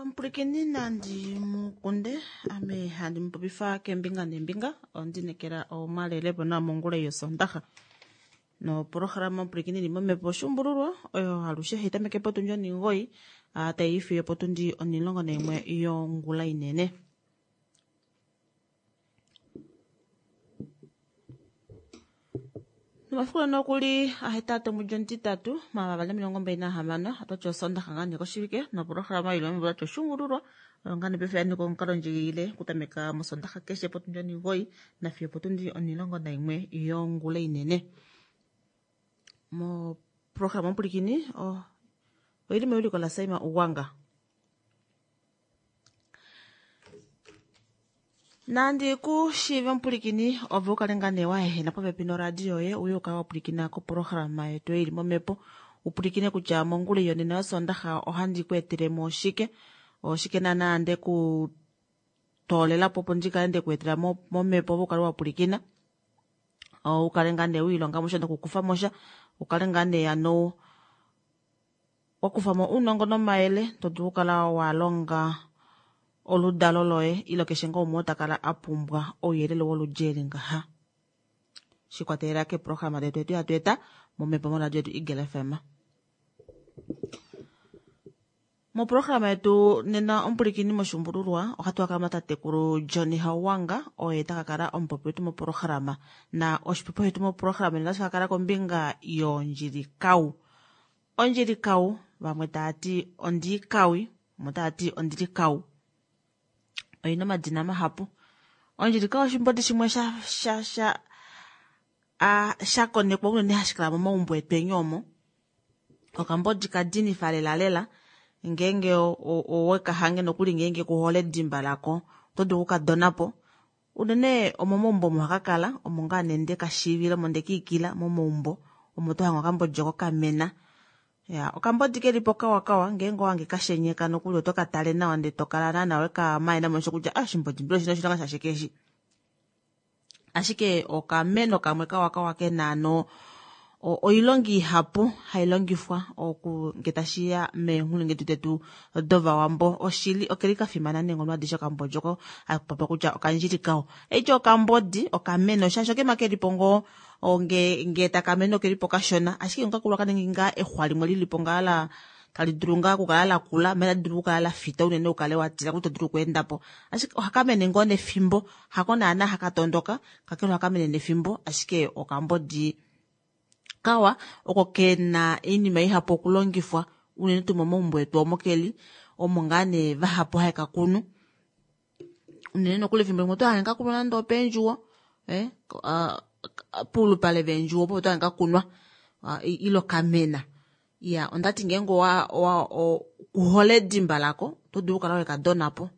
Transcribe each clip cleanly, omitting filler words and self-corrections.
Omupulikini nandi mukunde ame handi mupopifa keembinga neembinga ondinekela omwalelepo nawa mongula yosondaxa nopolohalama omupulikini ili momhepo oshuumbululwa oyo alushe hai tameke potundi onhingoyi tai fiyo potundi 11 yongula inene. Nomafiku lano okuli 8 omwedi omutitatu 2026 otwati osondaxa ngaa nee koshivike nopolohalama ili momhepo otwati oshuumbululwa oyo ngaa nee paife yaninga omukalo ndjikilile okutameka mosondaxa keshe potundi 9 nafiyo potundi 11 yongula inene. Moprograma omupulikini oili mewiliko laSaima Ugwanga. Nandi ku shiive omupulikini ove u kale ngaa nee wa ehena popepi noradio yoye uye u kale wa pwilikina koprograma yetu ei ili momhepo u pwilikine kutya mongula yonena yosondaxa ohandi ku etele mo shike oshike naana nde ku toolela po opo ndi kale nde ku etela momhepo ove u kale wa pwilikina u kale ngaa nee wiilonga mo sha nokukufa mo sha u kale ngaa nee ano Wa kufa mo ounongo nomayele to dulu okukala wa longa oludalo loye ile keshe ngoo umwe oo ta kala a pumbwa ouyelele woludi eli ngaha. Shikwatelela keeprograma detu edi hatu eta momhepo moradio yetu Eagle FM. Moprograma yetu nena omupulikini moshuumbululwa ohatu ka kala tatekulu Johnny Hauwanga oye ta ka kala omupopi wetu moprograma na oshipopiwa shetu moprograma nena otashi ka kala kombinga yondjilikau. Ondjilikau, vamwe tava ti ondiikawi, vamwe tava ti ondilikau. Oina omadina mahapu. Ondjilikau oshimbodi shimwe sha sha sha a sha konekwa unene hashi kala momaumbo etweni omo. Okambodi ka dinifa lela lela ngeenge owe ka hange nokuli ngeenge ku hole edimba lako oto dulu oku ka dona po. Unene omomaumbo omo haka kala, omo ngaa nee nde ka shiivila, omo nde ka ikila momaumbo omo to hange okambodi oko kamena. Ya, okambodi keli po kawa kawa, ngeenge owa hange ka shenyeka nokuli oto ka tale nawa ndele to kala naana we ka maena momesho kutya ah oshimbodi mbela oshina oshilonga shashike eshi. Ashike okameno kamwe kawa kawa kena ano oilonga ihapu hai longifwa oku nge tashiya meenghulungedu detu dovawambo oshili okeli ka fimana neenghono adishe okambodi oko haku kutya okandjili kao eityo okambodi okameno shaashi okema kelipo ngoo nge nge takameno okelipo kashona ashike ngakula kaningi ngaa exwa limwe lilipo ngaa la tali dulu ngaa okukala la kula mela dulu okukala la fita unene ukale wa tila kutya dulu okuenda po ashike ohaka mene ngoo nefimbo hako naana haka tondoka kakele ohaka mene nefimbo ashike okambodi kawa oko kena iinima ihapu okulongifwa unene tuu momaumbo etu omo keli omo ngaa nee vahapu haye ka kunu unene nokuli efimbo limwe oto hange ka kunwa nande opeendjuwo eh, puulupale veendjuwo opo oto hange ka kunwa ilo kamena ya ondati ngeenge owa owa kuhole edimba lako oto dulu okukala weka donapo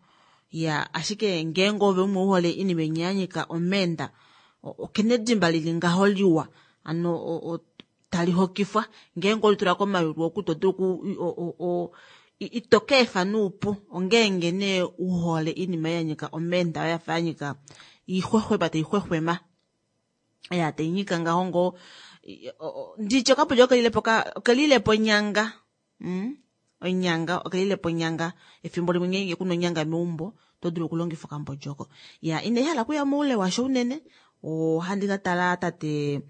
ya ashike ngeenge ove umwe uhole iinima inya ya nyika omeenda okena edimba lili ngaho liwa ano tali hokifwa ngeenge olitula komayulu oku to dulu ito ka efa nuupu ongeenge nee uhole iinima ya nyika omeenda oyo yafa ya nyika iixwexwema tai xwexwema ya tai nyika ngaho ngoo nditye okapulya okelilepo okelilepo onyanga onyanga okelilepo onyanga efimbo limwe ngeenge kuna onyanga meumbo oto dulu okulongifa okambodi oko ya inai hala okuya moule washo unene ohandi ka tala tate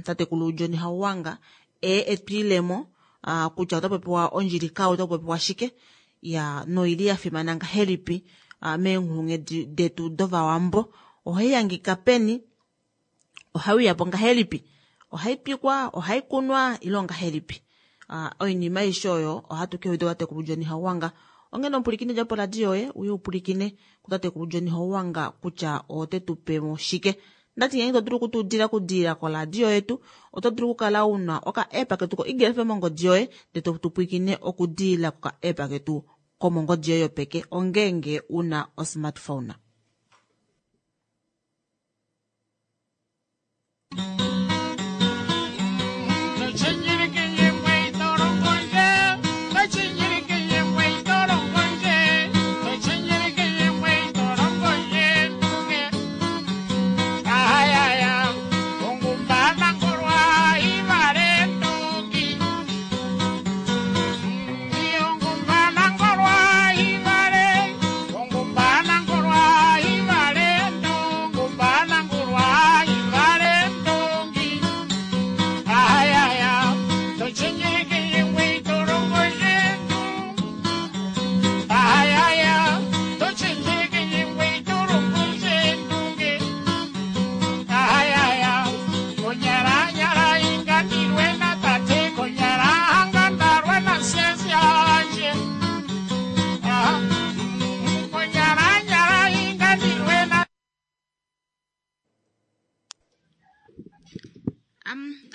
tatekulu John Hauwanga e etwiilemo kutya ota popiwa ondjilikau ota popiwa shike ya noili ya fimana ngahelipi meenghulunghedi detu dovawambo ohai hangika peni ohai uya po ngahelipi ohai twikwa ohai kunwa ile ongahelipi oinima aishe oyo ohatu ke uda tatekulu John Hauwanga onghene omupulikini dja poradio yoye uye upulikine kutatekulu John Hauwanga kutya ote tu pe mo shike ndati ngeenge to dulu okutuudila okudiilila koradio yetu oto dulu okukala una oka app ketu ko Eagle FM mongodi yoye ndele to tu pwilikine okudiilila koka app ketu komongodi yoye yopeke ongeenge una osmartphone.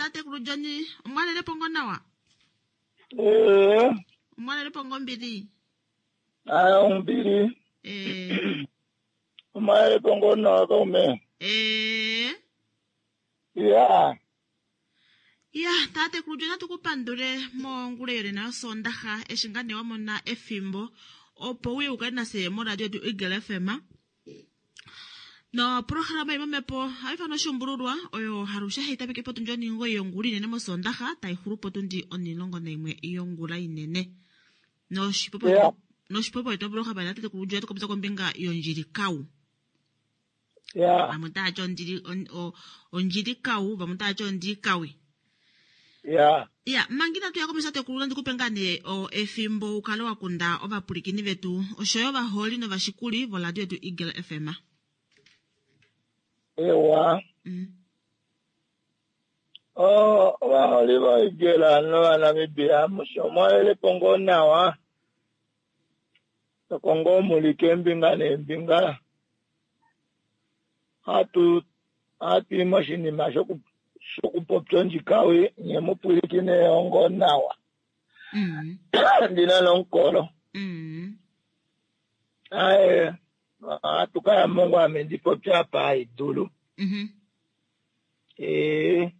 Tatekulu John, omwalelepo ngoo nawa? Ee. Omwalelepo ngoo ombili? Aa, ombili. Ee. Omwalelepo ngoo nawa kaume? Ee. Ya. Ya, tatekulu John, natu ku pandule mongula yonena yOsoondaxa eshi ngaa nee wa mona efimbo opo uye u kale nafye moradio yetu Eagle FM. Noprograma imwe momhepo ohai ifanwa Oshuumbululwa oyo halushe hai tameke potundi onhingoyi yongula inene mOsoondaxa tai xulu potundi onhilongo naimwe yongula inene. Noshipopiwa Yeah. noshipopiwa ito vulu okuhapa tatekulu John oto popya kombinga yondjilikau. Ya. Vamwe otava ti ondjili on- o- ondjilikau, vamwe otava ti ondikawi. Ya. Ya, manga inatu ya komesho tatekulu nandi kupe ngaa nee o, efimbo u kale wa kunda ovapwilikini vetu oshoyo ovaholi novashikuli voradio yetu Eagle FM. Ewa. Oh, ovaholi voEagle nOvanamibia amushe omwalelepo ngoo nawa. Toko ngoo muli keembinga neembinga. Hatu hatu i moshinima shoku shokupopya ondjikawi nye mu pwilikine yo ngoo nawa. Ndina nomukolo. Aye, ohatu kaya mo ngoo ame ndi popye apa haidulu. Ee.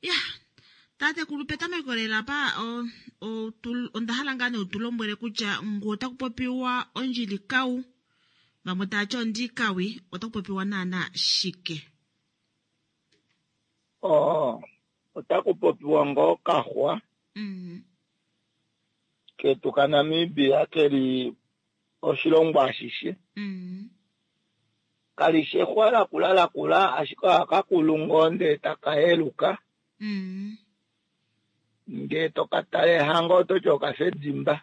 Ya, tatekulu petameko lela pa o, o, tu, onda hala ngaa nee u tu lombwele kutya ngu otaku popiwa ondjilikau, vamwe tava ti ondikawi, otaku popiwa naana shike? Oh, otaku popiwa ngoo kaxwa ketu kaNamibia keli oshilongo ashishe. Kalishi exwa lakula lakula, ashike ohaka kulu ngoo ndee taka yeluka. Ngee toka tale hango ototi okafa edimba.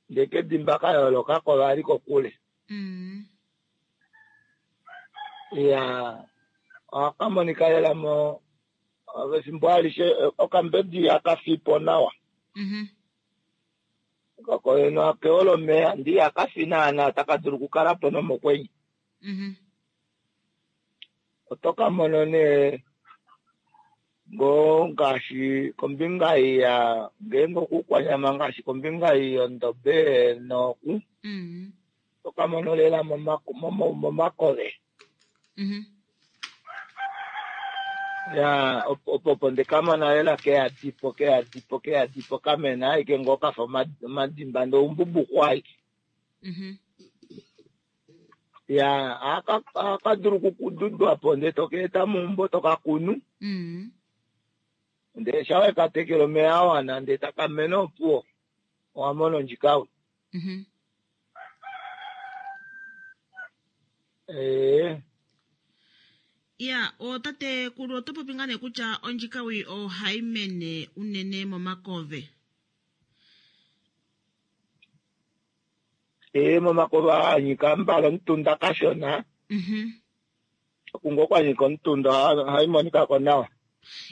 Ndee kedimba ka yooloka ko vali kokule. Ya, ohaka monika lela mo efimbo alishe okambedi haka fipo nawa. Kokoyeno akeola omeya ndi haka fi naana otaka dulu okukala po nomokwenye. Oto ka mono nee ngoo ngaashi kombinga ya ngeenge okukwanyama ngaashi kombinga yondobe noku oto ka mono lela momakove. Ya, opo opo ndeka mona lela keyadipo keyadipo keyadipo kamena aike ngoo kafa omadimba ndee oumbubuku aike. Ya, ohaka dulu okududwa po ndee toka eta meumbo toka kunu. Ndee sha weka tekele omeya a wana ndee taka mene opuwo owa mona ondjikawi. Ee. Ya, otatekulu oto popi ngaa nee kutya ondjikawi ohai mene unene momakove. Ee, momakove aa nyika mbala omutunda kashona. Oku ngoo kwa nyika omutunda ohai monika ko nawa.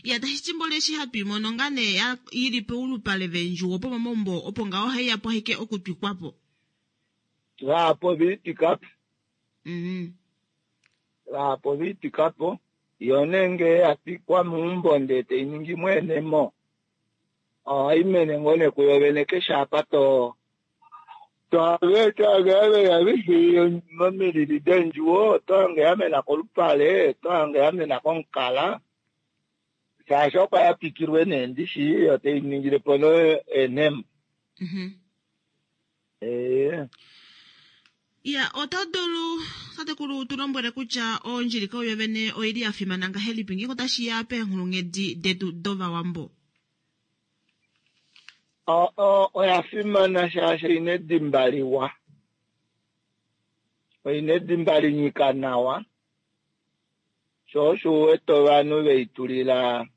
Ya, tashi ti mboli eshi hatu i mono ngaa nee ya ili poulupale veendjuwo pomomaumbo opo ngaho ohai yapo ashike okutwikwa po. Vahapu oviitwikapo. Vahapu oviitwikapo. Yo nee ngee ya twikwa meumbo ndee tai ningi mweenemo, ohai mene ngoo nee kuyo vene keshe apa to to hange momilili deendjuwo, oto hange ya mena kolupale, oto hange ya mena komukala. Shaashi oko ya twikilwe nee ndishi yo tai ningile po nee eenhemo. Ee. Ya, oto dulu tatekulu tu lombwele kutya ondjilika oyo vene oili ya fimana ngahelipi ngeenge otashi ya peenghulunghedi detu dOvawambo? Oya fimana shaashi oina edimba liwa. Oina edimba linyika nawa. Sho osho u wete ovanhu veitulila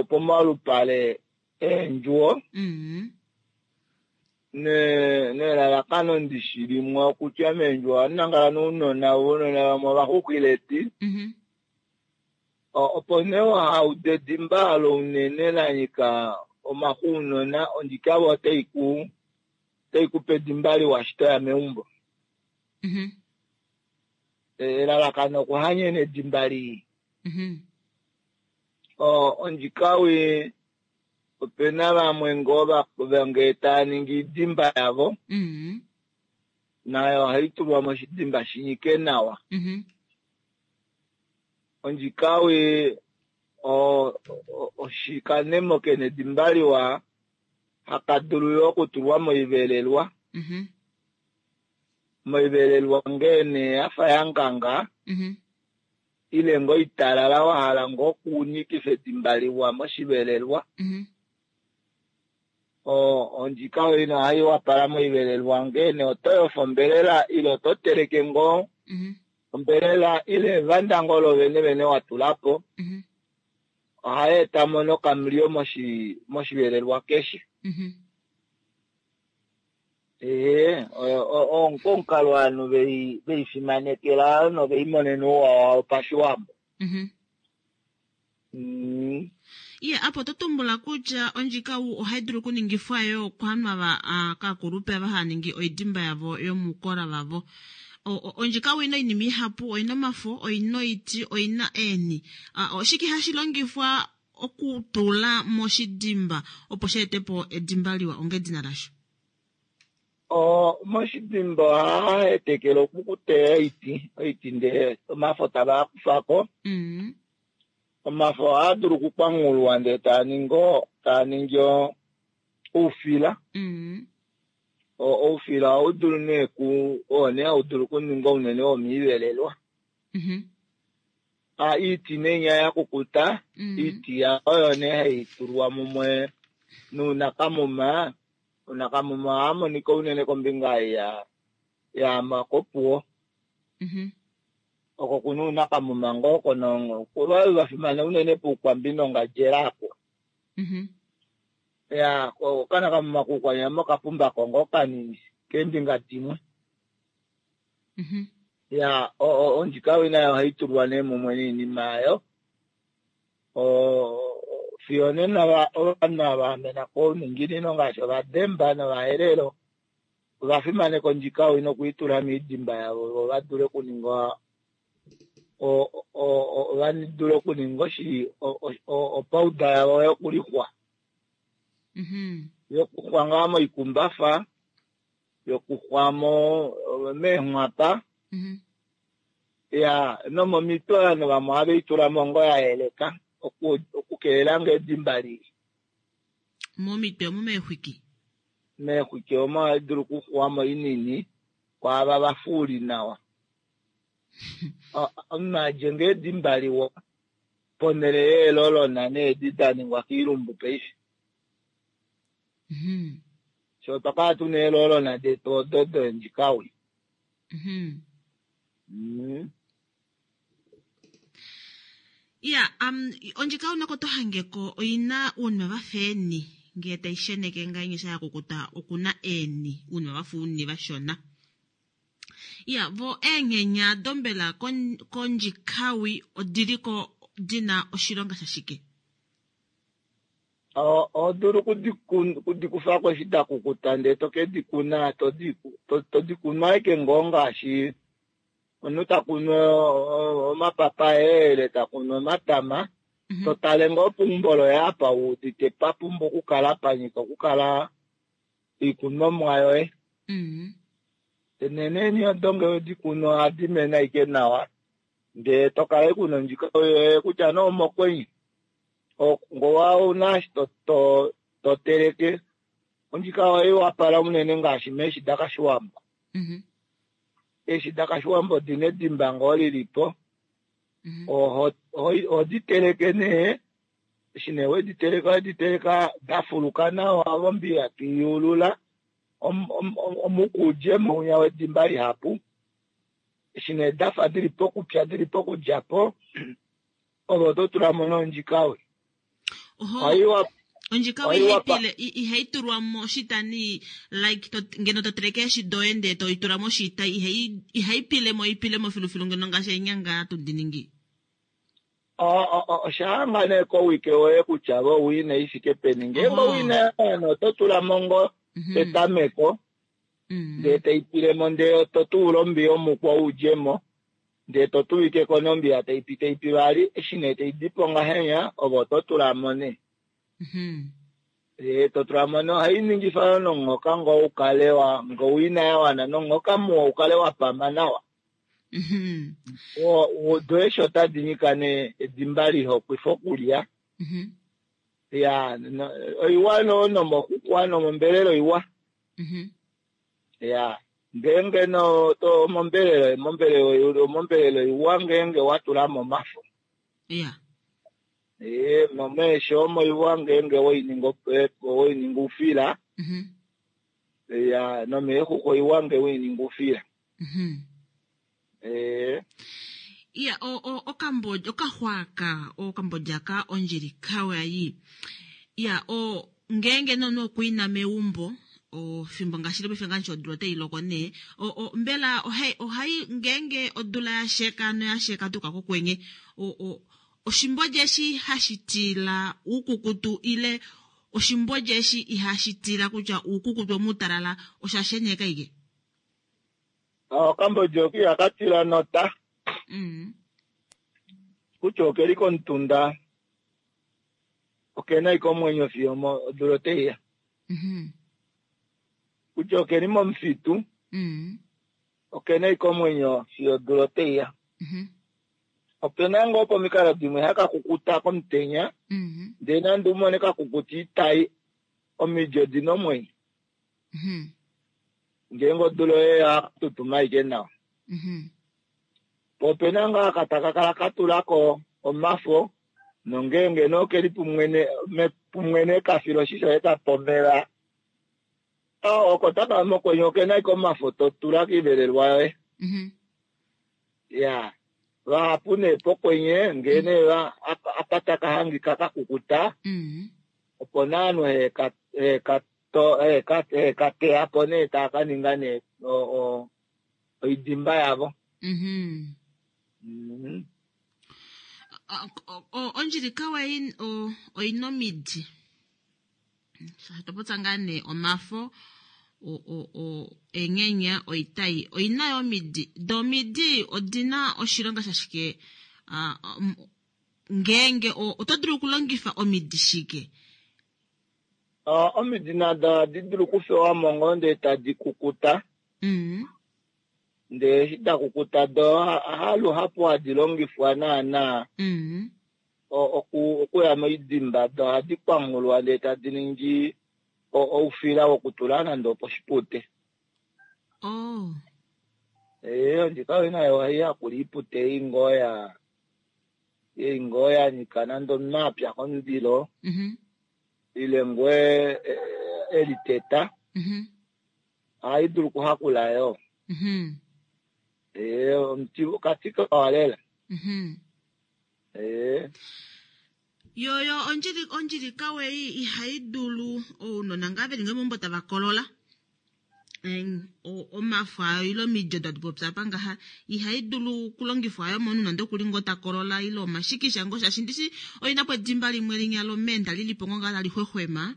pomalupale eendjuwo. Nelalakano ndishi limwe okutya meendjuwo ohamu nangala nounona, ounona vamwe ovaxuxwileti. Opo nee wahauda edimba olo unene la nyika omaxuunona, ondjikavo otai ku otai kupe edimba liwa eshi toya meumbo. Elalakano okuhanyena edimba lii. Ondjikawi opena vamwe ngoo ngee tava ningi oidimba yavo, nayo ohai tulwa moshidimba shi nyike nawa. Ondjikawi oshikanemo kena edimba liwa haka dulu yo okutulwa moivelelwa. Moivelelwa ngee nee yafa yanganga ile ngoo italala wa hala ngoo okunyikifa edimba liwa moshivelelwa. Ondjikawi ino ohai wapala moivelelwa ngee nee oto yofa ombelela ile oto teleke ngoo ombelela ile evanda ngoo lovene vene wa tulapo, ohai etamo nokamulyo moshivelelwa keshe. Ee, omukalo ovanhu veifimanekela noveimonena ouwa wavo pashiwambo. Iye, apo oto tumbula kutya ondjikau ohai dulu okuningifwa yo kovanhu ava kaakulupe ava hava ningi oidimba yavo yomukola vavo. Ondjikau oina oinima ihapu, oina omafo, oina oiti, oina eeni. Oshike hashi longifwa okutula moshidimba opo shi ete po edimba liwa onga edina lasho? Moshidimba ohaa hetekele okukuteya oiti, oiti ndee omafo tava kufako. Omafo ohaa dulu okukwangulwa ndee taa ningi oufila. Oufila ohau dulu nee oo nee hau dulu okuninga unene womiivelelwa. Iiti nee inya ya kukuta, iiti oyo nee hai tulwa mumwe nuunakamuma. Uunakamuma ohaa monika unene kombinga yaama kOpuwo. Oko kuna uunakamuma ngoo oko va fimana unene pUukwambi nOngandjera apo. Ya, okanakamuma kUukwanyama okapumbako ngoo kanini keembinga dimwe. Ya, ondjikawi nayo ohai tulwa nee mumwe noinima yayo. Fiyo nena ovanhu ava vamena kouninginino ngaashi Ovademba nOvaherero ova fimaneka ondjikawi nokuitula moidimba yavo vo va dule okuninga va dule okuninga opauda yavo yokulixwa. Yokuxwa ngaa moikumbafa, yokuxwa meenghwapa, ya nomomitwe ovanhu vamwe ohave i tula mo ngoo ya yeleka okukelela ngoo edimba lii. Momitwe omo meexwiki? Meexwiki omo ohai dulu okuxuwa mo inini kwaava va fuuli nawa. Omunhu adje ngoo edimba liwa ponhele yeelolona needi da ningwa koilumbu paife. Sho otwa kala tuna eelolona detu odo dondjikawi. Iya, ondjikawi nako to hangeko oina uunima vafa eeni ngee tai sheneke ngainye sha yakukuta okuna eeni uunima vafa uuni vashona. Iya, vo eenghenya dombela kondjikawi odiliko dina oshilonga shashike? Oho dulu okudikufako eshi da kukuta ndee to ke di kuna, to di kunu ashike ngoo ngaashi omunhu ta kunu omapapaye ile ta kunu omatama, to tale ngoo peumbo loye apa wu udite pa pumbwa okukala pa nyika okukala oikunomwa yoye. Neneni odo ngee wedi kunu ohadi mene ashike nawa ndee to kala ashike una ondjikawi yoye kutya nee omokwenye. Ngowa ouna eshi to teleke ondjikawi ohai wapala unene ngaashi meeshi dakashiwambo. Eeshi dakashiwambo odina edimba ngoo lilipo, ohodi teleke nee, eshi nee wedi teleka owedi teleka dafuluka nawa mombiya toiyuulula omuku udjemo winya wedimba lihapu. Eshi nee dafa dili pokupya dili pokudjapo ove oto tula mo nondjikawi. Ondjikawi ihai tulwa moshita ni like ngeno to teleke eeshi doye ndee to itula moshita ihai pile mo ipile mo filufilu ngeno ngaashi eenyanga hatu di ningi. Osha hanga nee kowike woye kutya vo owina i fike peni. Ngeenge owina yawana oto tula mo ngoo petameko ndee tai pile mo ndee to tuula ombiya omukwa u dje mo. Ndee to tuwike ko nee ombiya tai pi tai pi vali, eshi nee tai dipo ngahenya ove oto tula mo nee. Ee, to tula mo nee ohai ningifa yo nomunghoka ngoo u kale wa ngoo ina ya wana nomunghoka muwa u kale wa pama nawa. Do eshi otadi nyika nee edimba lihokwifa okulya. Ya, oiwa no nomoxuxwa nomombelela oiwa. Ya, ngeenge no to mombelela, mombelela, mombelela oiwa ngeenge wa tula mo omafo. Ya. Ee, nomeesho omo iwa ngeenge waininga waininga oufila. Ya, nomeexuxwa oiwa nge waininga oufila. Ee. Iya, okambodja, okaxwaaka, okambodja ka ondjili kawayi. Iya, o ngeenge nomunhu okwiina meumbo, ofimbo ngaashi paife ngaashi odula otai loko nee, o, mbela ohai, ohai ngeenge odula ya sheka noya sheka tuka kokwenye, o, o, oshimbodja eshi hashi tila oukukutu ile oshimbodja eshi ihashi tila kutya oukukutu omutalala osha sheneka ike? Okambodja oko ihaka tila nota. Kutya okeli komutunda okena ike omwenyo fiyo odula otaiya. Kutya okeli momufitu okena ike omwenyo fiyo odula otaiya. Opena ngoo pomikalo dimwe haka kukuta komutenya, ndee nande umone kakukuta itai, omidi odina omwenyo. Ngeenge odula oye ya tutuma aike nawa. Po opena ngaa aka taka kala ka tulako omafo, nongeenge nee okeli pumwene, pumwene kafila oshisho eka pomela, oko taka mokwenye okena ike omafo to tula kiivelelwa yoye. Ya, vahapu nee pokwenye ngee nee apa taka hangika ka kukuta, opo nee ovanhu heka heka teya po nee taa ka ninga nee oidimba yavo. Ondjili kawa oina omidi. Topotsa ngaa nee omafo, eenghenya, oitai oina yo omidi. Do omidi odina oshilonga shashike ngeenge oto dulu okulongifa omidi shike? Omidi nado ohadi dulu okufewa mo ngoo ndee tadi kukuta. Ndee eshi da kukuta do haluhapu hadi longifwa naana okuya moidimba, do ohadi kwanghulwa ndee tadi ningi oufila wokutula nande oposhipute. Ee, ondjika oyo nayo ohai yakula oipute ei ngoo ya ei ngoo ya nyika nande omunhu a pya komundilo ile ngoo e liteta, ohai dulu okuhakula yoo. Ee, omuti okati kawa lela. Ee. Yo ondjili ondjili kawei ihai dulu ounona ngaa veli ngoo meumbo tava kolola. Omafo ayo ile omidi odo hatu popi apa ngaha ihai dulu okulongifwa ayo momunhu nande okuli ngoo ta kolola ile omashikisha ngoo shaashi ndishi oina po edimba limwe linya lomenda lili po ngoo ngaa tali xwexwema.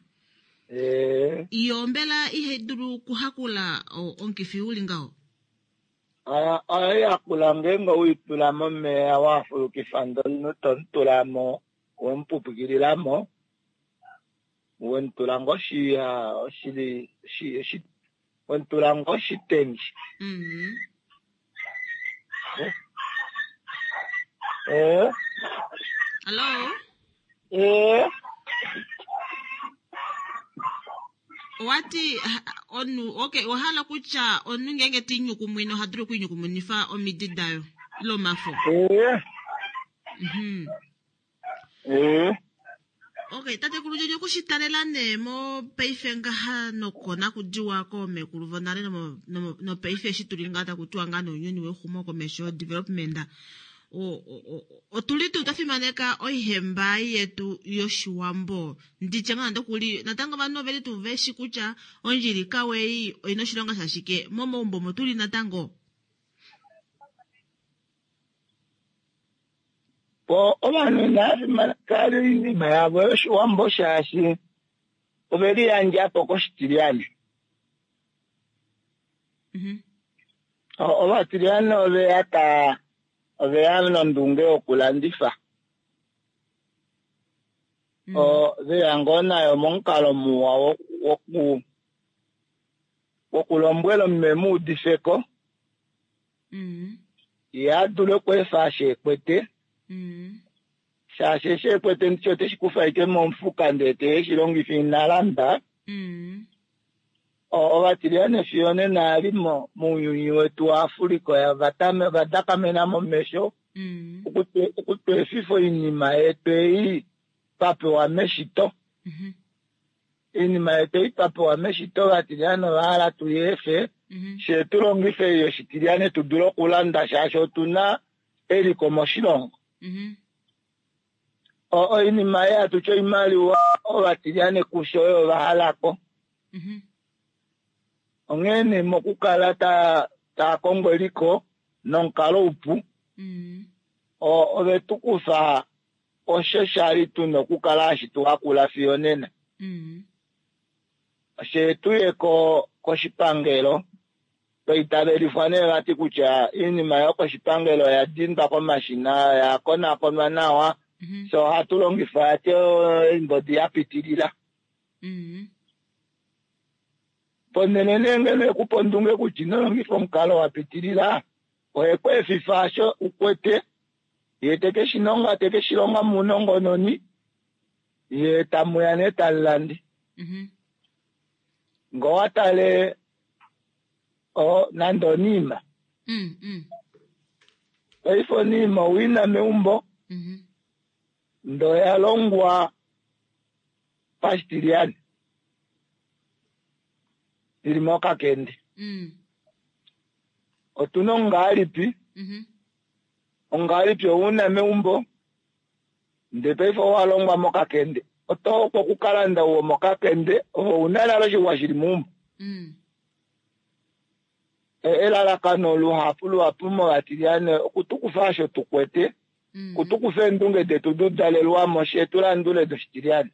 Yo mbela ihai dulu okuhakula omukifi uli ngaho? Ohai hakula ngeenge weitula momeya wafulukifa ndee omunhu tomutula mo wemupupukilila mo wemutula ngoo wemutula ngoo oshitengi. Hello? Owati omunhu, okay, owahala kutya omunhu ngeenge te inyukumwine oha dulu okwiinyukumwinifa omidi dayo ile omafo? Okay, tatekulu Jojo okushitalela nee mopaife ngaha nokonakudiwa koomekulu vonale nopaife eshi tuli ngaa taku tiwa ngaa nounyuni wexumo komesho development, otuli tuu twa fimaneka oihemba yetu yoshiwambo nditye ngaa nande okuli natango ovanhu oveli tuu veshi kutya ondjili kawei oina oshilonga shashike momaumbo omo tuli natango? Po ovanhu inava fimaneka oinima yavo yoshiwambo shaashi ove liyandja po koshitilyane. Ovatilyane ove ya Oveya nondunge yokulandifa. Oveya ngoo nayo momukalo muwa wokulombwela omunhu e mu udifeko. Ye a dule okweefa eshi ekwete. Shaashi eshi ekwete ndishi oteshi kufa ashike momufuka ndee te shi longifa ina landa. Ovatiliyane fiyo nena ali mounyuni wetu waAfrika ova dakamena momesho okutweefifa oinima yetu ei twapewa meshito. Oinima yetu ei twapewa meshito ovatiliyane ova hala tuyeefe shee tulongife ei yoshitiliyane tu dule okulanda shaashi otuna eliko moshilongo. Oinima ei hatu ti oimaliwa ovatiliyane kusho oyo va halako. Onghee nee mokukala taa kongo eliko nomukalo upu, ove tu kufa osho shali tuna okukala hashi tu hakula fiyo nena. She tuye koshipangelo, twaitavelifwa nee vati kutya oinima yokoshipangelo oya dindwa komashina, oya konakonwa nawa, so ohatu longifa ati oimbodi ya pitilila. Ponhele nee ngeno ekupa ondunge kutya ino longifa omukalo wa pitilila, oye ku efifa osho ukwete, ye teke shi nonga, teke shi longa mounongononi, ye tamuya nee tamulande. Ngee owa tale nande oniima. Paife oniima owiina meumbo, ndee oya longwa pashitiliyane ili mokakende. Otuna ongalipi, ongalipi ouna meumbo, ndee paife owa longwa mokakende. Oto okukalanda uwo mokakende, ouna nale oshixwa shili meumbo. Elalakano luhapu luhapu movatiliyane okutukufa osho tukwete, okutukufa eendunge detu dudalelwamo she tulandule doshitiliyane.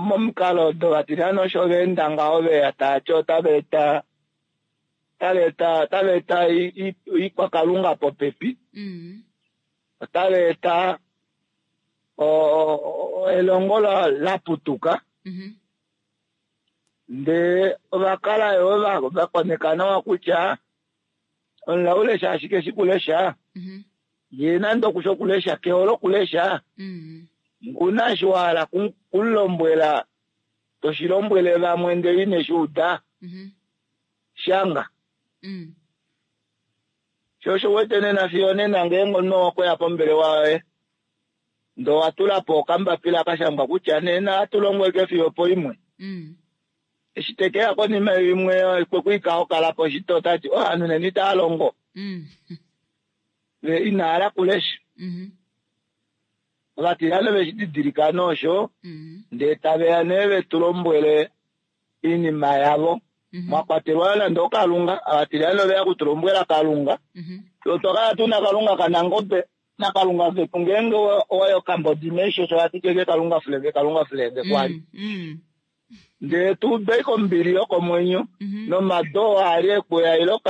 Momukalo dovatiliyane osho vaenda ngaho veya taati otava eta otava eta oikwakalunga popepi, otava eta elongo laputuka, ndee ovakala yo vakoneka nawa kutya omulaule shaashi keshi kulesha, ye nande okusha okulesha kehole okulesha, nguna eshi wa hala kumulombwela toshi lombwele vamwe ndele ineshi uda, shanga. Sho osho uwete nena fiyo nena ngeenge omunhu okweya pombelewa yoye ndee owa tula po okambapila kashangwa kutya nena ohatu longo ashike fiyo opoimwe. Eshi tekeya konima imwe kwekuika okala po shito otati ovanhu nena itava longo. Ve ina hala kulesha. Ovatiliyane veshi didilika noosho ndee taveya nee vetu lombwele oinima yavo. Mwa kwatelwa nande okalunga, ovatiliyane oveya okutulombwela kalunga. Otwa kala tuna kalunga kanangobe nakalunga ketu ngeenge owayi okambodi meisho osho vati keke kalunga fulenge kalunga fulenge kwali. Ndee tuude kombili yokomwenyo nomado ali ekuya ilo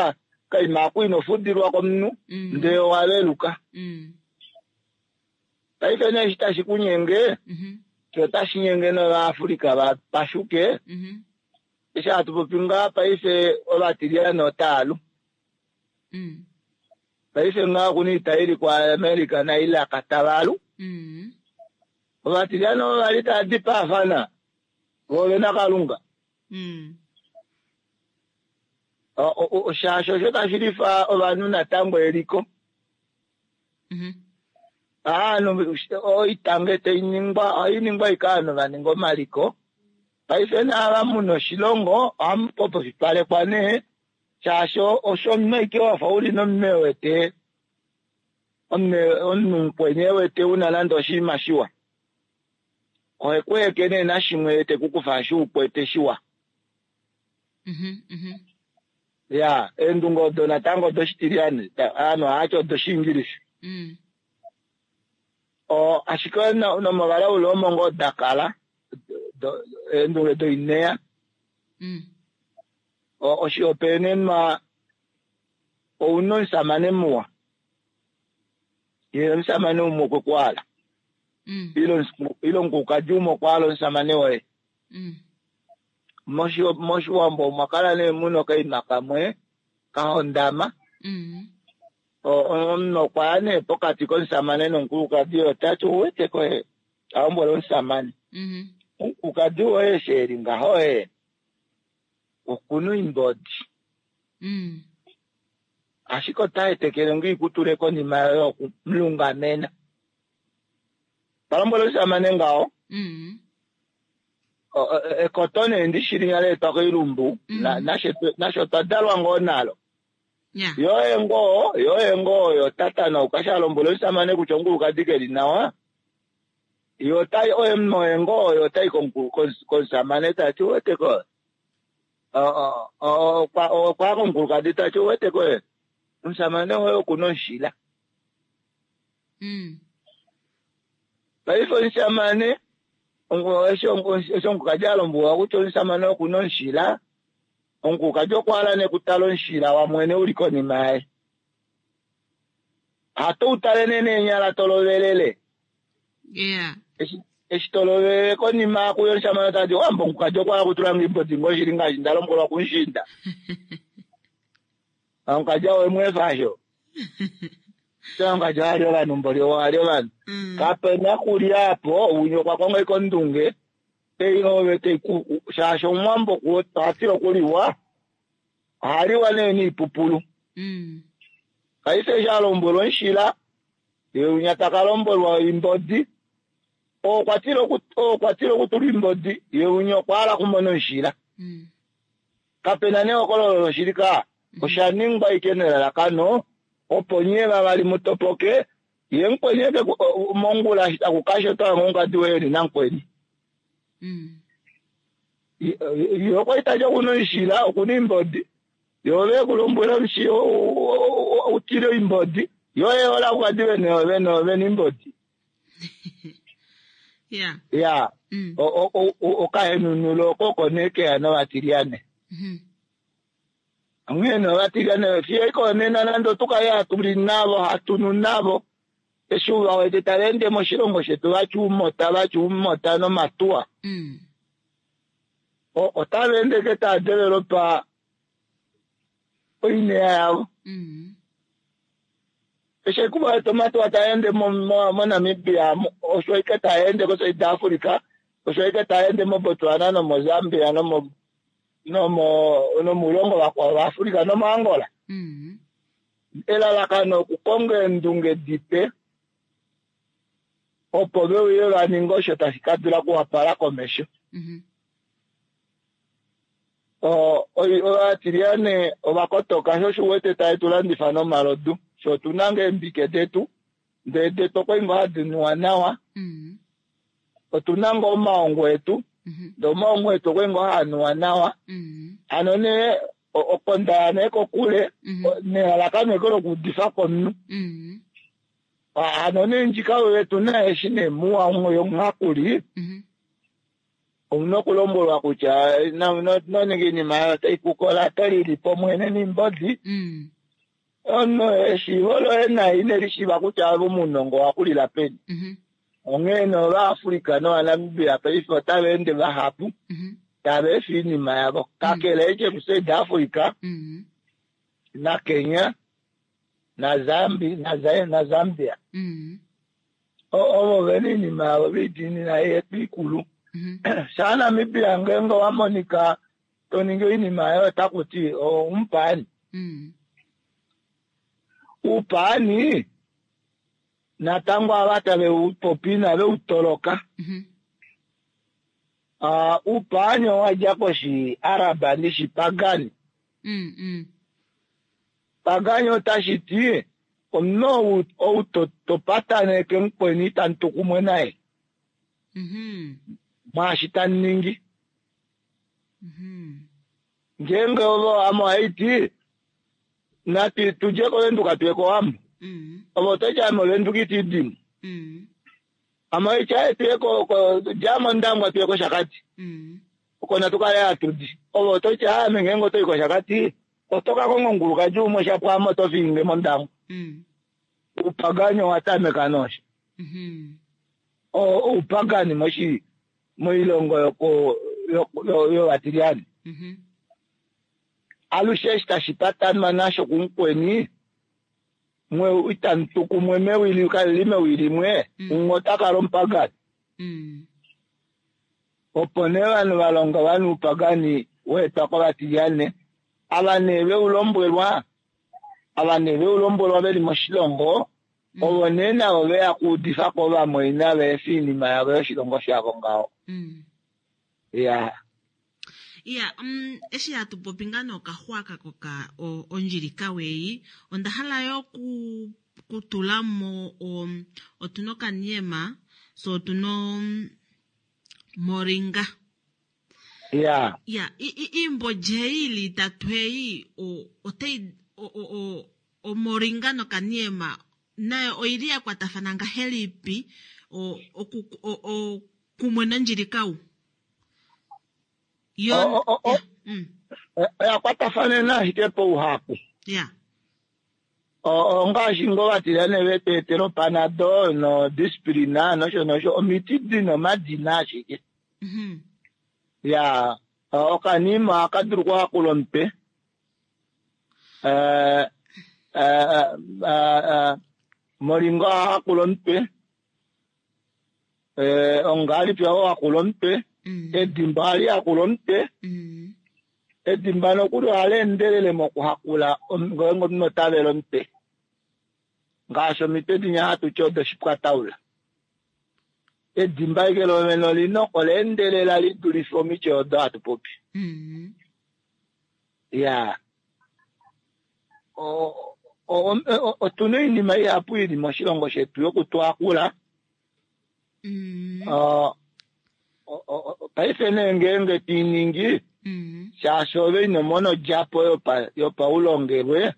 kaima aku ino fudilwa komunhu ndee owa veluka. Paife nee eshi tashi kunyenge, otashi nyenge nOvaafrika va pashuke. Eshi hatu popi ngaa paife ovatiliyane otava lu. Paife ngaa okuna oita ili kuAmerica naIraq tava lu. Ovatiliyane ovo vali tava dipaafana vo ovena Kalunga. Shaashi osho tashi lifa ovanhu natango eliko. Ovanhu oita nge tai ningwa ohai ningwa ashike ovanhu va ninga omaliko. Paife naava muna oshilongo ohamu popifipalekwa nee shaashi osho omunhu ashike wafa uli nomunhu ewete omunhu mukweni ewete una nande oshinima shiwa. Ohe ku heke nee nashimwe te ku kufa eshi ukwete shiwa. Ya, eendunge odo natango odoshitiliyane, ovanhu ohava ti odoshiingilisa. Ashike nomovalaule omo ngoo da kala, eendunge doineya. Oshihopaenenwa ouna omusamane muwa ye omusamane umwe okwe ku hala ile omukulukadi umwe okwa hala omusamane woye. Moshiwambo omwa kala nee muna okaima kamwe ka hondama. Omunhu okwa ya nee pokati komusamane nomukulukadi, ota ti ouwete ko ta lombwele omusamane, omukulukadi woye eshi e li ngaho ye okuna oimbodi. Ashike ota etekele ngoo ikutule konima yoye okumulungamena. Ta lombwele omusamane ngaho. Ekoto nee ndishi linya leetwa koilumbu, nasho otwa dalwa ngoo nalo. Yoye ngoo, yoye ngoo oyo tatanauka sha lombwele omusamane kutya omukulukadi ke li nawa. Yo otai oye oye ngoo oyo otai komusamane ta ti uwete ko. Okwa komukulukadi ta ti uwete ko omusamane woye oku na omushila. Paife omusamane eshi omukulukadi a lombwelwa kutya omusamane oku na omushila, omukulukadi okwa hala nee okutala omushila wamwene u li konima yaye. Hato u tale nee neenyala to lovelele. Eshi to lovelele konima kuyo omusamane ota ti, Wambo omukulukadi okwa hala okutula nge oimbodi ngoo shili ngaashi nda lombwelwa kumushiinda. Omukadji owe mu efa sho. Omukadji oha li ovanhu mboli oha li ovanhu. Kape na kulya apo, winya okwa konga ike ondunge ei ove tei ku shaashi omuwambo oha tila okuliwa, oha liwa nee niipupulu. Paife eshi a lombwelwa omushila, ye winya taka lombwelwa oimbodi, okwa tila okutula oimbodi, ye winya okwa hala okumona omushila. Kape na nehokololo loshili ka, osha ningwa ashike nelalakano opo nye vavali mu topoke, ye mukweni eke mongula eshi taku kasha oto hange omukadi woye eli namukweni. Ye okwa li tati okuna omushila, okuna oimbodi, ye ove eku lombwela u tile oimbodi, ye oye hole omukadi vena oimbodi. Ya, okahenunulo oko oko nee keya novatilyane. Onghee nee ovatilyane fiyo iko nena nande otu kale hatu li navo, hatu nu navo, eshi u va wete tava ende moshilongo shetu vatya oumota, vatya oumota nomatuwa, otava ende ke tava developa oineya yavo. Eshi ekuva wete omatuwa taa ende moNamibia, osho ike taa ende koSouth Africa, osho ike taa ende moBotswana nomoZambia nomoulongo vakwao vaAfrica nomoAngola. Elalakano okukonga eendunge dipe opo ve uye va ninge osho tashi ka dula okuwapala komesho. Ovatiliyane ova kotoka sho osho uwete tave tu landifa nomalodu, sho otu na ngoo eembike detu ndee detu okwa ngoo hadi nuwa nawa, otu na ngoo omaongo etu ndee omaongo etu okwa ngoo haa nuwa nawa. Hano nee okonda ya nee kokule nelalakano eke lokuudifa komunhu. Hano nee ndjika oyo tu na eshi nee muwa yomuhakuli, ouna okulombwelwa kutya noninga iinima yayo otai kukola, oto lili po mwene niimbodi. Omunhu eshiivo loye naye ine li shiiva kutya ove omunongo owa kulila peni. Onghee nee Ovaafrika nOvanamibia paife otava ende vahapu tava efa iinima yavo, kakele eke kuSouth Africa naKenya naZambia. Ovo ve na iinima yavo ve i diinina yetu ikulu. Shaa Namibia ngeenge owa monika to ningi oinima yoye otaku ti omupaani. Uupaani natango ava tave u popi inave u toloka. Uupaani owa dja kOshiaraba nishipagani. Pagani otashi ti omunhu ou to pataneke mukweni itamu tu kumwe naye mwaashi tamu ningi. Ngeenge ove ame ohai ti natu tudje kOvenduka tuye kOwambo, ove oto ti ame Ovenduka iti dimo. Ame ohai ti aye tuye dja mOndangwa tuye kOshakati. Oko natu kale hatu di. Ove oto ti, Aame ngeenge oto i kOshakati, oto ka konga omukulukadi umwe shapo ame oto fiinge mOndangwa. Oupagani owa tameka nosho. Oupagani moshi moilongo yoko yovatilyane. Alushe eshi tashi patanwa nasho kumukweni, mwe itamu tu kumwe mewi li kali li mewi limwe, umwe ota kala omupagani. Opo nee ovanhu va longa ovanhu oupagani wa etwa kovatilyane, ava nee ve u lombwelwa, ava nee ve u lombwelwa ve li moshilongo, ovo nee navo ve ya kuudifa ko ovamwaina va efe oinima yavo yoshilongo shavo ngaho. Ya. Iya, um, eshi hatu popi ngaa nee okaxwaka koka ondjilika weyi, onda hala yo ku kutula mo um, otuna okaniema, so otuna um, moringa. Ya. Ya, iimbodja ei ili itatu ei, otai, omoringa nokaniema nayo oili ya kwatafana ngahelipi oku, kumwe nondjilikau? Yo, mm. Oya kwatafanena ashike pouhapu. Ya. Ongaashi ngoo vatilyane ve tu etela opanado nodispirina nosho nosho, omiti di na omadina ashike. Ya, okanima ohaka dulu okuhakula omutwe. Moringa oha hakula omutwe. Ongahelipi oho hakula omutwe? Edimba ohali hakula omutwe. Edimba nokuli ohali endelele mokuhakula ngeenge omunhu ota vele omutwe. Ngaashi omitwe dinya hatu ti odoshipwataula. Edimba ashike lovene olina ola endelela li dulife omiti odo hatu popi. Ya. Otuna oinima ihapu ili moshilongo shetu yokutuhakula. Paife nee ngeenge to i ningi, shaashi ove ino mona odjapo yopaulongelwe,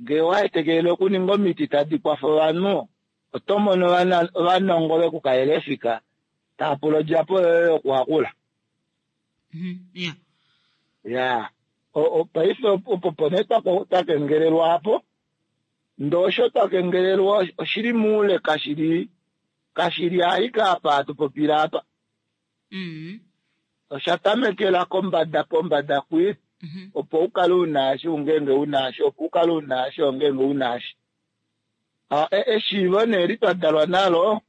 ngee owa etekelele okuninga omiti tadi kwafa ovanhu, oto mono ovanongo ve ku kalela efika tava pula odjapo yoye yokuhakula. Ya, paife opo po nee twa kengelelwa apo. Ndee osho twa kengelelwa oshili moule kashili kashili ashike apa hatu popile apa. Osha tamekela kombada pombada kwi, opo u kale u na eshi ngeenge u na eshi, opo u kale u na eshi ngeenge u na eshi. Eshiivo nee li twa dalwa nalo,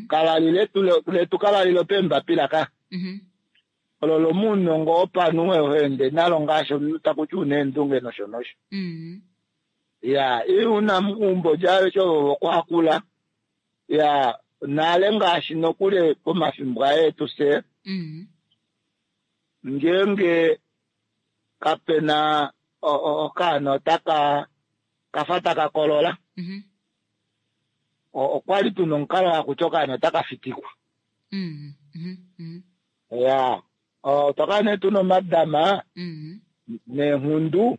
kala li letu, letu kala li lopeembapila ka. Olo lomuunongo wopanhu ho ende nalo ngaashi omunhu taku ti una eendunge nosho nosho. Ya, i una uumbodja aveshe ovo vokuhakula. Ya, nale ngaashi nokuli pomafimbo aye etu fye, ngeenge kape na okaana otaka kafa taka kolola, okwa li tuna omukalo haku ti okaana otaka fitikwa. Ya, otwa kala nee tuna omadama neenghundu.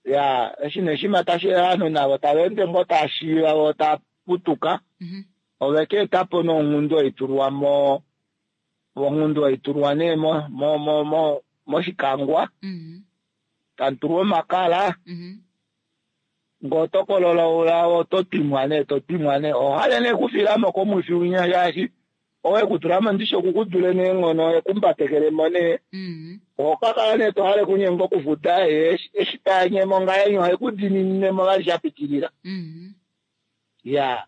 Ya, eshi nee shima tashi ovanhu navo tava ende ngoo tava shiiva vo tava putuka, ove ka eta po nee onghundu hai tulwa mo, onghundu hai tulwa nee mo mo mo mo moshikangwa, tamu tulwa omakala. Ngee oto kolola oula oto twimwa nee, to twimwa nee. Oho hale nee okufila mo komwifi winya shaashi owe ku tula mo ndishi oku ku dule neenghono e ku mbatekele mo nee. Oho ka kala nee to hale kunyenga okufuda ye eshi ta nye mo ngahenya ohe ku dininine mo vali sha pitilila. Ya,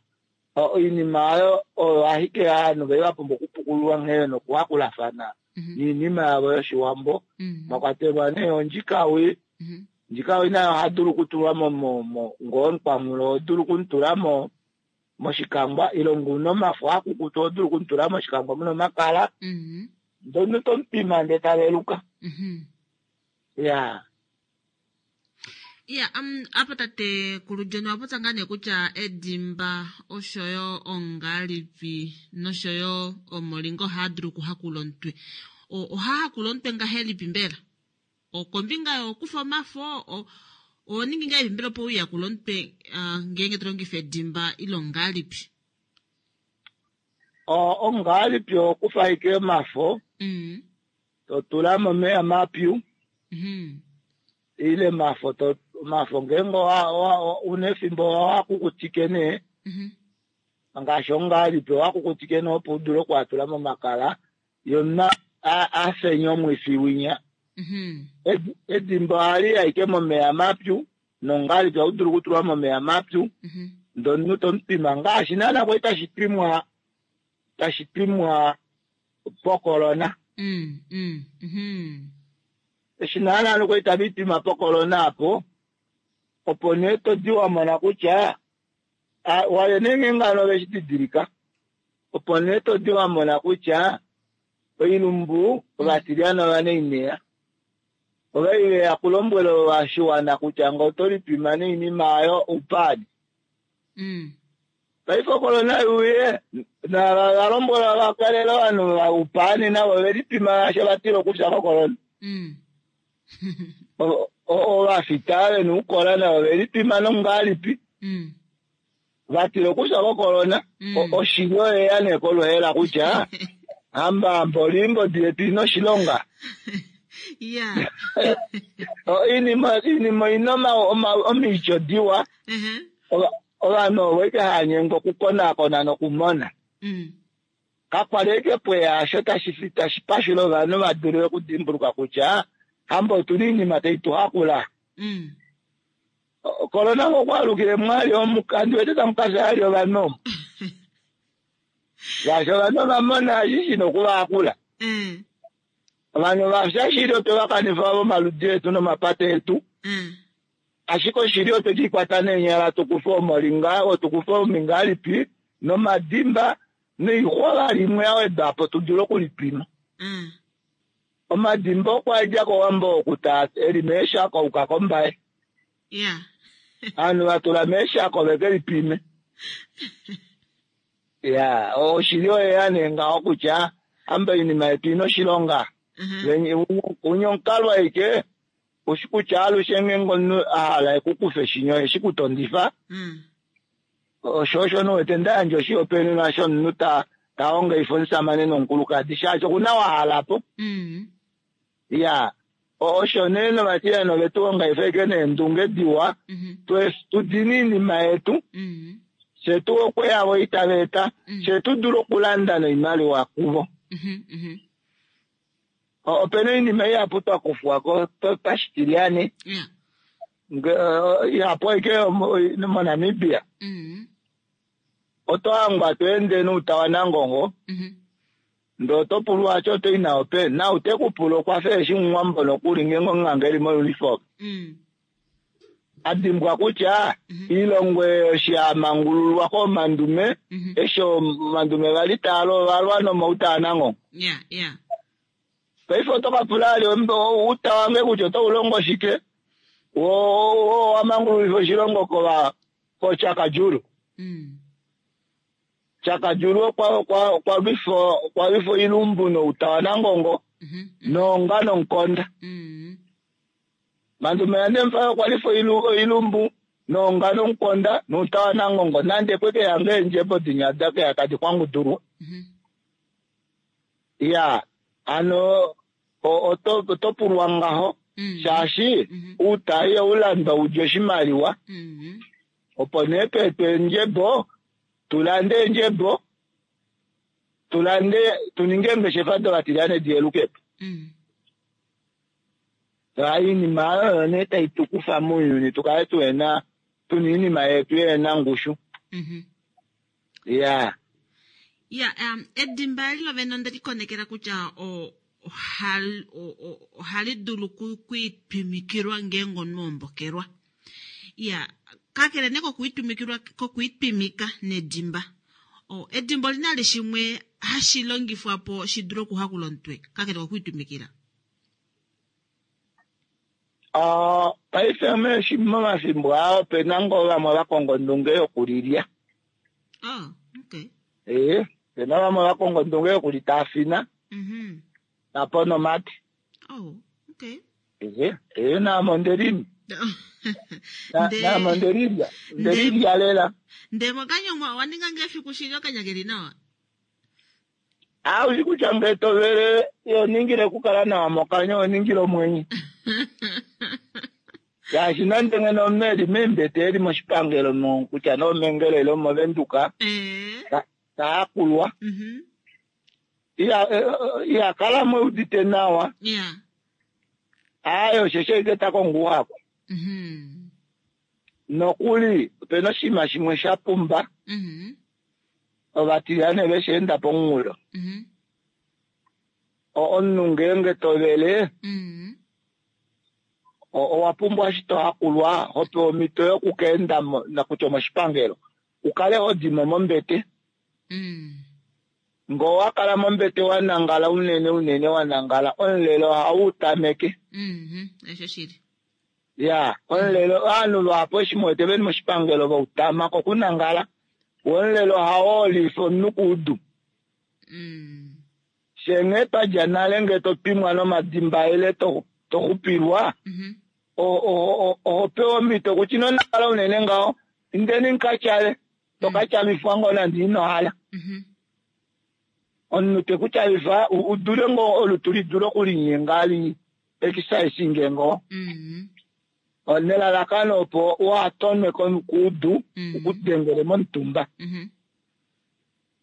oinima oyo oyo ashike ovanhu vali va pumbwa okupukululwa nghee nokuhakulafana niinima yavo yOshiwambo, mwa kwatelwa nee ondjikawi. Ndjikawi nayo oha dulu okutulwa mo mo ngoo omukwanghulo oho dulu okumutula mo moshikangwa ile ngoo una omafo akukutu oho dulu okumutula moshikangwa muna omakala ndee omunhu to mupima ndee ta veluka. Ya. Iya, um, apa tatekulu John owa popya ngaa nee kutya edimba oshoyo ongalipi noshoyo omolinga ohaa dulu okuhakula omutwe. Ohaa hakula omutwe ngahelipi mbela? Okombinga yokufa omafo, oho ningi ngahelipi mbela opo u yakule omutwe ngeenge to longifa edimba ile ongalipi? Ongalipi oho kufa ashike omafo. To tula momeya mapyu ile mafo to omafo ngeenge una efimbo owa kukutike nee ngaashi ongalipi owa kukutike nee opo udule okuatula momakala yona afenye omwifi winya. Edimba ohali ashike momeya mapyu nongalipi ohaudulu okutulwa momeya mapyu ndee omunhu tomutwima ngaashi naana kwali tashi twimwa pocorona. Eshi naana kwali tava twima pocorona apo opo nee todi wamona kutya wale nee ngeenge hano oveshi didilika opo nee todi wamona kutya oilumbu ovatilyana ovanaineya ovali veya kulombwela oshiwana kutya ngee oto lipima noinima aayo oupadi. Paife ocorona yuye valombwela vakalele ovanhu vaupani navo ovelipima shaashi ovatila okufya kocorona. Ovafita vena oukola navo ovelipima nongalipi vatila okufya kocorona. Oshili oyeya nee koluhela kutya hamba mboli yetu ina oshilonga. Oinima ina omiityo diwa. Ovanhu ovo ike hanyengwa okukonakona nokumona. Kakwali eke pweya tashi pashula ovanhu vadule okudimbuluka kutya hamba otuna oinima tai tuhakula. Corona okwaalukile mwali omukandi wete tamukafya ali ovanhu omo. Shaashi ovanhu ovamona eshi shina okuvahakula. Ovanhu vafya shili otwe vakanifa vomaludi etu nomapata etu. Ashike oshili otwe kikwata neenyala tukufe omolinga, tukufe omingalipi nomadimba noixwa vali imwe yawedwapo tudule okulipima. Omadimba okwa dja kOwambo oku eli meeshako auka kOmbaye. Ovanhu vatula meeshako veke lipime. Ya, oshili oyeya nee ngaho kutya amba oinima yetu ina oshilonga. Unya omukalo aike ushi kutya alushe ngeenge omunhu ahala ekukufe shinyo eshi kutondifa. Osho osho nuwete ndayandja oshihopaenenwa shomunhu tahongaifa omusamane nomukulukadi shaashi okuna wahalapo. Ya, osho nee novatiliyana ovetu hongaifa ashike neendunge diwa tudine oinima yetu fye tu okweya itava eta fye tudule okulanda noimaliwa kuvo. Opena oinima ihapu twakufwako pashitilyane ihapu aike moNamibia. Oto hangwa tweende nouta wanangongo ndee oto pulwa ati otoyi nawo peni na tekupula okwafa eshi omuwambo nokuli ngeenge omunganga eli mouniform. Adimbwa kutya ilongo eshi yamangululwa koomandume eshi omandume vali taalwa ovalwa nomauta anangongo. Paife oto kapula ali outa wange kutya otaulongo shike wo wamangululifa oshilongo kochakajulu. Chakajulu okwa lwifa oilumbu nouta wanangongo nonga nomukonda. Mandume yaNdemufayo okwa lwifa oilumbu nonga nomukonda nouta wanangongo nande kweke yange eendjebo dinya dakeya tadi kwangudulwa. Ya, ano oto pulwa ngaho shaashi outa ihaulandwa udje oshimaliwa. Opo nee tweetwe eendjebo tulande eendjebo tulande tuninge eengeshefa dovatilyane diyelukepo. Oinima oyo nee tai tukufa mounyuni tukale tuhena tuna oinima yetu yena ngushu. Ya. Ya, edimba eli lovene onde likonekela kutya ohali dulu kwiitwimikilwa ngeenge omunhu ombokelwa. Ya, kakele nee kokwiitwimika nedimba. Edimba olina li shimwe hashi longifwa po shi dule okuhakula omutwe kakele kokwiitwimikila. Paife momafimbo aa opena ngoo vamwe vakonga ondunge yokulilya. Opena vamwe vakonga ondunge yokulitaafina napo nomate. Naame ondelimi. Naame ondelilya. Ondelilya lela. Ndee mokanya owa ninga ngee efiku shili okanya keli nawa? Aushi kutya ngee to vele iho ningile okukala nawa mokanya oho ningile omwenyo. Shaashi nande ngeno omunhu eli meembete eli moshipangelo mo kutya nee omEngela ile omoVenduka ta yakulwa iha kala mo eudite nawa. Aaye osheshi ashike ta kongo ouhaku. Nokuli opena oshinima shimwe sha pumba ovatilyane ve shi enda pomunghulo. Omunhu ngeenge to vele owa pumbwa eshi to hakulwa ho pewa omhito yoku ka enda kutya omoshipangelo u kale ho di mo mombete. Ngee owa kala mombete wa nangala unene unene wa nangala omulelo ohau u tameke. Ya, omulelo ovanhu vahapu eshi mu wete veli moshipangelo va utama kokunangala, wo omulelo ohau olifa omunhu kuudu. Fye nghee twa dja nale ngee to twimwa nomadimba ile to xupilwa, oho pewa omhito kutya ino nangala unene ngaho, indeni muka tyale, to ka tyalifwa ngoo nande ino hala. Omunhu te ku tyalifa u dule ngoo olutu li dule okulinyenga li exercise ngoo. Nelalakano opo uha tonwe kuudu u ku dengele momutumba.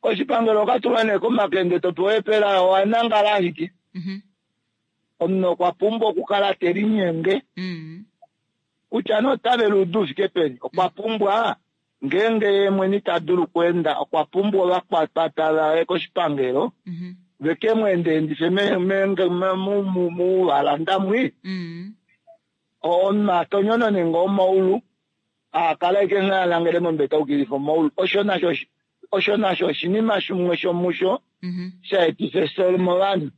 Koshipangelo oka tulwa nee komakende to pewa eepela owa nangala ashike. Omunhu okwa pumbwa okukala te linyenge kutya nee ota vele oudu u fike peni, okwa pumbwa ngeenge ye mwene ita dulu okweenda okwa pumbwa ovakwapata vaye koshipangelo ve ke mu endeendife mouvalanda mwi. Omunhu a tonyonone ngoo omaulu a kala ashike nghee a nangele mombete a ukilifa omaulu. Osho nasho osho nasho oshinima shimwe shomusho sha etifa efyo movanhu.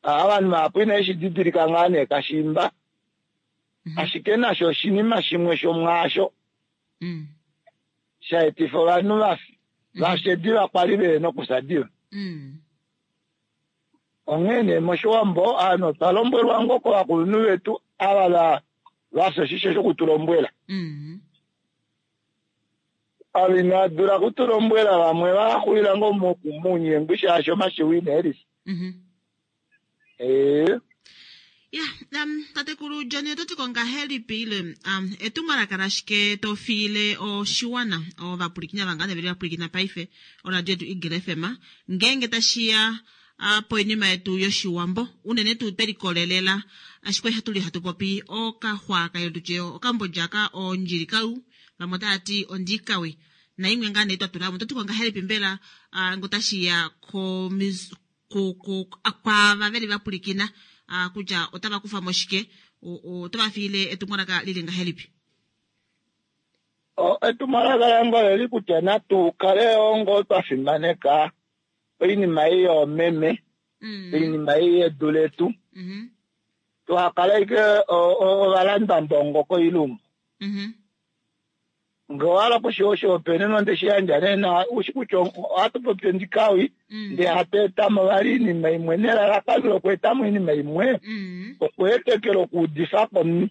Ovanhu vahapu inave shi didilika ngaa nee kashiimba, ashike nasho oshinima shimwe shomwaasho sha etifa ovanhu va fye diva kwali ve nokufya diva. Onghee nee mOshiwambo ovanhu otwa lombwelwa ngoo kovakulunhu vetu ava va fya oshisho shoku tu lombwela. Ava inava dula oku tu lombwela vamwe va xulila ngoo mounyengwi shaashi omashiwi ina e lifa. Ee. Ya, tatekulu Johnny oto ti ko ngahelipi ile etumwalaka lashike to fiile oshiwana ovapwilikini ava ngaa veli vapwilikina paife oradio yetu Eagle FM ngeenge tashiya poinima yetu yoshiwambo unene tuu twe likolelela ashike oha tuli hatu popi okaxwaaka ile tutye okambodja ka ondjili kau vamwe otava ti ondikawi naimwe ngaa nee twa tulamo oto ti ko ngahelipi mbela ngo tashiya kwaava veli va pwilikina kutya otava kufa mo shike, otava fiile etumwalaka lili ngahelipi? Etumwalaka lange oleli kutya natu kale ngoo twa fimaneka oinima ei yoomeme, oinima ei yedu letu, tuha kale ashike ovalandwambongo koilumbu. Ngee owa hala okushiwa oshihopaenenwa nde shi yandja nee nawa, u shi kutya ohatu popi ondikawi, ndee hatu eta mo vali oinima imwe nelalakano lokweeta mo oinima imwe okweetekela okuudifa ko omunhu.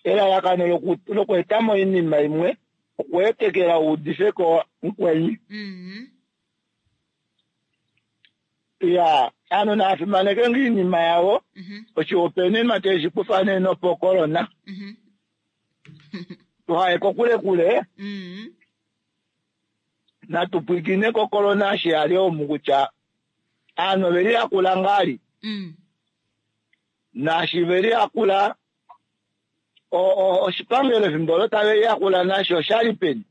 Elalakano lokweeta mo oinima imwe okweetekela u udife ko mukweni. Ya, aanhu naya fimaneke ngaa iinima yavo. Oshihopaenenwa te shi kufa nee nopokolona. Tuhaye kokule kule. Natu pwilikine kokolona eshi ya li omu kutya aanhu ove liyakula ngaa li. Naashi ve liyakula oshipangelo efimbo olo tave liyakula nasho osha li peni?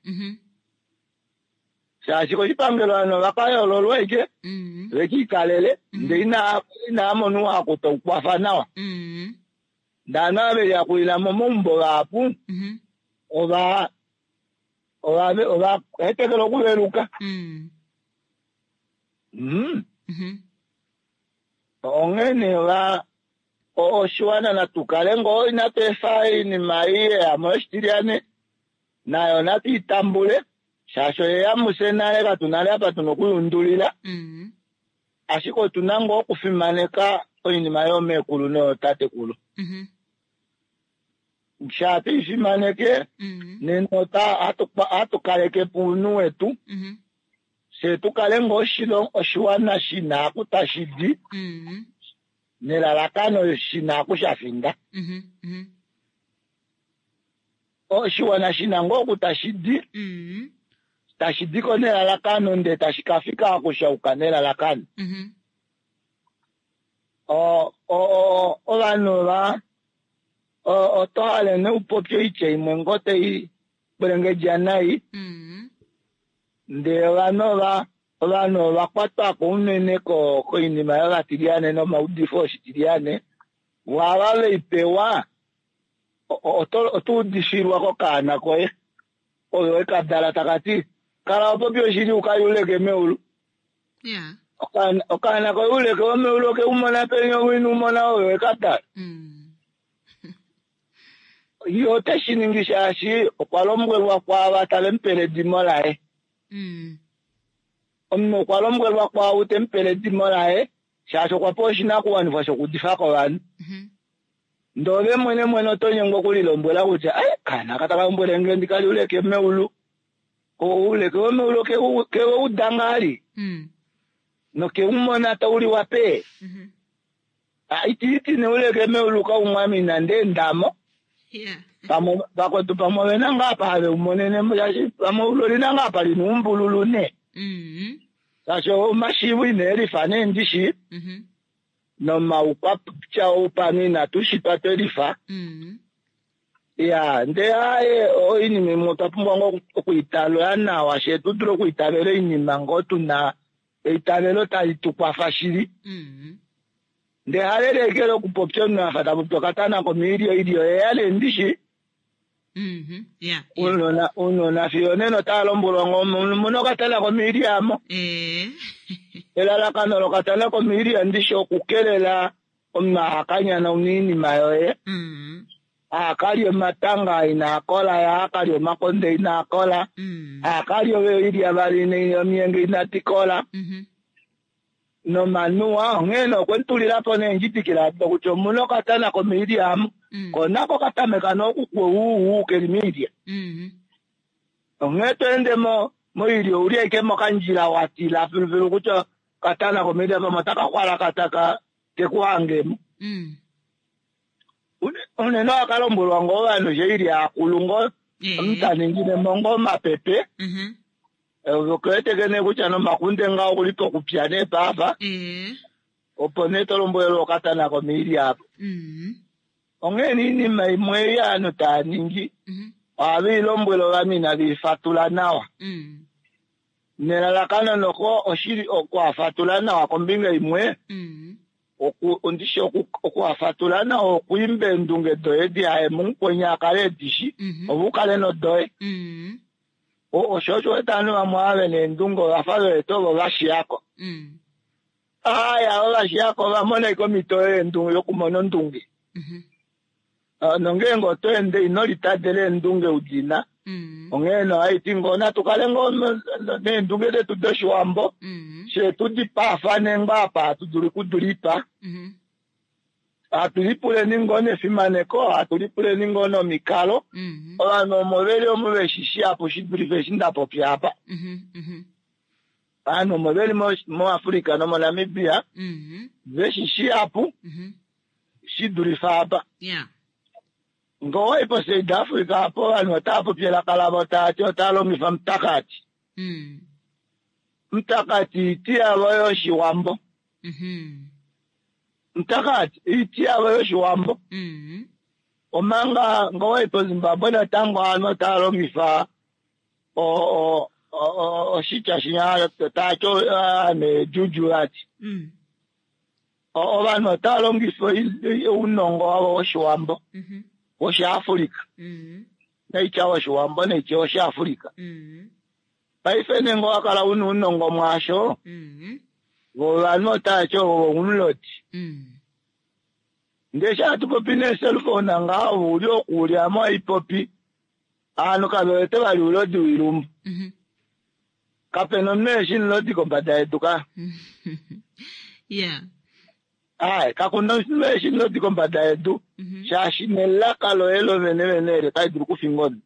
Shaashi koshipangelo ovanhu ova ka yoololwa ashike ve ki ikalele ndele inava mona ouhaku tau kwafa nawa. Ndele ovanhu ava ve liyakulila momaumbo vahapu ova ova hetekela okuveluka. Onghee nee oshiwana natu kale ngoo inatu efa oinima ei yeya mo yoshitilyane nayo natu i tambule shaashi oyeya mufye nale katu nale apa tuna okuyundulila ashike otu na ngoo okufimaneka oinima yoomeekulu noyootatekulu. Shaa twe i fimaneke nena ohatu kaleke po ounhu wetu. Fye tu kale ngoo oshiwana shi na aku tashi di nelalakano shi na aku sha finda. Oshiwana shi na ngoo oku tashi di, tashi di ko nelalakano ndee tashi ka fika aku sha yuka nelalakano. Ovanhu ova oto hale nee upopye oitya imwe ngoo tai kwelengedja nai, ndee ovanhu ova ovanhu ova kwatwa ko unene koinima yovatilyane nomaudifo oshitilyane, waava veipewa oto udifilwa kokaana koye ove wekadala taka ti kala wapopi oshili ukayuleke meulu. Okaana koye uleke womeulu oke umona peni owina umona ove wekadala. Ye ote shi ningi shaashi okwa lombwelwa kwaava tave mu pele edimo laye. Omunhu okwa lombwelwa kwaau te mu pele edimo laye shaashi okwa pewa oshinakuwanifwa shokuudifa kovanhu. Ndee ove mwene mwene oto nyengwa okulilombwela kutya kaana aka taka lombwele nge ndi kali uleke meulu. Ouleke womeulu kewe uda ngaa noke umona tauliwa pe. Itiiti neuleke meulu kaumwami nande endamo. Vakwetu pamwe ovena ngaa apa have umonene shaashi pamwe eulu olina ngaa apa lina oumbululu nee. Shaashi omashiivo ine lifa nee ndishi. Nomaukwatya oupano inatu shitwa twelifa. Ya ndee aaye oinima imwe otwa pumbwa ngoo okuitalola nawa shee tu dule okuitavela oinima ngoo tuna eitavelo tali tu kwafa shili. Ndee halele ekele okupopya omunhu afa tapopi okatana komiilyo oilyo yeya nee ndishi. Uunona fiyo nena otava lombwelwa ngoo muna okatana komiilyo amo. Elalakano lokatana komiilyo ndishi okukelela omunhu ahakanyana oinima yoye. Ahakalya omatanga inaa kola, ye ahakalya omakonde inaa kola, ahakalya oilya vali omiyenge inadi kola. Nomanuwa onghee nee okwe mutulilapo neendjidikila ado kutya omuna okatana komiilya amo. Ko nako katameka nee okukweuwu keli miilya. Onghee to ende moilya ouli ashike mokandjila watila filufilu kutya okatana komiilya pamwe otaka xwalakata keku hangemo. Unene ohaka lombwelwa ngoo ovanhu she ili akulu ngoo omunhu taningine mo ngoo omapepe. Ove nee kutya nomakunde ngaho okuli pokupya nee paafa. Opo nee to lombwelwa okatana komiilya apo. Onghee nee oinima imwe ei ovanhu tava ningi ohave i lombwele ovanhu inave i fatula nawa. Nelalakano noko oshili okuhafatula nawa kombinga imwe. Ondishi okuhafatula nawa okwiimba eendunge doye dihaye mumukweni akale edishi ove ukale nodoye. Osho osho wete ovanhu vamwe ava vena eendunge ovafa vewete ovo vashiyako. Aya avo vashiyako ovamona ashike omhito yokumona ondunge. Nongeenge oto ende ino litadela eendunge udina. Onghee nee ohaiti ngoo natu kale ngoo neendunge detu doshiwambo shee tudipaafane ngoo apa hatu dulu okudulipa. Hatu lipuleni ngoo nefimaneko, hatu lipuleni ngoo nomikalo. Ovanhu omo veli omo veshishi apo shidulife eshi ndapopya apa. Ovanhu omo veli moAfrica nomoNamibia veshishi apo shidulife apa. Ngee owayi poSouth Africa apo ovanhu otava popi elaka lavo taati otava longifa mutakati. Mutakati iti yavo yoshiwambo. Mutakati iti yavo yoshiwambo. Omanga ngee owayi poZimbabwe natango ovanhu otava longifa oshitya shinya taati ame juju vati. Ovanhu otava longifa ounongo wavo woshiwambo woshiAfrika. Naitya woshiwambo naitya woshiAfrika. Paife nenge owakala una ounongo mwaasho, vo ovanhu otavati ovo omulodi. Ndee eshi hatu popi nee-cellphone ngaho ove uli oku ame ohaipopi ovanhu kave wete vali oulodi woilumbu. Kapena omunhu eshi omulodi kombada yedu ka. Ai, kakuna omunhu eshi omulodi kombada yedu shaashi nelaka loye lovene vene eli otali dulu okufinga omunhu.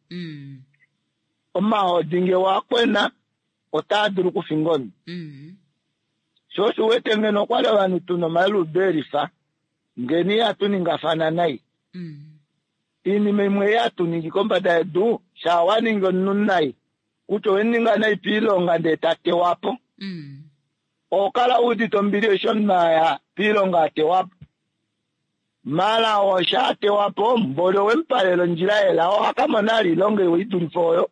Omahodi nge wakwena Otaa dulu okufinga omunhu. Sho osho u wete ngeno okwali ovanhu tuna omaludo elifa, ngeno ihatu ningafana nai. Oinima imwe ei hatu ningi kombada yedu, shaa wa ningi omunhu nai, kutya owe mu ninga nai piilonga ndee ta tewa po, oho kala u udite ombili eshi omunhu a ya piilonga a tewa po. Maala oo shaa tewa po, mboli owe mu palela ondjila yelao, oha ka mona vali oilonga iwa i dulife oyo.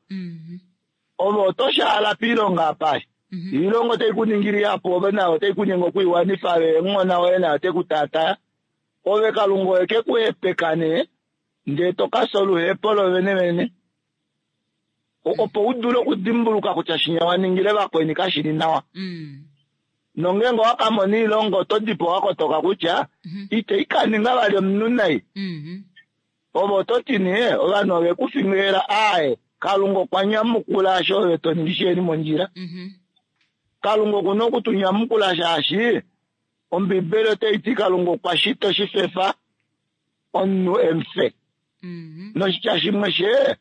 Ove oto shaala piilonga apa. Iilonga otai ku ningile ihapu, ove nayo otai ku nyenge oku i wanifa, ove omuhona woye naye ote ku taataya. Ove Kalunga oye ke ku hepeka nee, ndee to ka fya oluhepo lo venevene, opo u dule okudimbuluka kutya shinya wa ningile vakweni kashi li nawa. Nongeenge owa ka mona oilonga, oto di po wa kotoka kutya itei ka ninga vali omunhu nai. Ove oto ti nee, ovanhu ove ku fingelela, aaye, Kalunga okwa nyamukula osho ove to ningi shiheli mondjila. Kalunga oku na oku tu nyamukula shaashi Ombibeli otai ti Kalunga okwa shita oshifefa omunhu e mu fe. Noshitya shimwe she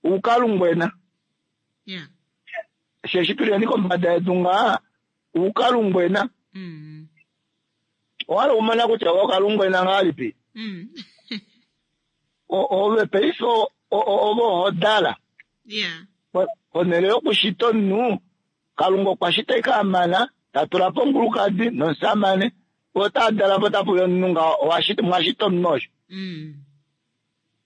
uukalungwena. Sheshi tu leni kombada yedu ngaa uukalungwena. Owa hala okumona kutya ove okalungwena ngahelipi? Ove paife ove oho dala. Ponhele yokushita omunhu, Kalunga okwa shita ashike a mana, ta tula po omukulukadi nomusamane, ota dala po tapu uya omunhu ngaho, mwa shita omunhu osho.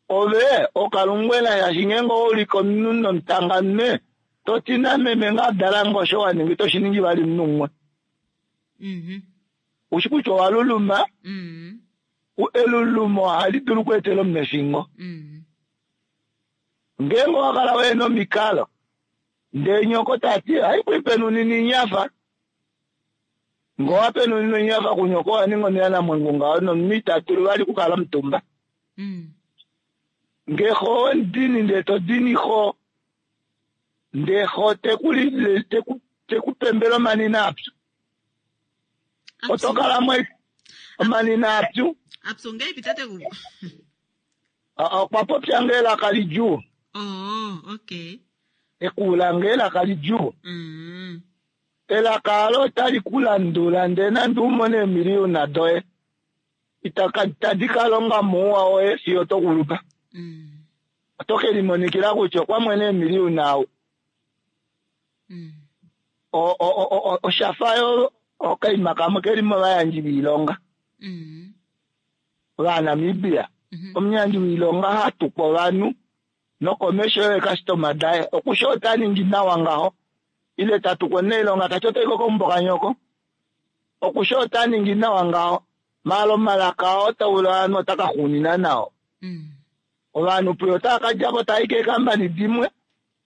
Ove okalungwena shaashi ngeenge owa ulike omunhu nomutanganume, to ti nameme ngaa dala nge osho wa ninga ito shi ningi vali omunhu umwe. Ushi kutya owa luluma, elulumo ohali dulu okweetela omunhu efingo. Ngeenge owa kala wehena omikalo, Ndee nyoko ta ti, Hai ku ipenunina inyafa. Nge owa penunina inyafa kunyoko owa ninga omuyanamwengu ngaho nomunhu ita dulu vali okukala omutumba. Nge xo owe mu dini ndee to dini xo, ndee xo te ku te ku te ku pembele omanina apyu. Oto kala mo omanina apyu. Apyu ngeipi tatekulu? Okwa popya nge elaka lidjuu. Oh, okay. Ekuula nge elaka lidjuu. Elaka alo otali ku landula ndee nande u mone eemiliyuna doye, itadi ka longa mouwa woye fiyo to kulupa. Oto ke limonikila kutya okwa mwene eemiliyuna au. Osha fa yo okaima kamwe ke li movayandji voilonga. Ovanamibia, omuyandji woilonga ha tukwa ovanhu nokomesho yeekastoma daye okushe ota ningi nawa ngaho ile ta tukwa omunailonga ta ti otai ko keumbo kanyoko okushe ota ningi nawa ngaho maala omalaka oo taula ovanhu ota ka xuunina nao. Ovanhu puye otava ka dja po tava i keekambani dimwe,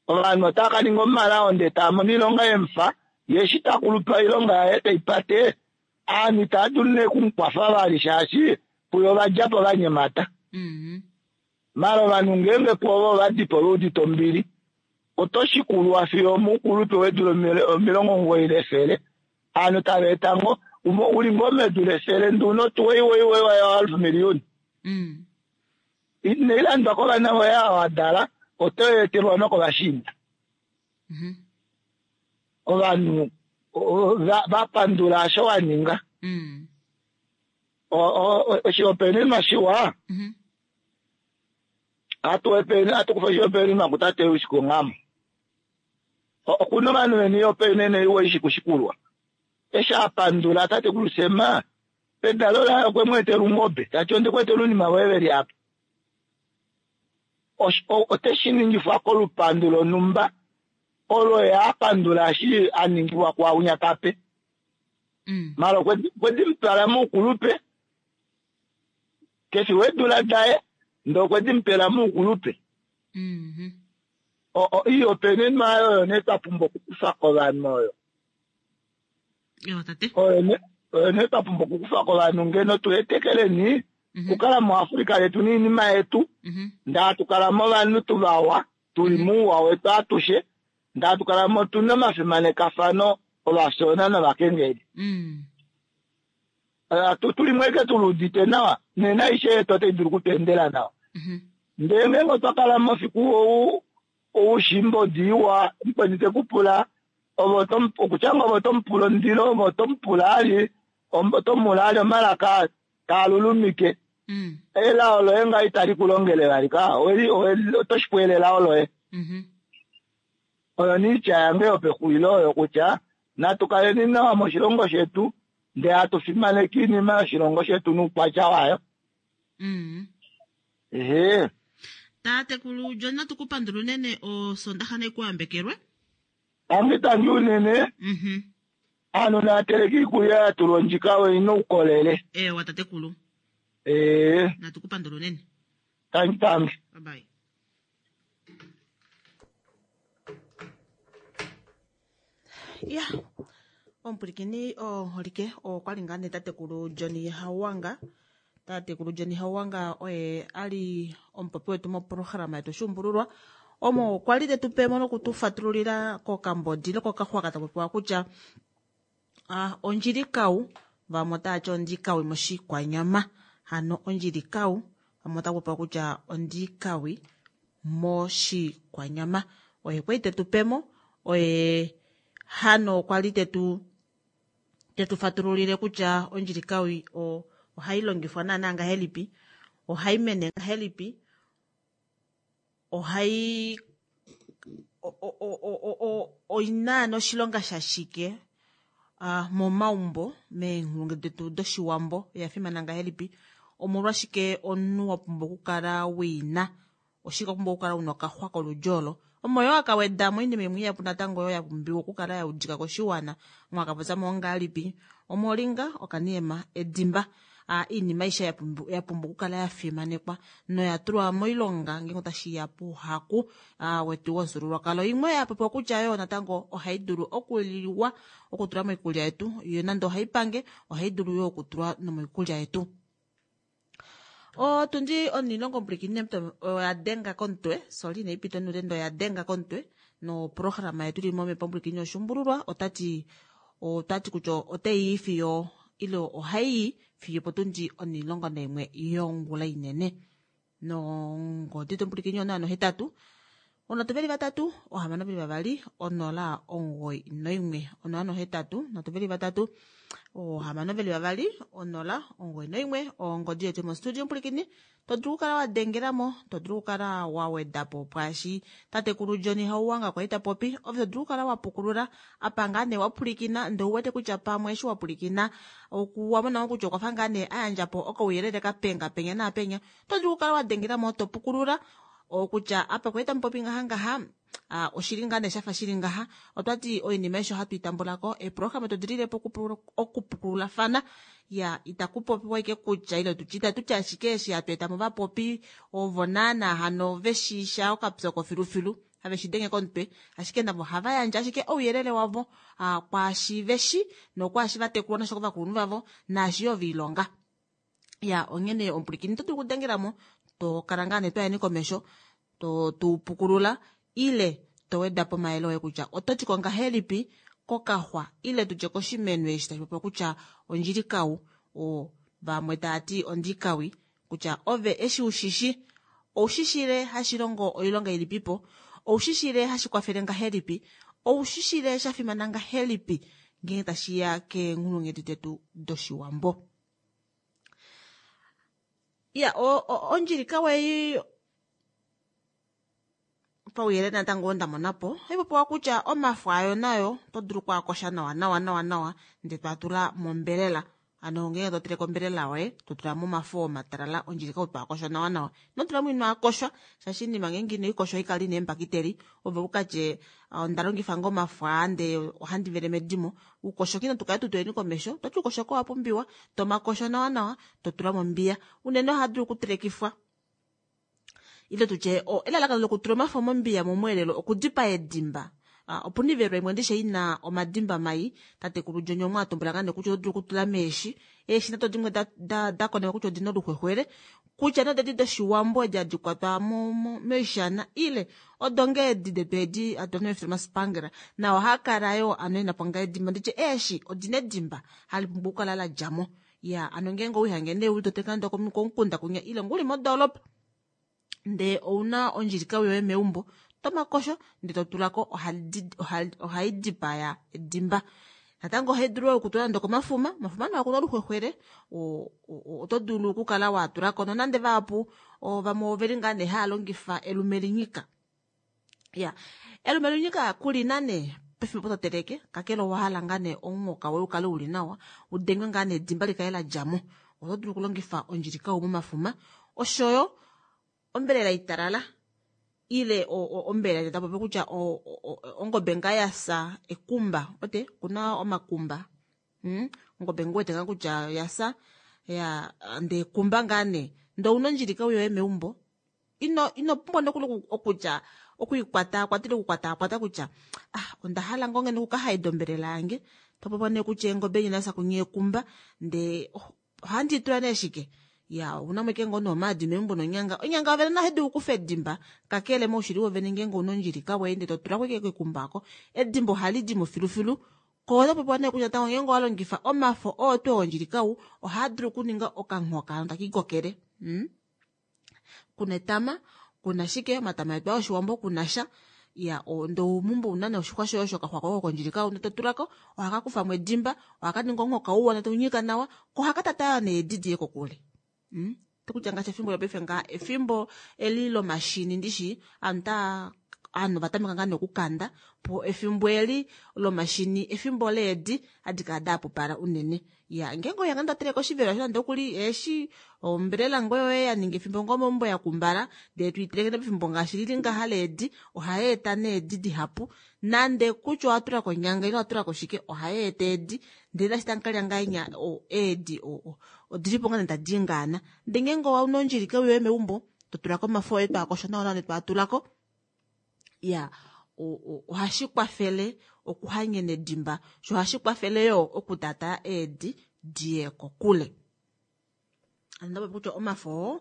ovanhu otava ka ninga omalao ndee tava mono oilonga yemufa, ye eshi ta kulupa oilonga yaye tei pate Aanhu itava dulu nee oku mu kwafa vali shaashi puye ova dja po va nyemata. Maala ovanhu ngeenge pwoove ova di po ve udite ombili, oto shikulwa fiyo omoukulupe weedula 90 lefele. Aanhu tava eta ngoo, u li ngoo medu lefele nduno otuwa iwa iwa iwa yohalf miliyuni. Inai landwa kovana voye ava wa dala, oto i etelwa nokovashiinda. Ovanhu va pandula osho wa ninga. Oshihopaenenwa shiwa hatu kufa oshihopaenenwa kutate Usiku Nghamo. Oku na ovanhu ve na oihopaenenwa iwa i shi kushikulwa. Eshi a pandula tatekulu Sem, pedalo laye okwe mu etela ungobe, ta ti, Onde ku etela ounima voye ve li apa. Ote shi ningifwa kolupandu lonhumba olo ye a pandula eshi a ningilwa kwaaunya ta pe. Mala okwe di mu twala moukulupe, ke fi weedula daye, ndele okwe di mu pela moukulupe. Oihopaenenwa oyo nee twa pumbwa okukufa kovanhu oyo. Oyo nee twa pumbwa okukufa kovanhu ngeno tu hetekeleni okukala muAfrika letu noinima yetu, ndee hatu kala movanhu tu vawa, tu li mouwa wetu atushe, ndee hatu kala mo tu na omafimanekafano ovafyoona novakengeli. Tu li mo ashike tu luudite nawa, nena aishe yetu otai dulu oku tu endela nawa. Ndele ngeenge otwa kala mo fiku ou, oushimbodi iwa, mukweni te ku pula. Ove oto okutya ngo ove oto mu pula omundilo, ove oto mu pula ali, oto mu pula ali omalaka taa lulumike. Elao loye nga itali ku longele vali ka, oto shi pwele elao loye. Oyo niitya yange yopexulilo oyo kutya natu kaleni nawa moshilongo shetu ndee hatu fimaneke iinima yoshilongo shetu nuukwatya wayo. Ehe. Tatekulu John natu ku pandula unene osondaxa nekuambekelwe. Tangi tangi unene. Aantu naya teleke iikulya ya tulwa ondjika oyi na uukolele. Ewa tatekulu. Ee. Natu ku pandula unene. Tangi tangi. Bye bye. Ya, omupwilikini omuholike okwa li ngaa nee tatekulu John Hauwanga. Tatekulu John Hauwanga oye a li omupopi wetu moprograma yetu Oshuumbululwa, omo okwa li te tu pe mo noku tu fatululila kokambodi nokokaxwaka ta popiwa kutya ondjilikau, vamwe otava ti ondikawi moshikwanyama. Hano ondjilikau, vamwe otava popiwa kutya ondikawi moshikwanyama. Oye kwali te tu pe mo, oye hano okwa li te tu te tu fatululile kutya ondjilikawi ohai longifwa naanaa ngahelipi, ohai mene ngahelipi, ohai oina noshilonga shashike momaumbo meenghulungu detu doshiwambo, oya fimana ngahelipi, omolwashike omunhu wa pumbwa okukala wina, oshike wa pumbwa okukala una okaxwa koludyo olo, omo yoo akaweda mo oinima imwe ihapu natango oyo ya pumbiwa okukala ya udika koshiwana, omo akapopya mo ongahelipi, omoringa, okaniyema, edimba, iinima aishe ya pumbwa okukala ya fimanekwa noya tulwa moilonga ngeenge otashi ya pouhaku wetu womufyuululwakalo. Imwe ya popiwa kutya yo natango ohai dulu okuliwa okutula moikulya yetu, yo nande ohai pange ohai dulu yo okutulwa nomoikulya yetu. Otundi onilongo mpwilikini oya denga komutwe, sorry inai pita onule ndele oya denga komutwe noprograma yetu ili momhepo mpwilikini yoshuumbululwa otati otati kutya otai i fiyo ile ohai i fiyo potundi onilongo naimwe yongula inene. Nongodi tompwilikini onaano hetatu onhatu veli vatatu ohamano veli vavali onola omugoi noimwe onoano hetatu nhatu veli vatatu ohamano veli vavali onola omugoi noimwe ongodi yetu mostudio mpwilikini to dulu okukala wa dengelamo to dulu okukala wa wedapo pwaashi tatekulu John Hauwanga kwali ta popi ove to dulu okukala wa pukulula apa ngaa nee wa pwilikina ndee uwete kutya pamwe eshi wa pwilikina okuwa mona kutya okwa fa ngaa nee a yandja po okauyelele ka penga penya naapenya to dulu okukala wa dengelamo to pukulula okutya apa kwali tamupopi ngaha ngaha oshili ngaa nee shafa shili ngaha. Otwati oinima aishe ohatu i tambulako eeprograma to dililepo okupukululafana ya itaku popiwa ashike kutya ile tutye itatu ti ashike eshi hatu eta mo vapopi ovo naana hano veshiisha okapyoko filufilu have shi denge komutwe ashike navo ohava yandje ashike ouyelele wavo kwaashi veshi nokwaashi va tekulwa nasho kovakulunhu vavo naashi yo viilonga. Ya onghene omupwilikini oto dulu okudengelamo to kala ngaa nee twayeni komesho to tu pukulula ile to weda po omayele oye kutya oto ti ko ngahelipi kokaxwa ile tutye koshimeno eshi tashi popiwa kutya ondjilikau o vamwe tava ti ondikawi kutya ove eshi ushishi oushishile hashi longo oilonga ilipipo oushishile hashi kwafele ngahelipi oushishile sha fimana ngahelipi ngeenge tashi ya keenghulunghedi detu doshiwambo. Ya ondjilikau ei pauyelele natango oo nda mona po ohai popiwa kutya omafo ayo nayo oto dulu okwaakosha nawa nawa nawa nawa ndele toa tula mombelela hano ngeenge to teleke ombelela yoye to tula mo omafo oo matalala ondjilikau toa kosha nawa nawa ino tula mo ino akoshwa shaashi oinima ngeenge ino i kosha ohai kala ina eembakiteli ove ukatye onda longifa ngoo omafo aa ndee ohandi vele medimo Uukoshoki natu kale tu tuleni komesho, to ti uukoshoki owa pumbiwa, to makosho nawa nawa, to tula mombiya. Unene oha dulu okutelekifwa ile tutye elalakano lokutula omafo mombiya momweelelo okudipaa edimba. Opuna ivelwa imwe ndishe ina omadimba mai, tatekulu John omwe a tumbula ngaa nee kutya oto dulu okutula meeshi. Eeshi nado dimwe da konekwa kutya odina oluxwexwele, kutya nee odedi doshiwambo edi hadi kwatwa moishana ile odo ngee edi detu edi hatu dana mefimbo lomasipangela nao ohaa kala yoo ano ena po ngaa edimba nditye eeshi odina edimba hali pumbwa okukala la dja mo ya ano ngeenge owihange nee uli toteka nande komukunda kunya ile nguli modoolopa ndee ouna ondjilikau yoye meumbo Tomakosho ndee totulako ohai dipaya edimba. Natango ohai dulu okutula nande okomafuma, omafuma naa okuna oluxwexwele oto dulu okukala watulako nonande vahapu vamwe oveli ngaa nee haya longifa elume linyika. Ya elume linyika kulina nee pefimbo toteleke kakele owahala ngaa nee omunghoka woye ukale uli nawa udengwe ngaa nee edimba likale ladjamo, oto dulu okulongifa ondjilikau momafuma oshoyo ombelela italala ile ombelela tapopi kutya ongobe ngaa yasa ekumba ote kuna omakumba ongobe ngoo wete ngaa kutya yasa ya ndee ekumba ngaa nee ndee ouna ondjilikau yoye meumbo ino pumbwa nokuli okutya okwiikwata kwatile okukwataakwata kutya ah onda hala ngoo ngeno okukahaida ombelela yange topopiwa nee kutya eengobe inasa kunye ekumba ndee ohandi itula nee shike ya ouna mo ike ngoo nomaadi meumbo nonyanga onyanga ovene nayo dulu okufa edimba kakele moushili wovene ngeenge ouna ondjilika woye ndee totulako ike kekumba oko edimba ohali dimo filufilu ko otopopiwa nee kutya natango ngeenge owa longifa omafo oo tuu ondjilikau ohaa dulu okuninga okanghoka hano takiikokele kuna etama kuna shike omatama etu oshiwambo kuna sha ya ndee oumumbo una nee oshixwa shoye osho okaxwa koye kondjilikau ndee totulako ohaka kufamo edimba ohaka ningi omunghoka uwa ndee taunyika nawa ko ohaka tata needi diye kokule. Tokutya ngaashi efimbo lopaife ngaa efimbo eli lomashini ndishi ovanhu ovanhu ovatameka ngaa nee okukanda po efimbo eli lomashini efimbo leedi hadi kala dahapupala unene. Ya ngeenge oya ngaa toteleke oshivela osho nande okuli eeshi ombelela ngoo yoye yaninga efimbo ngoo meumbo yakumbala ndee toiteleke pefimbo ngaashi lili ngaha leedi ohai eta needi dihapu nande kutya owatulako onyanga ile owatulako shike ohai eta eedi ndele nashi tamukalya ngahenya eedi odilipo ngaa nee tadi ingaana. Ndee ngeenge ouna ondjilike yoye meumbo totulako omafo oye twaakosho nawa nawa twaatulako ya ohashi kwafele okuhanyena edimba sho ohashi kwafele yoo okutaataa eedi diye kokule. Andapopi kutya omafo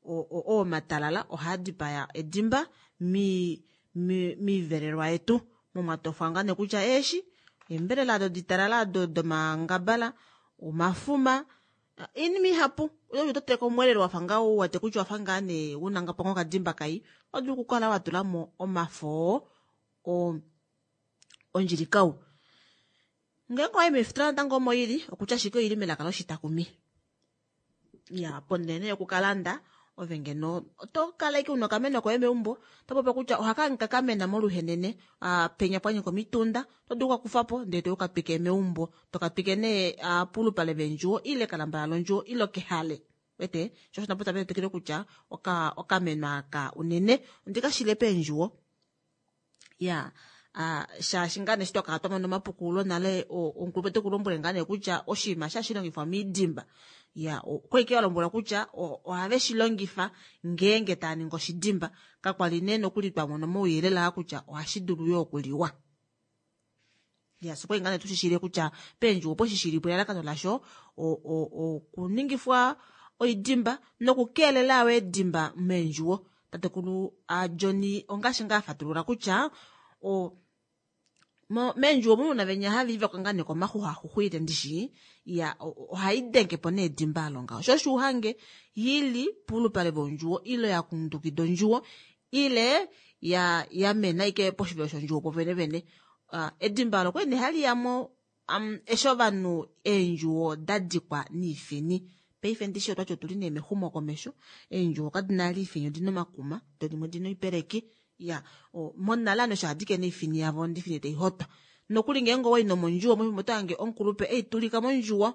oo oo matalala ohaa dipaya edimba miivelelwa yetu momwatofwa ngaa nee kutya eeshi eembelela ado ditalala ado domangabala omafuma oinima ihapu oto teleke omweelelo wafa ngaa uwete kutya owafa ngaa nee una ngapo ngoo okadimba kai oto dulu okukala watulamo omafo oo ondjilikau. Ngeenge owayi meefitola natango omo ili okutya ashike oili melaka loshitakumi. Ya ponhele nee yokukalanda ove ngeno oto kala ashike una okameno koye meumbo otopopi kutya ohaka kamena moluhenene penya pwanyika omitunda oto dulu okukakufapo ndee tokatwike meumbo tokatwike nee polupale vendjuwo ile kalambala londjuwo ile kehale wete sho osho napo twikile kutya okameno aka unene ondikashile peendjuwo ya shaashi ngaa nee eshi twakala twamona omapukululo nale omukulupe tekulombwele ngaa nee kutya oshinima eshi hashi longifwa miidimba ya okwali ike walombwelwa kutya ohave shilongifa ngeenge tava ningi oshidimba kakwali nee nokuli twamona omauyelele aa kutya ohashi dulu yoo okuliwa. Ya fye okwali ngaa nee tushishile kutya peendjuwo opo shishilipo elalakano lasho okuningifwa oidimba nokukeelela yo eedimba meendjuwo. Tatekulu John ongaashi ngaa afatulula kutya meendjuwo omu muna venya hava ivakwa ngaa nee komaxuxwaxuxwile ndishi ya ohai dengepo nee edimba alo ngaho sho osho uhange yili polupale vondjuwo ile yakundukida ondjuwo ile yamena ashike poshivelo shondjuwo popene vene. Edimba olo okwali nee haliyamo eshi ovanhu eendjuwo dadikwa niifini. Paife ndishi otwati otuli nee mexumo komesho eendjuwo kadina vali iifini odina omakuma doo dimwe odina oipeleki ya monale ovanhu eshi havadike oifini yavo ndee oifini taihotwa nokuli ngeenge owayi nomondjuwo mefimbo otohange omukulupe eitulika mondjuwo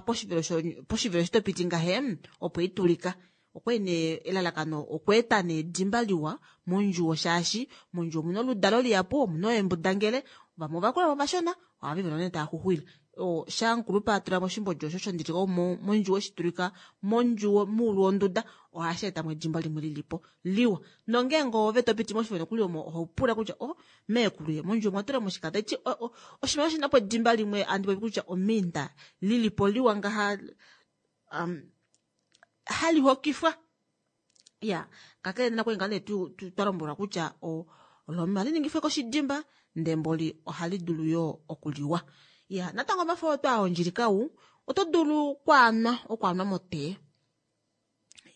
poshivelo eshi topiti ngaha opo eitulika okwali nee elalakano okweeta nee edimba liwa mondjuwo shaashi mondjuwo omuna oludalo lihapu omuna eembudangele vamwe ovakula vamwe ovashona ohava nee tava xuxwile shaa omukulupe atulamo oshimbodi osho shondilika mondjuwo eshitulika mondjuwo moulu wonduda ohashi etamo edimba limwe lilipo liwa nongeenge ove topiti moshivelo nokuli omo ohopula kutya o meekulu ye mondjuwo omwatulamo shike taiti oshinima oshinapo edimba limwe handi popi kutya ominda lilipo liwa ngaha hali hokifwa. Ya kakele nena kwali ngaa nee twalombwelwa kutya olo ohali ningifwa koshidimba ndee mboli ohali dulu yoo okuliwa. Ya natango omafo oo twaa ondjilikau oto dulu okwaanwa okwaanwa motee.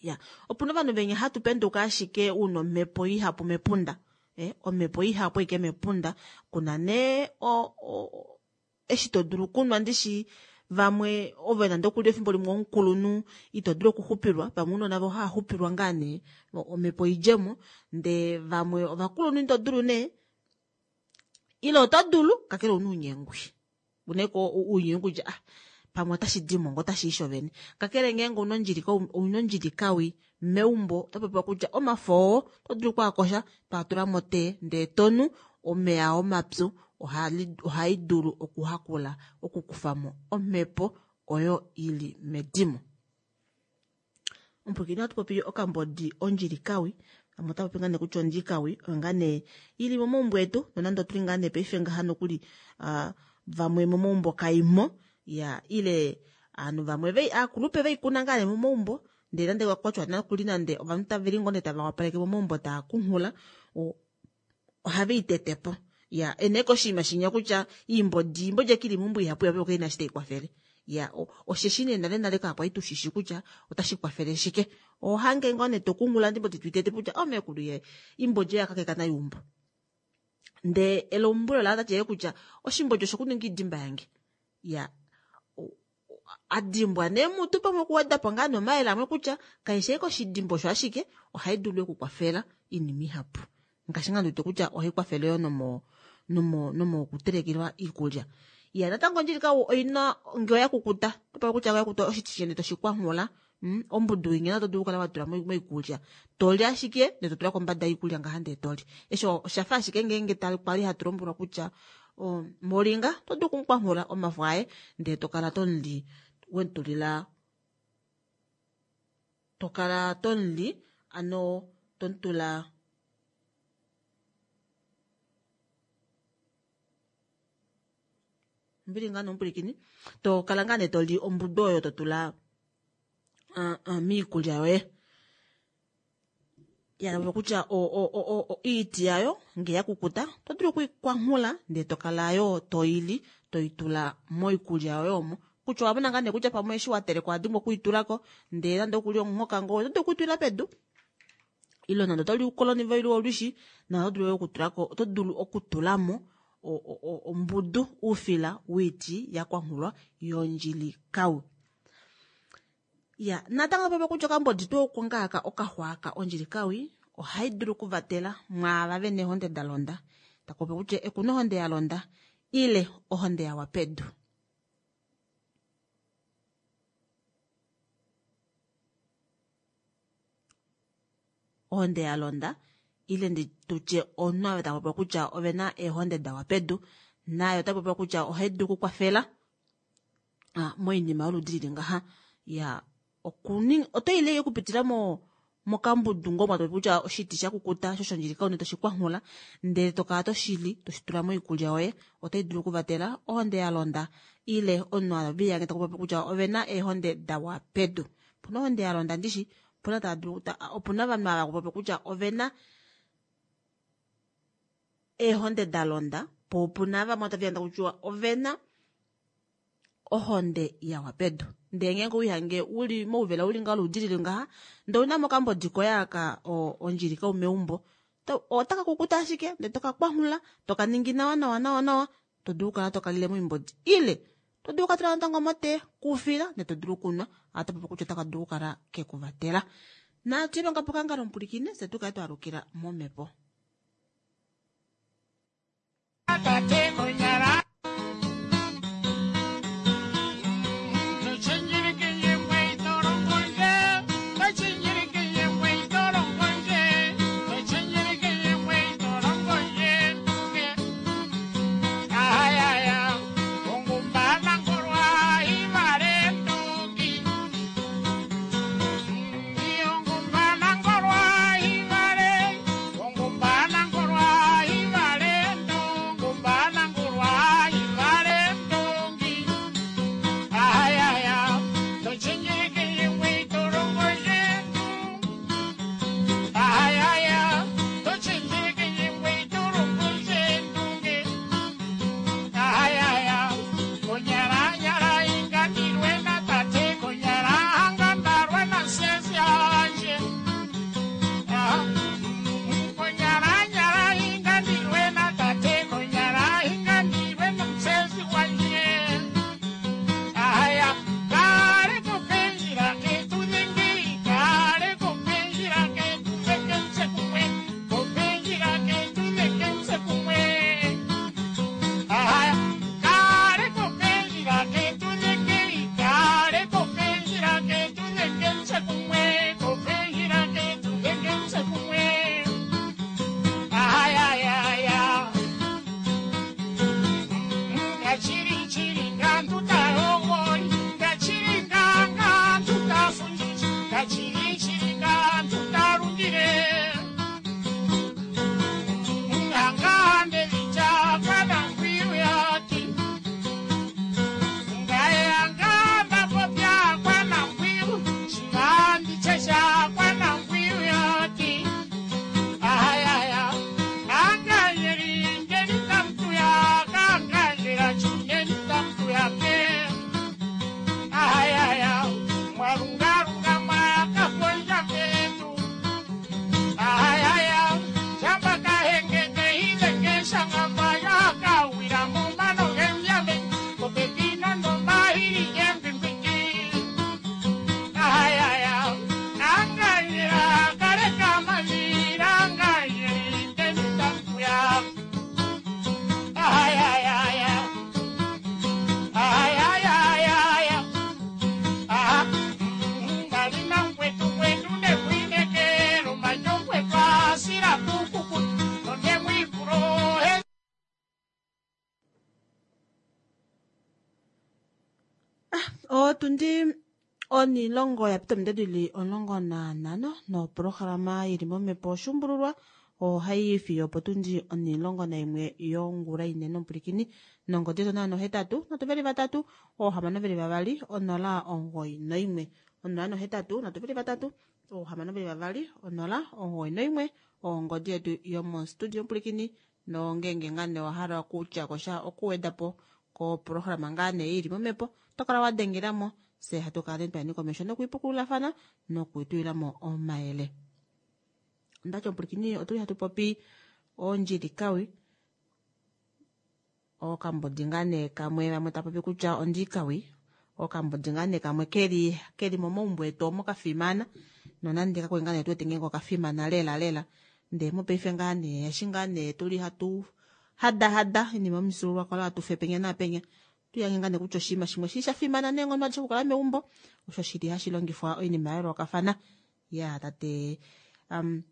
Ya, opuna ovanhu venya hatu penduka ashike una omhepo ihapu mepunda. Omhepo ihapu ashike mepunda kuna nee eshi to dulu okunwa ndishi vamwe ove nande okuli efimbo limwe omukulunhu ito dulu okuxupilwa, vamwe ounona vo hava xupilwa ngaa nee omhepo idjemo, ndee vamwe ovakulunhu ito dulu nee ile oto dulu kakele ouna ounyengwi uneko ounyengwi kutya ah pamwe otashi dimo ngoo otashi i shovene. Kakele ngeenge ouna ondjilikawi meumbo oto popiwa kutya omafo oo oto dulu okwaakosha toa tula motee ndee tonu omeva omapyu ohai dulu okuhakula okukufamo omhepo oyo ili medimo. Omupwilikini ohatu popi okambodi ondjilikawi, vamwe otava popi ngaa nee kutya ondjilikawi oyo ngaa nee ili momaumbo etu, nonande otuli ngaa nee paife ngaha nokuli vamwe momaumbo kaimo ya ile ovanhu vamwe aakulupe veikuna ngaa nee momaumbo, ndee nande kwatya nokuli nande ovanhu tave li ngoo nee tava wapaleke momaumbo taa kunghula ohave i tete po. Ya ene koshinima shinya kutya iimbodi iimbodi ekili meumbo ihapu ihapu kai na shi tai kwafele. Ya osheshi nee nale nale kakwali tushishi kutya otashi kwafele shike. Ohange ngoo nee tokunghula iimbodi tuitete kutya omekulu ye iimbodi oya kakeka nayo eumbo. Ndee elombwelo la tate kutya oshimbodi oshokuninga idimba yange. Ya adimbwa nee mutu pamwe okuwedapo ngaa nomayele amwe kutya kaishi ashike oshidimbo osho ashike ohai dulu okukwafela iinima ihapu. Ngaashi ngaa ndiwete kutya ohai kwafele yo nomo kutelekelwa iikulya. Ya natango ondjilika oina ngee oya kukuta topa kutya oya kukuta oshiti shene toshikwanghula ombudu inya oto dulu okukala watula moikulya toli ashike ndee totula kombada yoikulya ngaha ndee toli. Eshi oshafa ashike ngeenge kwali hatu lombwelwa kutya moringa oto dulu okumukwanghula omafo aye ndee tokala tomuli wemutulila tokala tomuli ano tomutula mbili ngaa nomupwilikini tokala ngaa nee toli ombudu oyo totula miikulya yoye. Ya kutya iiti yayo ngee ya kukuta oto dulu okuikwanghula ndee tokala yo toili toitula moikulya yoye omo. Kutya owamona ngaa nee kutya pamwe eshi wateleka owadimbwa okuitulako ndee nande okuli omuhoka ngoo oto dulu okuitulila pedu. Ile nande otoli uukoloni ile olwishi na oto dulu okutulako oto dulu okutulamo ombudu oufila wiiti yakwanghulwa yondjilikawi. Ya natango popi kutya okambodi tuu oko ngaaka okaxwaaka ondjilikawi ohai dulu okuvatela mwaava vena eehonde da londa. Takupopi kutya ekuna ohonde ya londa ile ohonde yawa pedu. Ohonde ya londa ile ndi tutye omunhu ava tapopiwa kutya ovena eehonde dawa pedu nayo otapopiwa kutya ohai dulu okukwafela moinima yoludi lili ngaha. Ya oto ile okupitila mokambudu ngoo mwatopi kutya oshiti sha kukuta sho shondjilika une toshikwanghula ndele tokala toshili toshitula moikulya yoye otai dulu okuvatela ohonde ya londa ile omunhu aviyange takupopi kutya ovena eehonde dawa pedu. Opuna ohonde ya londa ndishi opuna tava dulu opuna ovanhu ava kupopi kutya ovena eehonde da londa po opuna vamwe tava kutya ovena ohonde yawa pedu. Ndee ngeenge owihange uli mouvela uli ngaho oludi lili ngaha ndee ouna mokambodi koye aka ondjilika meumbo otaka kukuta ashike ndee toka kwanghula toka ningi nawa nawa nawa nawa to dulu okukala tokalile moimbodi ile to dulu okatula natango motee kuufila ndee to dulu okunwa ohatu popi kutya otaka dulu okukala kekuvatela. Natu ilonga pokangalo omupulikine fye tukale twaalukila momhepo. Tate konyala Otundi onilongo ya pita ominute dili 15 noprograma yili momhepo oshuumbululwa ohai fiyo opotundi 11 yongula inene omupulikini nongodi yetu 08 323 622 091 083 323 622 091 ongodi yetu yomostudio omupulikini nongenge ngaa nee owahala okutya kosha okuweda po koprograma ngaa nee ili momhepo oto kala wa dengelamo fye hatu kala nee twayeni komesho nokuipukululafana nokuitulilamo omayele. Ondati omupulikini otuli hatu popi ondjilikawi okambodi ngaa nee kamwe vamwe ta popi kutya ondikawi okambodi ngaa nee kamwe keli keli momaumbo etu omo kafimana nonande kakwali ngaa nee tuwete ngeenge okafimana lela lela ndee mopaife ngaa nee eshi ngaa nee tuli hatu hadahada oinima yomifyuululwakalo hatu fe penya naapenya tuyange ngaa nee kutya oshinima shimwe shili sha fimana neenghono adishe okukala meumbo osho shili hashi longifwa oinima ya yoolokafana ya tate um,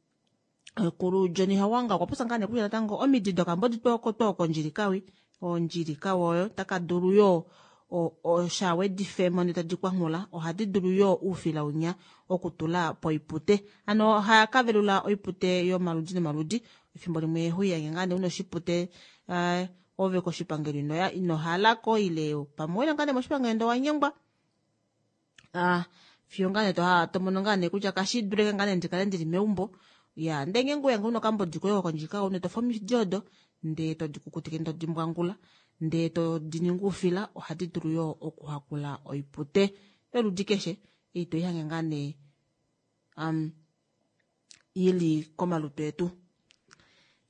kulu Johnny Hawanga okwa popya ngaa nee kutya natango omidi dokambodi twokondjilikawi ondjilikawi oyo taka dulu yoo oshawedifemo ndee tadi kwanghula ohadi dulu yoo oufila unya okutula poipute ano ohaya kavelula oipute yomaludi nomaludi efimbo limwe huiyange ngaa nee una oshipute uh, ove koshipangelo inoya ino halako ile pamwe wele ngaa nee moshipangelo ndee owanyengwa ah, fiyo ngaa nee to mono ngaa nee kutya kashi dulike ngaa nee ndikale ndili meumbo ya ndee ngeenge oweya una okambodi koye kokondjika une tofa omidi odo ndee todi kukutike ndee todi mbwangula ndee todi ningi oufila ohadi dulu yoo okuhakula oipute yoludi keshe ei toihange ngaa nee um, ili komalutu etu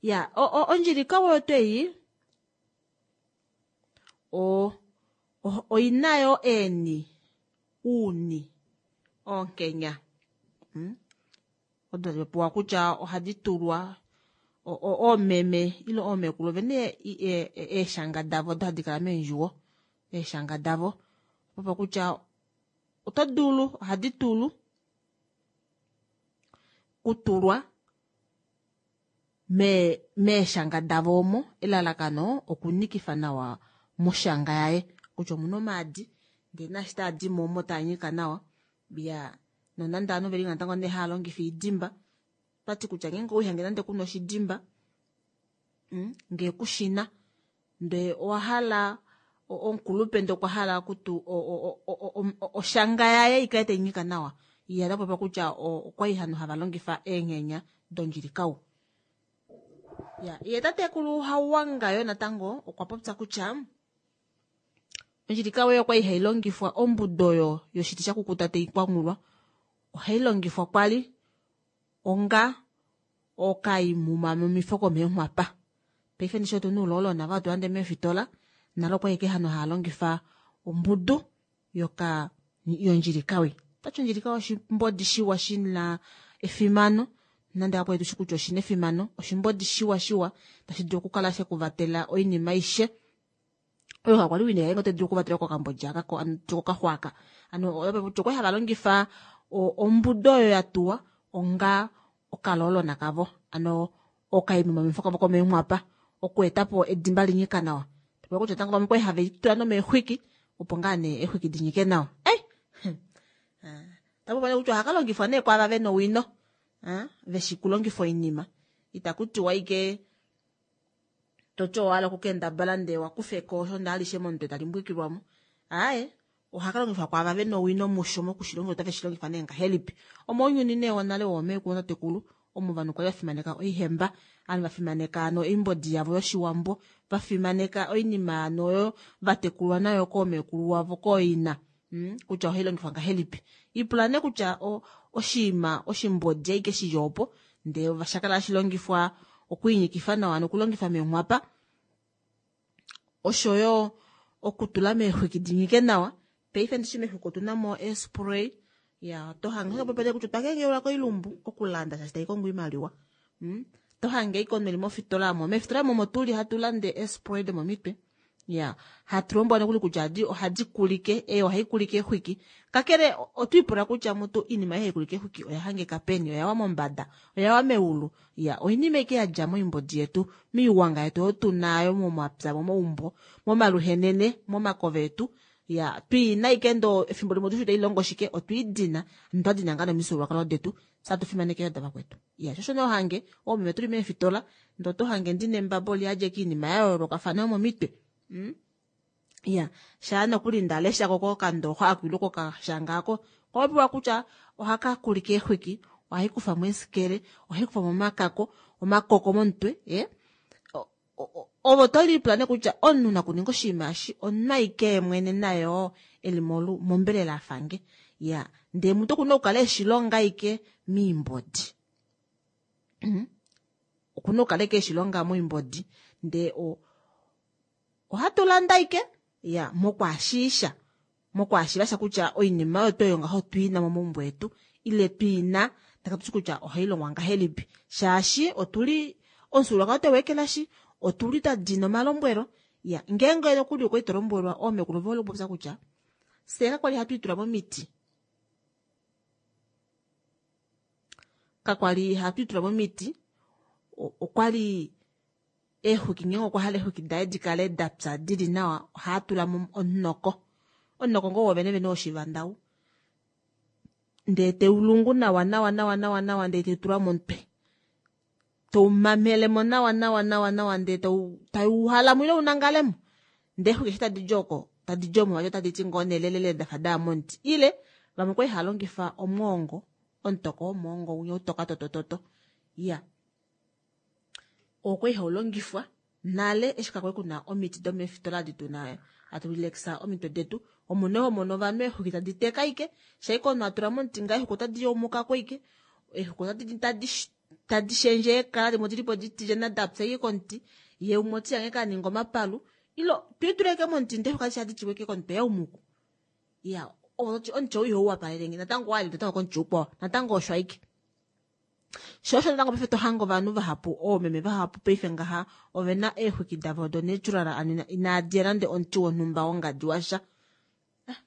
ya ondjilika oyo twei oina yo eeni uuni oonkenya hmm? Odo tadi popiwa kutya ohadi tulwa oomeme ile oomekulu ovene eeshanga davo odo hadi kala meendjuwo eeshanga davo popa kutya oto dulu ohadi tulu kutulwa meeshanga davo omo elalakano okunikifa nawa moshanga yaye kutya omuna omaadi ndee naashi taadimo omo taanyika nawa ya nonande ovanhu veli natango nee haya longifa oidimba otwati kutya ngeenge owihange nande kuna oshidimba mm, ngee kushina ndee owahala omukulupe ndee okwa hala okutu oshanga yaye ikale tainyika nawa ye ota popi kutya okwali hano hava longifa eenghenya dondjilikau ya ye tatekulu Hauwanga yo natango okwa popya kutya ondjilikau oyo kwali hai longifwa ombudo oyo yoshiti sha kukuta tai kwanghulwa ohai longifwa kwali onga okaimumamumifo komeenghwapa paife ndishi otuna uloolona ava hatu lande meefitola nalo okwali ashike hano haya longifa ombudu yoka yondjilikawi otati ondjilikawi oshimbodi shiwa shina efimano nande apo tushi kutya oshina efimano oshimbodi shiwa shiwa tashi dulu okukala shekuvatela oinima aishe oyo kakwali wina yaye oto dulu okuvatela kokambodja aka kokaxwaka ano okwali hava longifa ombudo oyo ya tuwa onga okaloolona kavo ano okaimumamifo kavo komeenghwapa okuetapo edimba linyika nawa tapopi kutya tango vamwe okwali have litula nomeexwiki opo ngaa nee eexwiki dinyike nawa ei tapopi kutya ohaka longifwa nee kwaava vena owino veshi kulongifa oinima itaku tiwa ike toti owahala okukendabala ndee wakufeko osho ndee alishe momutwe tali mbwikilwamo aaye ohaka longifwa kwaava vena owino musho mokushilongifa otave shi longifa nee ngahelipi omounyuni nee wonale woomeekulu notatekulu omo ovanhu kwali vafimaneka oihemba ovanhu vafimaneka ano oimbodi yavo yoshiwambo vafimaneka oinima ano oyo vatekulwa nayo koomeekulu wavo kooina mm, kutya ohai longifwa ngahelipi ipula nee kutya oshinima oshimbodi aike shili opo ndee shakala hashi longifwa okwiinyikifa nawa nokulongifa meenghwapa oshoyo okutula meexwiki dinyike nawa paife ndishi meexwiki otuna mo eespray ya oto hange popele kutya otwa kengeula koilumbu okulanda shaashi tai kongo oimaliwa mm? to hange iko meli mofitola mo meefitola momo tuli hatu lande eespray domomitwe ya hatu lombwelwa nokuli kutya ohadi kulike eyo ohai kulike exwiki kakele otwiipula kutya mutu iinima ei hai kulike exwiki oya hangika peni oyawa mombada oyawa meulu ya oinima ike yadja moimbodi yetu miiwanga yetu oyo tunayo momapya momaumbo momaluhenene momakove etu. Ya twiina ike ndo efimbo limwe otushi tailongo shike otwiidina notwa dina ngaa nomifyuululwakalo detu fye atu fimaneke yo davakwetu. Ya sho osho nee ohange oomeme tuli meefitola ndee oto hange ndina embaba oliyadi ashike oinima ya yoolokafana yomomitwe. Ya shaa nokuli nda leshako kokandooxa ako ile kokashanga ako okwa popiwa kutya ohaka kulike eexwiki ohai kufamo eesikele ohai kufamo omakako omakoko momutwe ee Ove oto lipula nee kutya omunhu nakuninga oshinima eshi omunhu aike yemwene naye oo eli mombelela afange. Iya, ndee mutu okuna okukala eshi longa aike moimbodi. Okuna okukala aike eshi longa moimbodi ndee ohatu landa aike, iya, mokwaashiisha. Mokwaashiiva sha kutya oinima oyo twa ngaho otwi na momaumbo etu ile twi na ndee katu shi kutya ohai longwa ngahelipi shaashi otuli omufyuululwakalo tweu ekelashi otuli twa dina omalombwelo iya ngeenge nokuli okwali to lombwelwa oomekulu ove hole okupopya kutya fyee kakwali hatu itula momiti kakwali hatu itula momiti okwali Eexwiki ngeenge okwa hala eexwiki daye di kale da pya di li nawa ohaa tula mo omunoko. Omunoko ngoo wovene vene woshivanda ou. Ndee teu lungu nawa nawa nawa nawa nawa ndee teu tula momutwe. Teu mamele mo nawa nawa nawa nawa ndee tau tau uhala mo ile u nangale mo. Ndee eexwiki eshi tadi di oko tadi di omo vati otadi ti ngoo nee lelele dafa daya momuti. Ile vamwe okwali hava longifa omwoongo, omutoko womwoongo winya utoka totototo. Iya. Okwali hau longifwa nale eshi kakwali kuna omiti domeefitola adi tuna hatu relaxa omitwe detu. Omo nee ho mono ovanhu eexwiki tadi teka ashike, shaike omunhu a tula momuti ngaho eexwiki otadi yaumuka ko ashike, eexwiki otadi tadi tadi shendje eekala dimwe odili po ditilyana dapya ashike komuti, ye umwe oti hange ka ninga omapalu ile twiitula ashike momuti ndee eexwiki adishe ohadi tiwa ashike komutwe yaumuku. Iya, ove toti omuti ou ihau wapalelenge natango owali natango komuti ukwao natango osho ashike. Sho osho natango paife to hange ovanhu vahapu, oomeme vahapu paife ngaha ove na eexwiki davo do natural ano inaadi ya nande omuti wonhumba wongadi washa. Ah,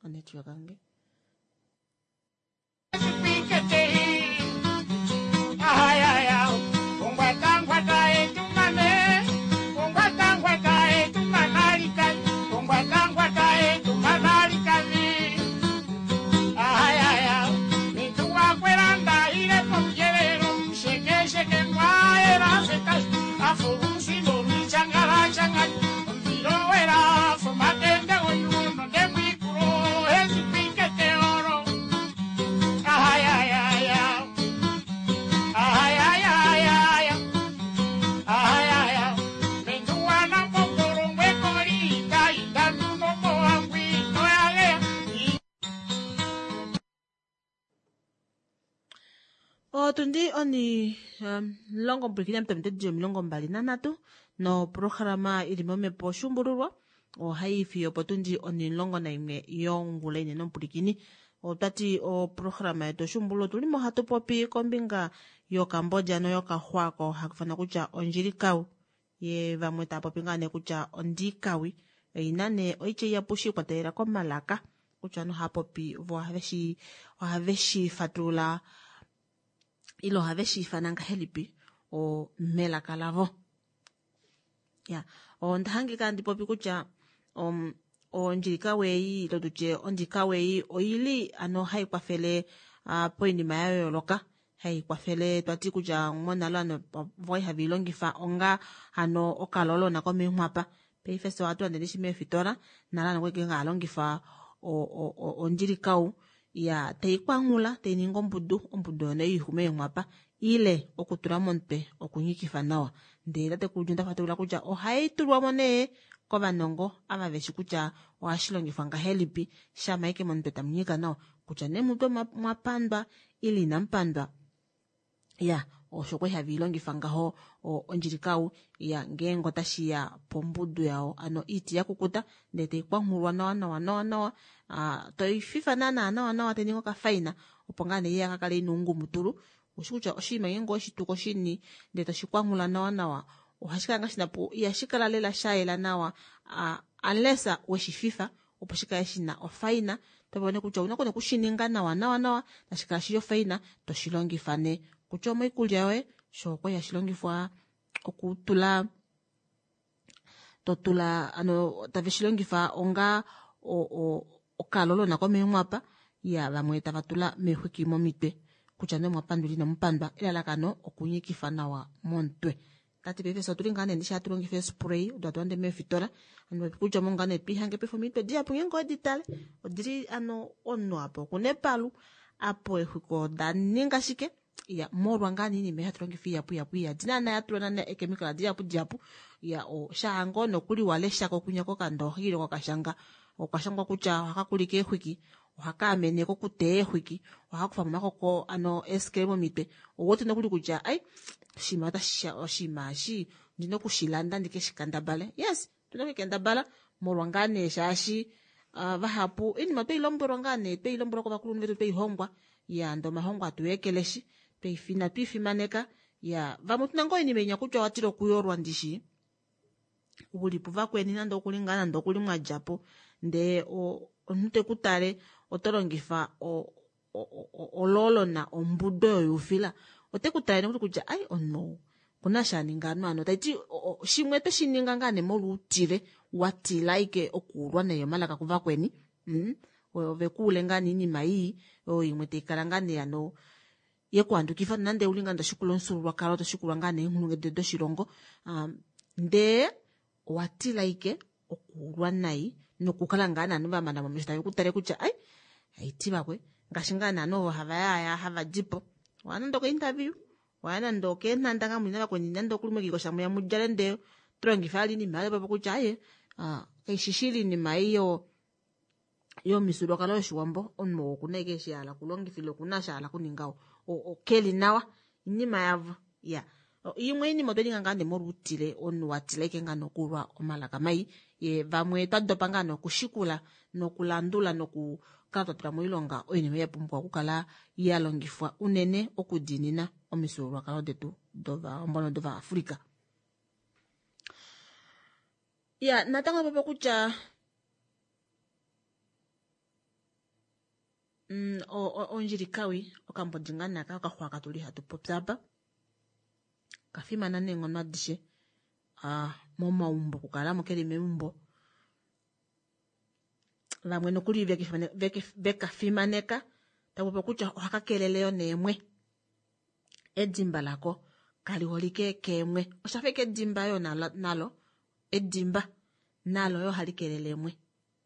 onetwork yange. Otundi oni omulongo mpwilikina mutatu di 23 noprograma ili momhepo oshuumbululwa ohai fiyo opotundi oni11 yongula inene omupulikini. Otwati oprograma yetu oshuumbululwa otuli mo hatu popi kombinga yokambodja noyokaxwa ko haku kutya ondjilikau ye vamwe tava popi ngaa nee kutya ondikawi oina nee oitya ihapu shi ikwatelela komalaka kutya ovanhu ohava popi vo ohave shi fatulula ile ohave shi ifana ngahelipi melaka lavo. Ya, onda hangika handi popi kutya ondjilikawi ei ile tutye ondikawi ei oili ano hai kwafele poinima ya yooloka hai kwafele twati kutya monale ovanhu okwali have i longifa onga hano okalolona komeenghwapa paife fye ohatu lande ndishi meefitola nale ovanhu okwali hava longifa ondjilikau ya tai kwanghula tai ningi ombudu ombudu oyo nee meenghwapa ile okutula momutwe okunyikifa nawa ndee tatekulu John ta fatulula kutya ohai tulwa mo nee kovanongo ava veshi kutya ohashi longifwa ngahelipi shama ashike momutwe tamu nyika nawa kutya nee mutwe mwa pandwa ile inamu pandwa ya osho kwali have i longifa ngaho ondjilikau ya ngeenge otashi ya pombudu yawo ano iiti ya kukuta ndee tai kwanghulwa nawa nawa nawa nawa toi fifa naana nawa nawa tai ningi okafaina opo ngaa nee iya kakale ina oungumutulu ushi kutya oshinima ngeenge oshituko shini ndee toshi kwanghula nawa nawa ohashi kala ngaa shina po ihashi kala lela sha yela nawa unless weshi fifa opo shi kale shina ofaina to vone kutya ouna okushininga nawa nawa nawa tashi kala shili ofaina toshi longifa nee kutya omoikulya yoye sho okwali hashi longifwa okutula totula ano tave shi longifa onga okalolona komeenghwapa ya vamwe tava tula meexwiki momitwe kutya nee omwa pandula inamu pandwa elalakano okunyikifa nawa momutwe. Tati paife fye otuli ngaa nee ndishi hatu longifa eespray odo hatu lande meefitola ano kutya omo ngaa nee twiihange paife omitwe dihapu ngeenge owedi tale odili ano omunhu apa okuna epalu apo eexwiki oda ninga shike ya molwa ngaa nee iinima hatu longifa ihapu ihapu iyadi naana ya tulwa naana eekemikala dihapu dihapu ya shaa ngoo nokuli wa leshako kwinya kokandooxa ile kokashanga okwa shangwa kutya ohaka kulike eexwiki ohaka amene kokuteya eexwiki ohaka kufa mo omakoko ano eeskele momitwe ouwete nokuli kutya ai oshinima otashi oshinima eshi ondina okushilanda ndike shikandabale yes otuna okukendabala molwa ngaa nee shaashi uh, vahapu oinima twei lombwelwa ngaa nee twei lombwelwa kovakulunhu vetu twei hongwa ya ndee omahongo atu ekeleshi inatu ifimaneka ya vamwe tuna ngoo oinima inya kutya owatila okuyolwa ndishi uli puvakweni nande okuli ngaa nande okuli mwa dja po ndee omunhu te ku tale oto longifa oloolona ombudo yoyuufila ote ku tale nokuli kutya ai omunhu ou okuna eshi a ninga anu ano taiti shimwe oto shi ninga ngaa nee molwoutile wa tila ashike okuulwa nai omalaka kuvakweni mm? ove kuule ngaa nee iinima ii oyo imwe tai kala ngaa nee ano yekuhandukifa nonande uli ngaa toshikula omufyuululwakalo toshikula ngaa nee eenghulunghedi doshilongo um, ndee owa tila ike okuulwa nai nokukala ngaa naanhu va mana momesho tave ku tale kutya ai haiti vakwe ngaashi ngaa naanhu ovo hava yaaya hava di po waya nande okointerview waya nande okeenhanda ngaa muli navakweni nande okuli mwekikosha mwiya mu djale ndee to longifa vali iinima yayo kutya aye kaishi shili iinima ei yo yomifyuululwakalo yoshiwambo omunhu oo okuna ashike eshi ahala okulongifa ile okuna eshi ahala okuninga keli nawa oinima yavo iya imwe oinima otwe ninga ngaa nee molwoutile omunhu wa tila ashike ngaa nee okulwa omalaka mai ye vamwe twa dopa ngaa nee okushikula nokulandula nokukala twa tula moilonga oinima ya pumbwa okukala ya longifwa unene okudiinina omifyuululwakalo detu dOvawambo nodOvaafrika. Ya natango popo kutya mm, ondjilikawi okambodi ngaa naka okaxwa katuli hatu popi apa kafimana neenghono adishe ah, momaumbo okukalamo keli meumbo vamwe nokuli veka fimaneka tapopi kutya ohaka kelele yo neemwe edimba lako kali holike keemwe osha fa edimba yo nalo edimba nalo yo ohali kelele eemwe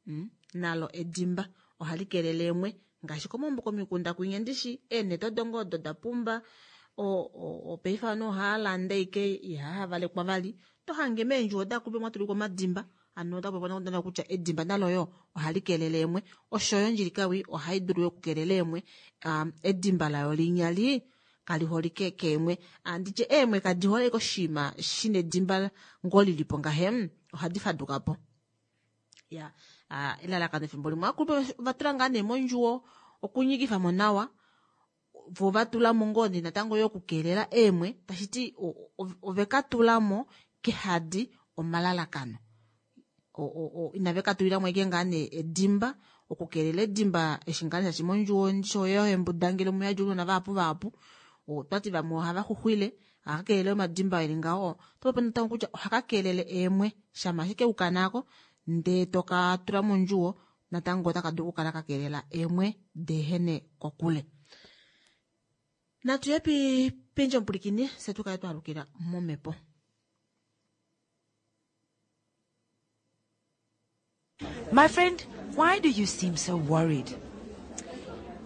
mm? nalo edimba ohali kelele eemwe ngaashi komaumbo komikunda kwinya ndishi eenete odo ngoo odo da pumba opaife ovanhu ohava landa ike ihava valekwa vali to hange meendjuwo dakulupe mwa tulikwa omadimba ano ota popi kutya edimba nalo yo ohali kelele eemwe oshoyo ondjilikawi ohai dulu yo okukelela eemwe um, edimba layo linya li kali holike keemwe anditye eemwe kadi hole koshinima shina edimba ngoo lilipo ngahe ohadi faduka po ya elalakano efimbo limwe akulupe ova tula ngaa nee mondjuwo okunyikifa mo nawa vo va tula mo ngoo nee natango yo okukeelela eemwe tashi ti ove ka tula mo kehadi omalalakano inave ka tulila mo ashike ngaa nee edimba okukeelela edimba eshi ngaa nee shashi mondjuwo shoye ohembudangele omu yadi ounona vahapu vahapu otwati vamwe ohava xuxwile ohaka keelele omadimba eli ngaho oto popi natango kutya ohaka keelele eemwe shama ashike ukanako ndee toka tula mondjuwo natango otaka dulu okukala ka keelela eemwe deehene kokule. Natu ye pendje omupulikini se tu kale twa alukila momhepo. My friend, why do you seem so worried?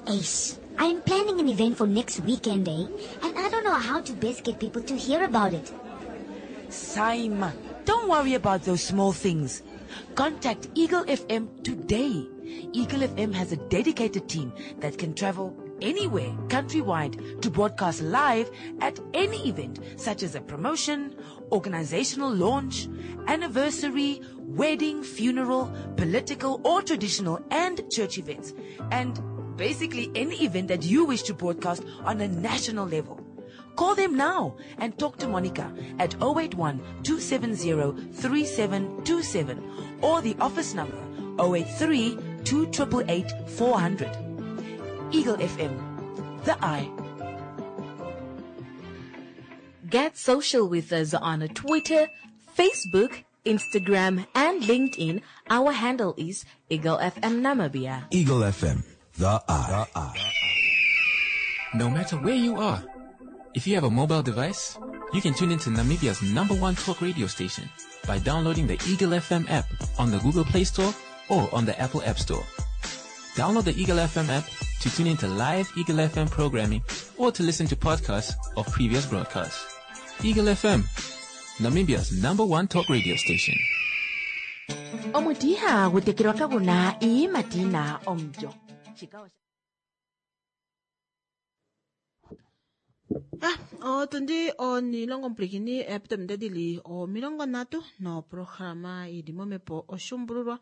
Ace, I'm planning an event for next weekend, eh? And I don't know how to best get people to hear about it. Saima, don't worry about those small things. Contact Eagle FM today. Eagle FM has a dedicated team that can travel anywhere countrywide to broadcast live at any event such as a promotion, organizational launch, anniversary, wedding, funeral, political or traditional and church events, and basically any event that you wish to broadcast on a national level. Call them now and talk to Monica at 081 270 3727 or the office number 083 2888 400. Eagle FM, the eye. Get social with us on Twitter, Facebook, Instagram, and LinkedIn, our handle is Eagle FM Namibia. Eagle FM, the eye. No matter where you are, if you have a mobile device, you can tune into Namibia's number one talk radio station by downloading the Eagle FM app on the Google Play Store or on the Apple App Store. Download the Eagle FM app to tune into live Eagle FM programming or to listen to podcasts of previous broadcasts. Eagle FM, Namibia's number one talk radio station. Omuti ihagu tekelwa kagu na iiyimati yi na omulyo. Shika osha. Ah, otundi onilongo mpwilikini epita ominute dili 30 noprograma ili momhepo oshuumbululwa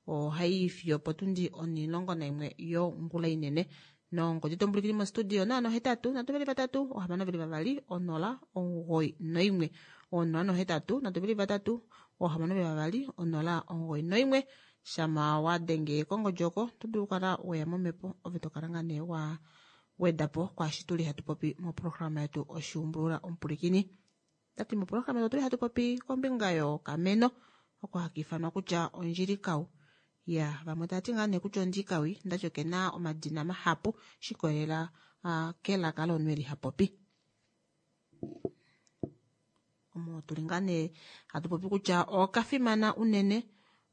ohayi fiyo potundi 11 yongula inene nongodi tombwilikini mostudio naano 8 3 3 6 2 0 9 1 0 8 3 3 6 2 0 9 1 shama wa denge kongodi oko oto dulu okukala weya momhepo ove tokala ngaa nee wa weda po kwaashi tuli hatu popi moprograma yetu oshuumbulula omupulikini. Tati moprograma yetu otuli hatu popi kombinga yokameno oko haka ifanwa kutya ondjilikau. Ya vamwe tava ti ngaa nee kutya ondjikawi ndati okena omadina mahapu shikolelela uh, kelaka lomunhu eli ha popi. Omo tuli ngaa nee hatu popi kutya okafimana unene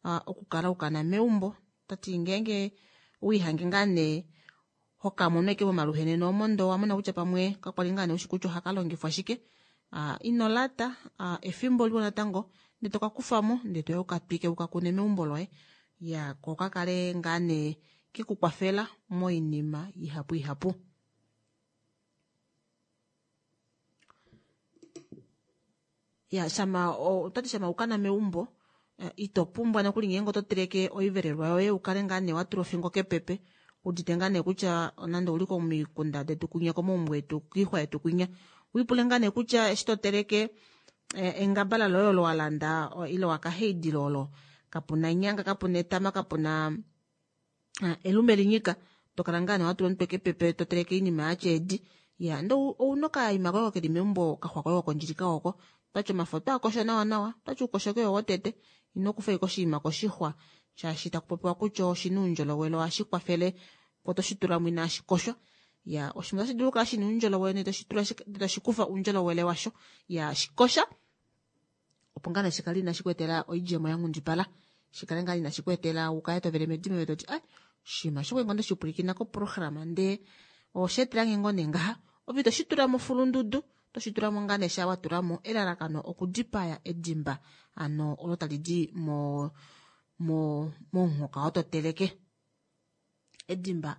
uh, okukala ukana meumbo. Tati ngeenge wiihange ngaa nee hokamono ashike momaluheneno omo ndoo owamona kutya pamwe kakwali ngaa nee ushi kutya ohaka longifwa shike uh, ino lata uh, efimbo liwa natango ndee toka kufamo ndee toya ukatwike ukakune meumbo loye ya ko kakale ngaa nee kekukwafela moinima ihapu ihapu. Ya shama otati shama ukana meumbo ito pumbwa nokuli ngeenge oto teleke oivelelwa yoye ukale ngaa nee watula ofingo kepepe udite ngaa nee kutya nande ouli komikunda detu kwinya komaumbo etu koixwa yetu kwinya wipule ngaa nee kutya eshi to teleke engabala loye olo walanda ile wakaheidila olo kapuna nyanga kapuna etama kapuna elume linyika tokala ngaa nee watula omutwe kepepe to teleke oinima yatya edi ya ndee ouna okaima koye keli meumbo okaxwa koye kokondjilika oko twati omafo otwaakosho nawa nawa twati ukoshoke yo wotete ino kufa ashike oshinima koshixwa shaashi takupopiwa kutya oshina oundjolowele ohashi kwafele po toshitulamo inashi koshwa ya oshinima otashi dulu okukala shina oundjolowele ndee toshitula ndee toshikufa oundjolowele washo ya shikosha opo ngaa nee shikale inashi ku etela oidjemo yanghundipala shikale ngaa inashi ku etela ukale tovele medimo ove toti ai oshinima osho kwali ngoo ndeshipwilikina koprograma ndee osha etelange ngoo nee ngaha ove itoshi tula mofulundudu otoshi tulamo ngaa nee shaa watulamo elalakano okudipaya edimba ano olo tali di mo mo momuhoka oo toteleke edimba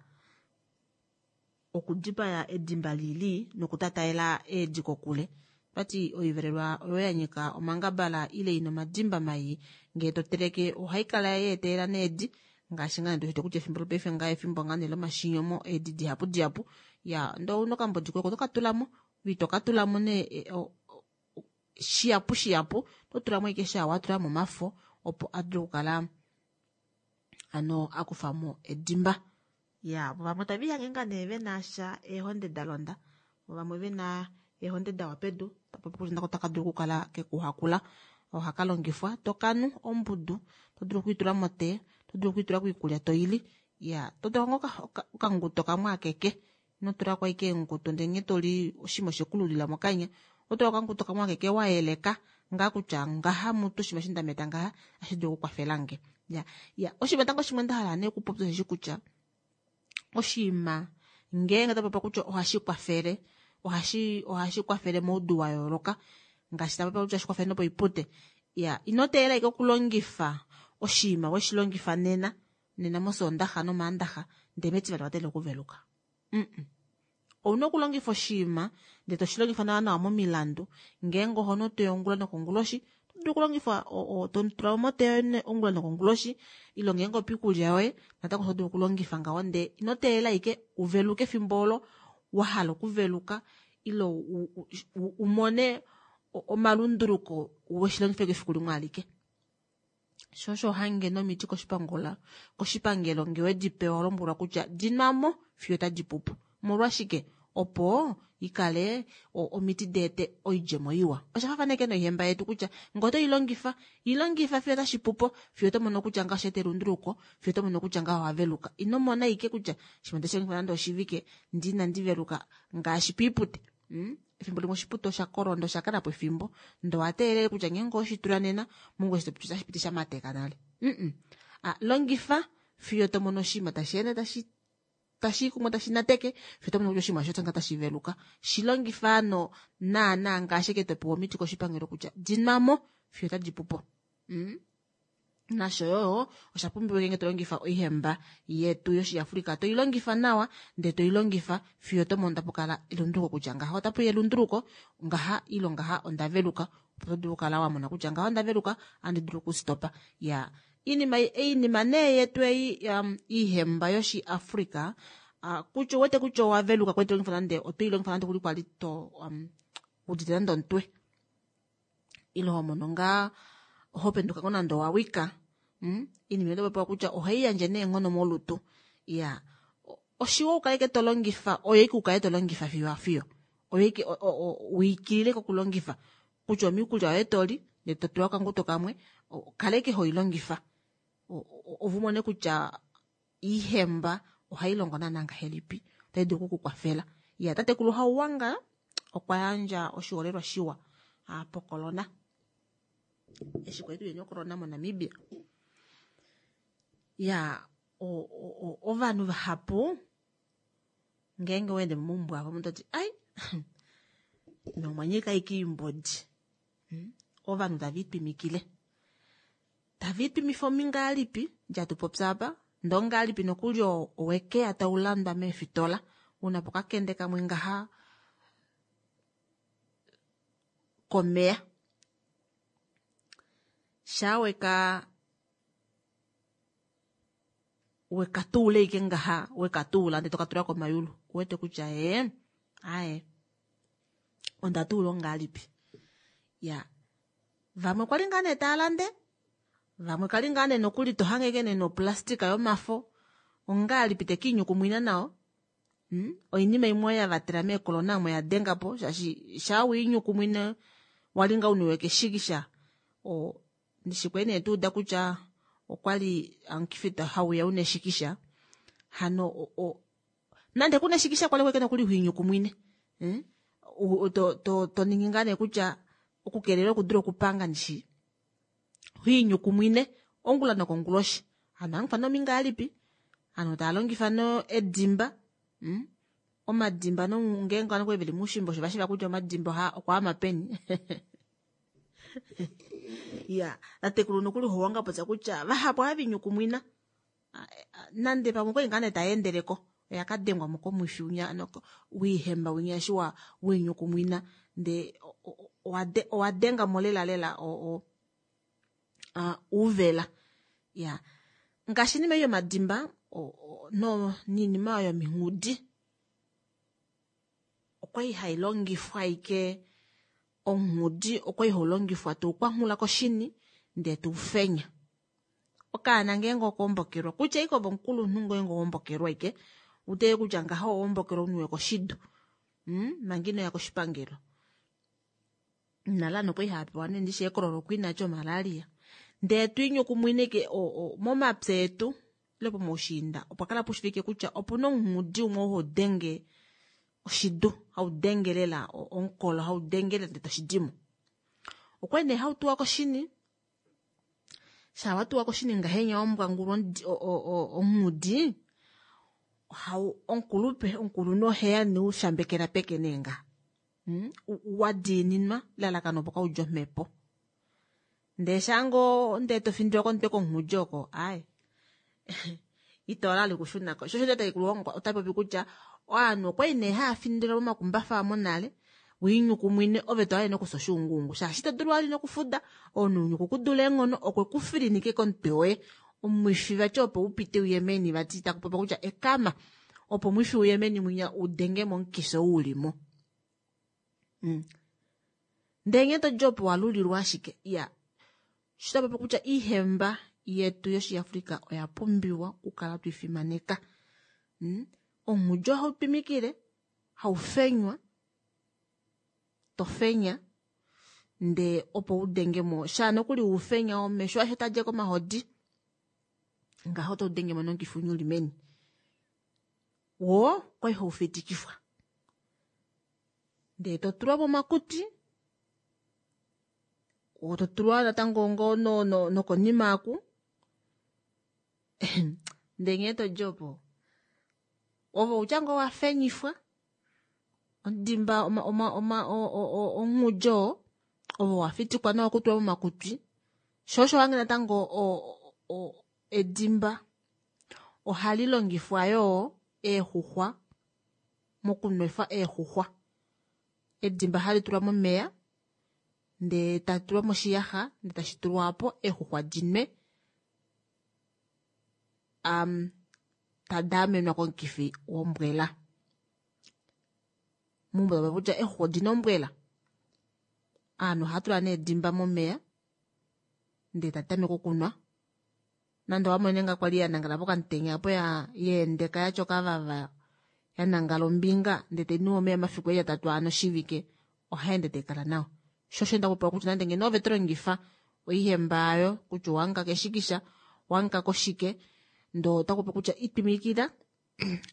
okudipaya edimba lili nokutataela eedi kokule vati oivelelwa oyo ya nyika omangabala ile ina omadimba mai ngee to teleke ohai kala ya etelela needi ngaashi ngaa nee kutya efimbo lopaife ngaa efimbo ngaa nee lomashinyomo eedi dihapu dihapu ya ndee ouna okambodi koye oko toka tulamo ove itoka tulamo nee shihapu shihapu oto tulamo ashike shaa watulamo omafo opo a dule okukala ano akufamo edimba ya vamwe tave lihange ngaa nee venasha eehonde dalonda vamwe vena eehonde dawa pedu tapopi kutya nako taka dulu okukala kekuhakula ohaka longifwa tokanu ombudu to dulu okwiitula motee to dulu okwiitula koikulya toili ya totula ngoo okanguto kamwe akeke ino tulako ashike eenguto ndee nghee toli oshinima oshekululila mokanya otula okanguto kamwe akeke wayeleka ngaa kutya ngaha mutu oshinima eshi ndameta ngaha otashi dulu okukwafelange ya ya oshinima tango shimwe ndahala nee okupopya osheshi kutya oshinima ngeenge tapopiwa kutya ohashi kwafele ohashi ohashi kwafele moudu wa yooloka ngaashi tapopiwa kutya ohashi kwafele nopoipute ya ino teelela ashike okulongifa oshinima weshi longifa nena nena mosoondaxa nomaandaxa ndee metivali wa teelela okuveluka mm ouna okulongifa oshinima ndee toshi longifa nawa nawa momilandu ngeenge oho nu otea ongula nokonguloshi oto dulu okulongifa totula mo motea yoye ongula nokonguloshi ile ngeenge opiikulya yoye natango oto dulu okulongifa ngaho ndee ino teelela ashike uveluke efimbo olo wahala okuveluka ile umone omalunduluko weshilongifa ashike efiku limwe alike. Sho osho hange nomiti koshipangelo ngee wedi pewa lombwelwa kutya dinwamo fiyo otadi pupu. Omolwashike? Opo i kale omiti di ete oidjemo iwa. Osha faafana ashike noihemba yetu kutya ngee oto i longifa, i longifa fiyo otashi pu po, fiyo oto mono kutya ngaho osha eta elunduluko, fiyo oto mono kutya ngaho owa veluka. Ino mona ashike kutya shimwe ndeshi longifa nande oshivike ndee inandi veluka ngaashi piipute. Hmm? Efimbo limwe oshipute osha kolwa ndee osha kala po efimbo, ndee owa teelele kutya ngeenge owe shi tula nena, mongula eshi to piti otashi piti sha mateka nale. Mm-mm. Ah, longifa fiyo to mono oshinima tashi ende tashi tashi i kumwe tashi nateke fiyo to mono kutya oshinima osho nga tashi veluka. Shi longifa ano naanaa ngaashi eke to pewa omiti koshipangelo kutya di nwa mo fiyo otadi pu po. Mm. Nasho yo osha pumbiwa ngeenge to longifa oihemba yetu yOshiafrika to i longifa nawa ndee to i longifa fiyo to mono tapu kala elunduluko kutya ngaha otapu ya elunduluko ngaha ilo ngaha onda veluka opo to dulu okukala wa mona kutya ngaha onda veluka andi dulu okustopa ya Iinima iinima nee yetu ei um, iihemba yoshiAfrika uh, kutya uwete kutya owa veluka kwete longifa nande oto i longifa nande kuli kwali to um, udite nande omutwe ile ho mono ngaa ho penduka ngo nande owa wika mm? iinima oto popiwa kutya ohai yandje neenghono molutu ya oshiwa u kale to longifa oyo ike u kale to longifa fiyo afiyo oyo ike wiikilile kokulongifa kutya omiikulya yoye to li ndele to tula okanguto kamwe kaleke ho yi longifa ovu mone kutya iihemba ohayi longo naana ngahelipi otayi dulu oku ku kwafela ya tatekulu Hauwanga okwa yandja oshiholelwa shiwa pokolona eshi kwali tuyeni okolona moNamibia ya ovanhu vahapu ngeenge weende momaumbo avo omuntu oti ai nomwa nyika ike iimbodi hmm? Ovanhu tava itwimikile tava itwimifa omingalipi dja tu popya apa ndee ongalipi nokuli owekeya tau landwa meefitola una po kakende kamwe ngaha komeya shaa weka weka tuula ike ngaha weka tuula ndee toka tula komayulu uwete kutya ee aye onda tuula ongalipi ya vamwe kwali ngaa nee taa lande vamwe kali ngaa nee nokuli to hange ike nee noplastika yomafo ongalipi te kiinyukumwina nao hmm? Oinima imwe oyo ya vatela meekolona omo ya denga po shaashi shaa wiinyukumwine wali ngaa uniwe keshikisha o Ndishi kwali nee tuuda kutya okwali omukifi hauya una eshikisha hano o, nande kuna eshikisha kwali kweke nokuli hwiinyukumwine eh? To, to, to ningi ngaa nee kutya okukeelela okudula okupanga ndishi hwiinyukumwine ongula nokonguloshi hano angufa nomingalipi hano taa longifa no edimba hmm? Omadimba no ngeenge ovanhu kwali veli muushimba osho vashiva kutya omadimba oha okwaama peni ya tatekulu nokuli howanga popya kutya vahapu ohava inyukumwina nande pamwe okwali ngaa nee taya endeleko oya ka dengwa mo komwifi winya wiihemba winya eshi wa wiinyukumwina ndee owa denga mo lela lela o uuvela ya ngaashi iinima ei yomadimba no niinima oyo yominghudi okwali hai longifwa ike Onghudi okwali hau longifwa to ukwanghula koshini ndee to ufenya. Okaana ngeenge okoombokelwa kutya ike ove omukulunhu ngeenge owaombokelwa ike uteye kutya ngaha owaombokelwa uniwe koshidu hmm? Manga inoya koshipangelo nale ano okwali hava pewa nee ndishi eekloroquina lyomalaria ndee to inyukumwine ike momapya etu ile pomaushiinda opwa kala pushivike kutya opuna omunghudi umwe oo hau denge oshidu hau denge lela omukolo hau denge lela ndele toshidimo. Okwali nee hau tuwa koshini shaa wa tuwa koshini ngahenya wambwangulwa onghudi ohau omukulupe omukulunhu oheya ne ushambekela peke nee nga hmm? Wa diininwa lalakano opo kaudje omhepo ndee shaa ngoo ndee to findilwa komutwe konghudi oko aye ito lali kushuna ko sho osho tatekulu wangu ota popi kutya ovanhu okwali nee haya findilwa momakumbafa monale wiinyukumwine ove to hale nokusa oshuunguungu shaashi ito dulu vali nokufuda omunhu unyuku ku dula eenghono okwe ku filinike komutwe woye omwifi vati opo u pite uye meni vati taku popiwa kutya ekama opo omwifi uye meni mwinya u denge momukifi ou uli mo mm. Ndee nghee to dji opo wa lulilwa ashike ya sho ta popi kutya iihemba yetu yoshiafrika oya pumbiwa okukala twi fimaneka mm. Onghudju ohau twimikile. Haufenywa, to fenya ndee opo u denge mo shaa nokuli ufenya omesho ashe tadje komahodi ngaho to denge mo nomukifi winya uli meni. Woo kwali haufitikifwa ndee to tulwa momakuti to tulwa natango ngoo nokonima aku ndee nghee todi opo ove outya ngoo wafenyifwa omudimba onghudjo oo ove wafitikwa nawa okutulwa momakutwi shoo osho wange natango edimba ohali longifwa yoo eexuxwa mokunwefa eexuxwa. Edimba hali tulwa momeya ndee tali tulwa moshiyaxa ndee tashi tulwa opo eexuxwa dinwe tada amenwa komukifi wombwela. Meumbo tava kutya eexuxwa odina ombwela. Ovanhu ohava tula nee edimba momeya ndee tatameke okunwa. Nande owamone nga kwali yanangala pokamutenya apo yeendeka yatya okavava yanangala ombinga ndee tainu omeya omafiku eli atatu aano oshivike ohaende taikala nawa. Sho osho ndapopiwa kutya nande ngeno ove tolongifa oihemba ayo kutya owamuka keshikisha owamuka koshike ndoo otakupopi kutya itwimikila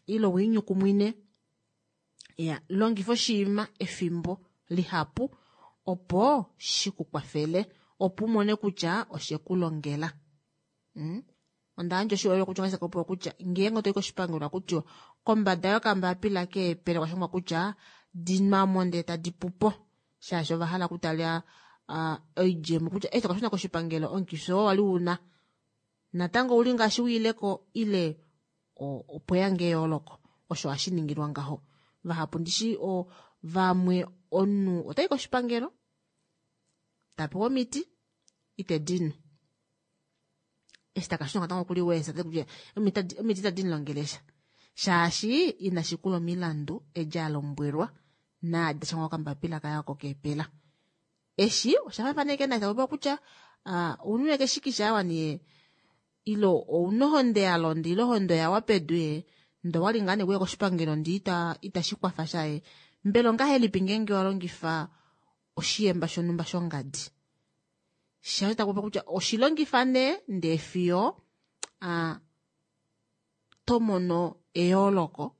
ile wiinyukumwine ya longifa oshiima efimbo lihapu opo shikukwafele opo umone kutya oshekulongela. Onda yandja oshiholelwa kutya ongahelipi popiwa kutya ngeenge otoyi koshipangelo akutiwa kombada yokambapila keepele kwashangwa kutya dinwamo ndee tadi pupo shaashi ovahala okutala oidjemo kutya eshi tokashuna koshipangelo omukifi oo wali una natango ouli ngaashi wiileko ile opweya ngee eyooloko. Osho hashi ningilwa ngaho. Vahapu ndishi vamwe omunhu otayi koshipangelo tapewa omiti ite dinu eshi takashuna natango okuli weesa kutya omiti itadi mulongelesha shaashi inashikula omilandu edi alombwelwa naadi dashangwa kokambapila kaye oko keepela. Eshi osha faafana ashike naashi tapopiwa kutya ounwe keshikisha awa nee ile ouna ohonde yalonda ile ohonde oyawa pedu ye ndee owali ngaa nee kuya koshipangelo ndee itashi kwafa sha ye mbela ongahelipi ngeenge walongifa oshiyemba shonhumba shongadi shaashi takupopiwa kutya oshilongifa nee ndee fiyo tomono eyooloko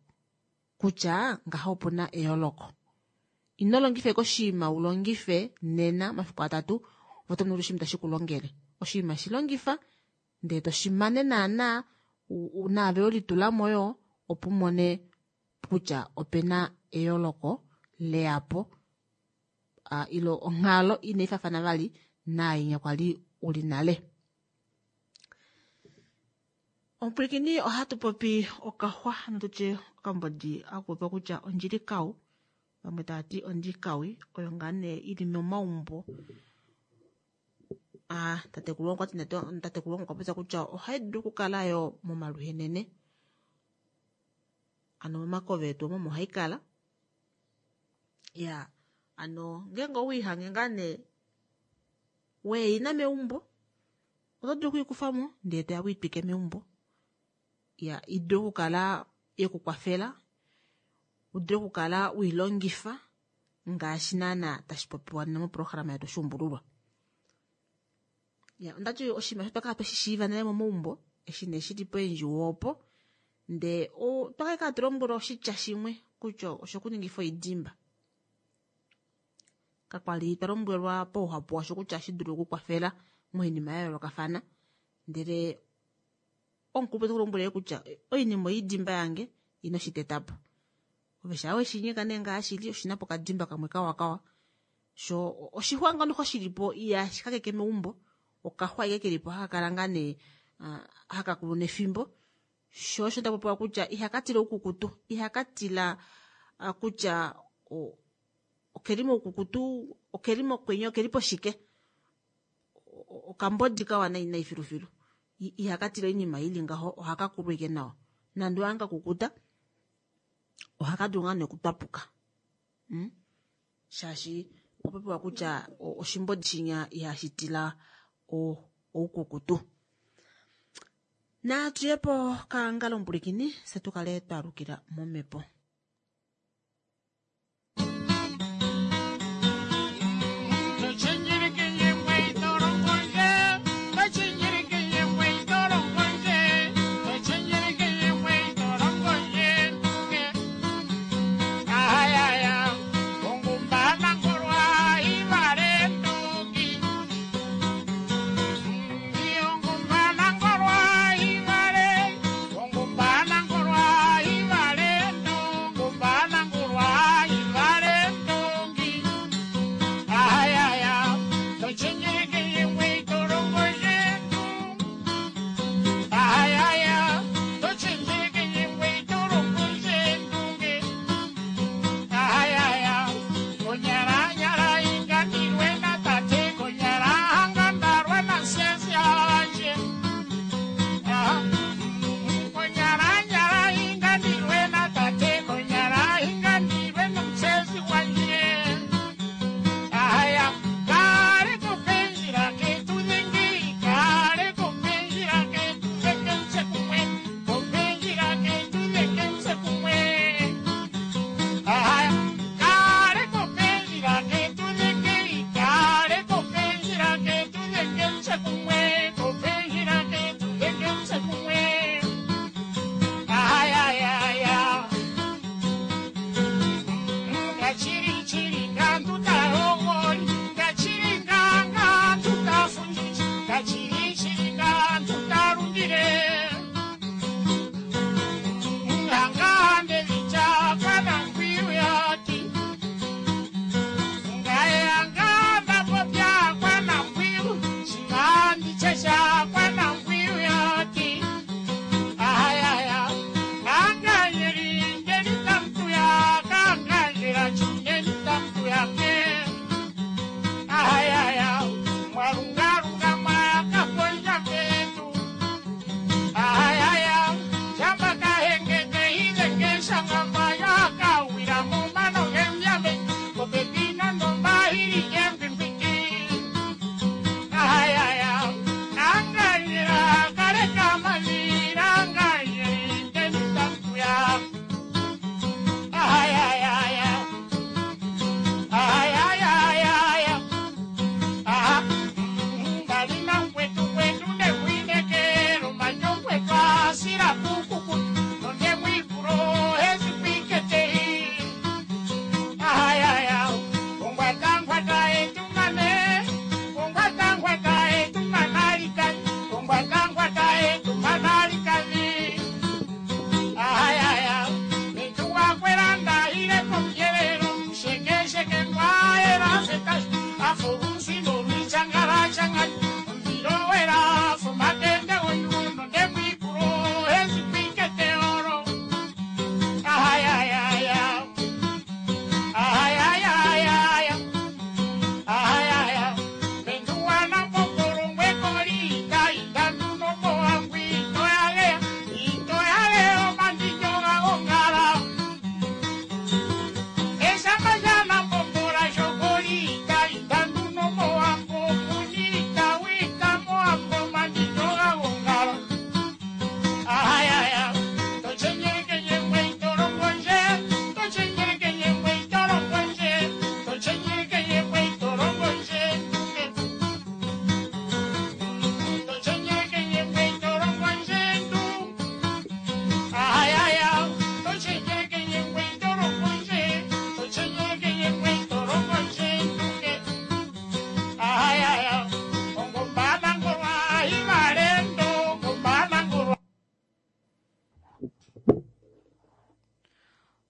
kutya ngaho opuna eyooloko. Ino longifa ashike oshinima ulongife nena omafiku atatu ove otomono kutya oshinima itashi kulongele. Oshinima shilongifa ndee toshimane naana naave welitulamo yoo opo umone kutya opena eyooloko leyapo ile onghalo inaifaafana vali naainya kwali uli nale. Omupwilikini ohatu popi okaxwa hano tutye okambodi hakupopiwa kutya ondjilikau vamwe tavati ondjikawi oyo ngaa nee ili momaumbo. Tatekulu okwati tatekulu wangu okwa popya kutya ohai dulu okukala yo momaluhenene ano momakove etu omo omo haikala. Ya ano ngeenge owiihange ngaa nee weina meumbo oto dulu okwiikufamo ndee toya wiitwike meumbo. Ya idule okukala yekukwafela udule okukala wiilongifa ngaashi naana tashi popiwa nena moprograma yetu Oshuumbululwa. Ya ondati oshinima osho twakala tweshishiiva nale momaumbo eshi nee shili poendjuwo opo ndee otwakala hatu lombwelwa oshitya shimwe kutya oshokuningifa oidimba. Kakwali twa lombwelwa pauhapu washo kutya ohashi dulu okukwafela moinima ya yoolokafana ndele omukulupe teku lombwele kutya oinima oidimba yange ino shitetapo. Ove shaa weshinyeka nee ngaa shili oshina po okadimba kamwe kawa kawa sho oshixwa ngoo noxo shilipo ihashi kakeke meumbo okaxwa ashike kelipo haka kala ngaa nee haka kulu nefimbo sho osho ndapopiwa kutya ihaka tila oukukutu ihaka tila kutya okeli moukukutu okeli mokwenye okeli poshike okambodi kawa nai nai filufilu ihaka tila oinima ili ngaho ohaka kulu ashike nawa nande ohange kakukuta ohaka dulu ngaa nee okutwapuka shaashi okwa popiwa kutya oshimbodi shinya ihashi tila oukukutu. Natuyepo kangalo omupulikini fye tukale twalukila momhepo.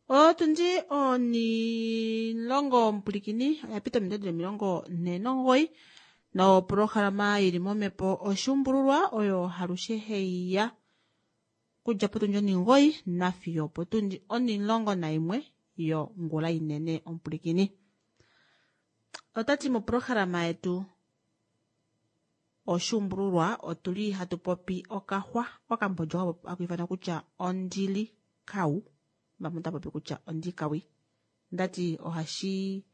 Otundi onilongo omupulikini oya pita ominute dili 49 noprograma yili momhepo oshuumbululwa oyo halushe heiya kudja potundi 9 nafiyo potundi 11 yongula inene omupulikini. Otati moprograma yetu oshuumbululwa otuli hatu popi okaxwa okambodja haku ifanwa kutya ondili kau, vamwe otava popi kutya ondikawi. Ndati ohashi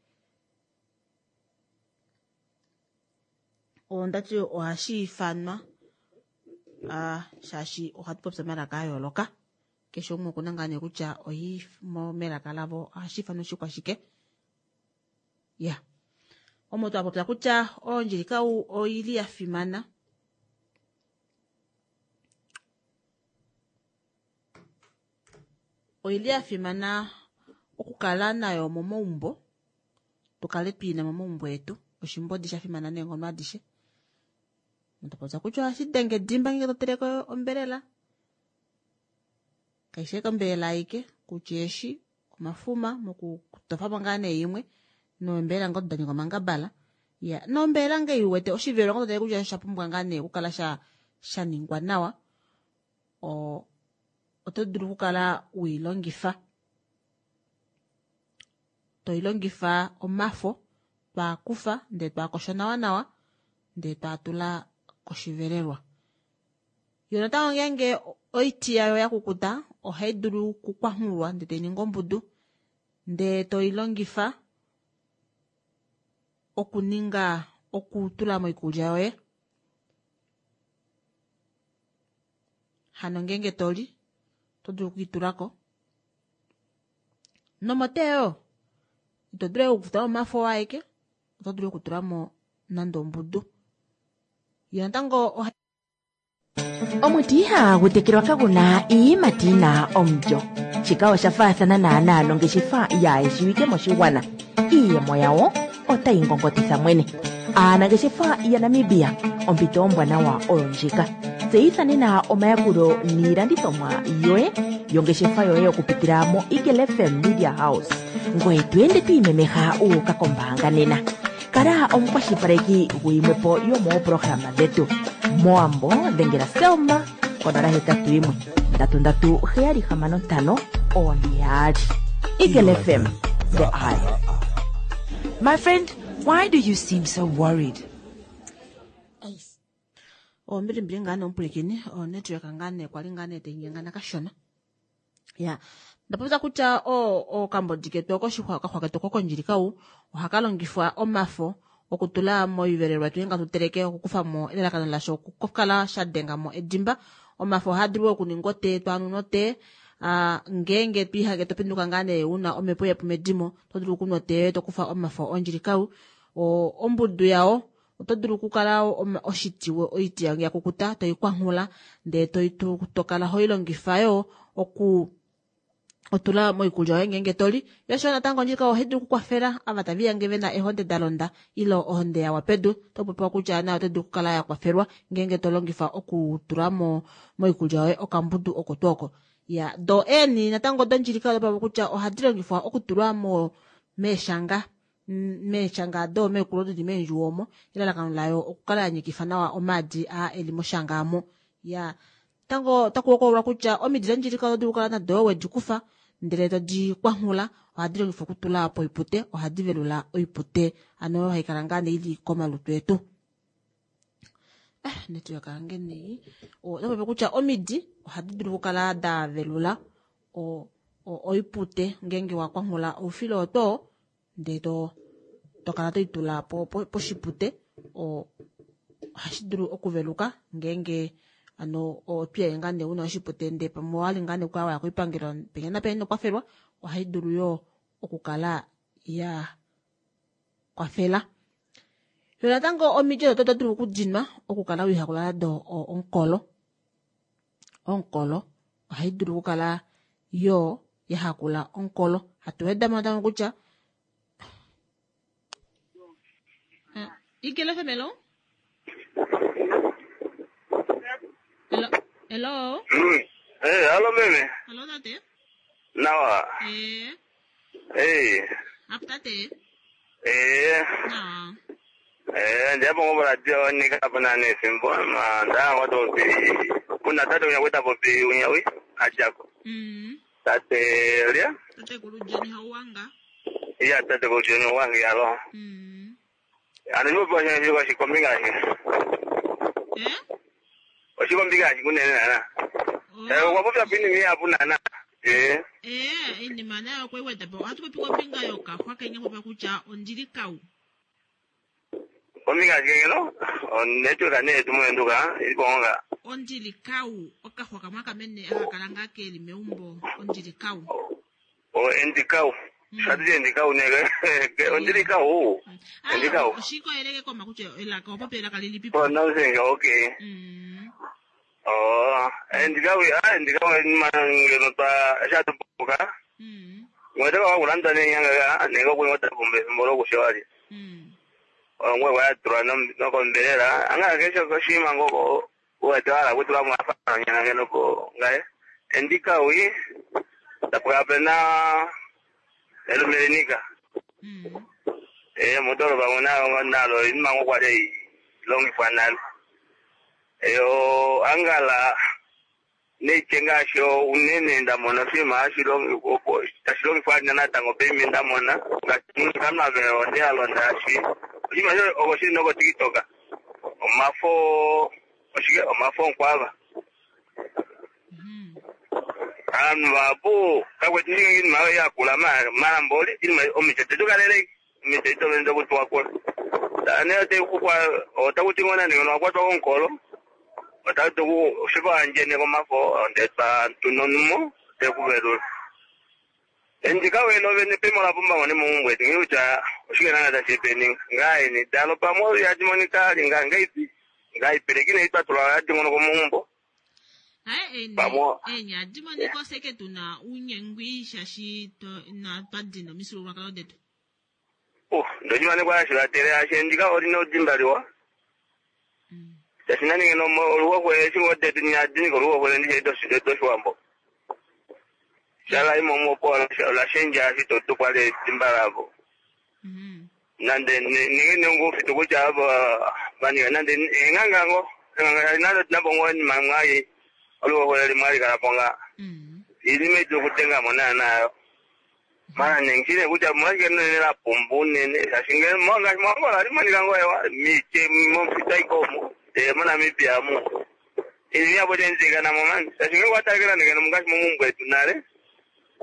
ondati ohashi ifanwa shaashi ohatu popi omalaka a yooloka, keshe umwe okuna ngaa nee kutya oyi melaka lavo ohashi ifanwa oshikwashike. Ya omo twa popya kutya ondjilikau oili ya fimana. Oili ya fimana okukala nayo momaumbo, tukale twiina momaumbo etu. Oshimbodi sha fimana neenghono adishe. Twa popya kutya ohashi denge edimba ngenge to teleke ombelela. Kaishi ashike ombelela aike, kutya eeshi, omafuma, mokutofamo ngaa nee imwe, nombelela ngoo da ninga omangabala. Ya, nombelela ngee iwete oshivelo ngoo to tale kutya osha pumbwa ngaa nee okukala sha ningwa nawa. Oto dulu okukala uilongifa. Toilongifa omafo, twaakufa, ndee twaakosha nawa nawa, ndee twaatula koshivelelwa. Yo natango ngeenge oiti yayo ya kukuta, ohai dulu okukwanghulwa ndee tai ningi ombudu, ndee toilongifa okuninga okutula moikulya yoye. Hano ngeenge toli, oto dulu okwiitulako. Nomoteyo, ito dulu okutula omafo aeke, oto dulu okutulamo nande ombudu. Yo natango Omuti ihagu tekelwa kagu na iiyimati yi na omulyo. Shika osha faathana naanaa nongeshefa yaayeshiwike moshigwana. Iiyemo yawo otayi ngongotitha mwene. Aanangeshefa yaNamibia, ompito ombwanawa oyo ndjika. Tseyitha nena omayakulo niilandithomwa yoye yongeshefa yoye okupitila moEagle FM Media House. Ngoye to ende to imemeha wu uka kombaanga nena. Kala omukwashilipaleki guyimwepo yomooprograma dhetu. Mowambo dhengela Selma konola hetatu yimwe ndatu ndatu heyali hamano ntano one yaali. Eagle FM, the eye. My friend, why do you seem so worried? Ace. Ombilimbili ngaa nee omupwilikini, onetwork ngaa nee kwali ngaa nee tainyengana kashona. Ya, ndapopya kutya okambodi ketu okoshixwa okaxwa ketu kokondjilikau ohaka longifwa omafo okutula moivelelwa yetu ngeenge hatu teleke okukufamo elalakano lasho okukala sha dengamo edimba. Omafo ohaa dulu okuninga otee twaanu notee. Ngeenge twiihange topinduka ngaa nee una omhepo yepu medimo, oto dulu okunwa otee yoye tokufa omafo ondjilikau. Ombudu yao oto dulu okukala oshiti oiti yange ya kukuta toikwanghula ndee tokala hoilongifa yo oku otula moikulya yoye ngeenge toli. Yo natango ondjilika ohai dulu okukwafela ava tava iyange vena eehonde da londa ile ohonde yawa pedu, oto popiwa kutya nayo oto dulu okukala ya kwafelwa ngeenge to longifa okutula moikulya yoye okambudu oko tuu oko. Ya, do eeni natango dondjilika oto popiwa kutya ohadi longifwa okutulwa meeshanga meeshanga doomekulu dili meendjuwo omo, elalakano layo okukala ya nyikifa nawa omaadi aa eli moshanga amo. Ya, natango otaku hokololwa kutya omidi dondjilika oto dulu okukala nado wedi kufa ndele todi kwanghula, ohadi longifwa okutula poipute, ohadi velula oipute, ano oyo hai kala ngaa nee ili komalutu etu. Network yange nei. Oto popi kutya omidi ohadi dulu okukala da velula oipute ngeenge wa kwanghula oufilo oto ndee to kala toitula poshipute, ohashi dulu okuveluka ngeenge ano otwiihange ngaa nee una oshipute ndee pamwe owali ngaa nee okukala waya koipangelo penya napenya ino kwafelwa, ohai dulu yoo okukala ya kwafela. Yo natango omiti odo oto dulu okudinwa okukala wiihakula nado omukolo. Omukolo ohai dulu okukala yo ya hakula omukolo. Hatu wedamo natango kutya Eagle FM, hello? Hello? Hello? Hey, hello meme. Hello tate. Nawa. Ee. Ee. Apo tate. Ee. Nawa. Ee, ndipo ngobola nika apo nane efimbo ma nda ngoto pi kuna tate unya kweta popi unyawi ajako. Tate lia? Tate kulu John Hauwanga. Iya tate kulu John Hauwanga yalo. Ano nipo pa shina shiko shikombinga shi. Eh? Oshikombinga shi kunene nana. Eh, kwa popya pini mi apo nana. Eh. Ee, iinima nayo okwe weda po. Ohatu popi kombinga yokaxwa kenya popya kutya ondili kau. Kombinga shi ngeno? Onetwork ne tumo nduka ilikonga. Ondili kau okaxwa kamwe aka mene aka kala ngaa keli meumbo ondili kau. O endikau. Shatu endikau ne. Ondili kau. Endikau. Oshikoyeleke koma kutya elaka opo elaka lilipi po. Pronouncing okay. Oh, endikau ah endikau ngeno twa shatu puka. Ngweteka wakulanda nenyanga nenge kuingota pombe mbolo kushawali. Ngwe wayatulwa nokombelela anga kesho koshima ngoko uwetewala kutula mwafana nyanga ngeno ko ngaye endikau i tapuka pena elumelinika. Eh motoro bangona nalo imango kwale longifwa nalo. Eyo angala nechengasho unene ndamona sima ashilongifwa natango pemi ndamona ngamave onde alonda ashi oshima sho okoshili noko TikTok omafo oshike omafo nkwava anu vapo kakweti inima yakula malamboli inima omicho tetukalele omicho itovenza kuti wakula ane tekukwa otakuti ngona ndingeno wakwatwa konkolo otatu shiko anjene komafo ndetwa tunonumo tekuvelula endikawelo vene pimo la pumba ngone mumbwetu ngiucha oshike nanga tashipeninga ngaini dalo pamwe yatimonika ali nga ngaipi ngaipelekine itwatula yatingono komumbo Hayi ene Pamwe- enya adimonika oseke tuna unyengwi shashi to na twadina omisululwakalo detu. Oh, ndochimane kwashivatele ashendika olina udimbaliwa tashinaningeno oluwokwe shingodetu nyadinika oluwokwe ndishe doshiwambo shala imomopo olashenja shitotukwale dimba lavo nande ninge nengufitu kutya avo vanika nande eng'angango nalo tinabongo nimamwai oluwokwe limwalikalapo nga ilime itukutenga nayo mana nengishile kutya mwashike nene la pumbu nene shashinge mwanga mwangola limonika ngoewa miche momfita ikomo te moNamibia mu ili yapo tenzika namo mani shashinge kwatalekela ndikeno mungashi mumumbwetu nale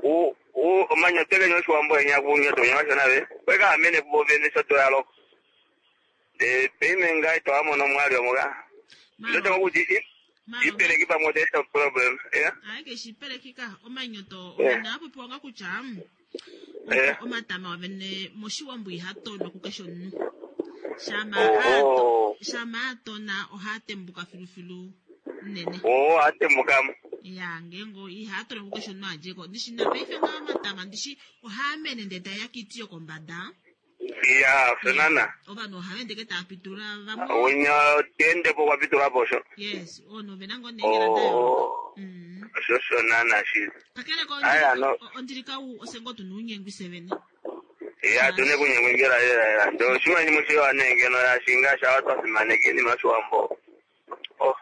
u u omanya tekenyo oshiwambo enya kunyoto nya nave kweka amene kuvo vene shotoyaloko de peime ngai toamono mwali omuka ndotenga kuti ipeleki pamwe teta problem yeah Hayi ke shipelekika omanyoto Eh. ona apopiwa nga kutya Eh. omatama wavene moshiwambo ihatonwa kukeshe omunhu. Shama Oh. ato shama atona ohatembuka filufilu nene. Oh, atembukamo. Ya ngengo ihatonwa kukeshe omunhu adjeko. Ndishi na paife nga omatama ndishi ohaamene ndee taeya kiiti yokombada. Ya, fenana. Ovanhu ohava ende ke tava pitula vamwe. Unya tendepo kwapitula posho. Yes, ono vena ngoo neengela da yooloka. Oh. Sho sho nana shi. Kakele ko Aya no. ondilika u osengo tuna unyengwi sevene. Ya tune kunyengwengela lela lela. Ndo shima ni mushiwa nengeno ya shinga sha watu simaneke ni mashuambo. Oh.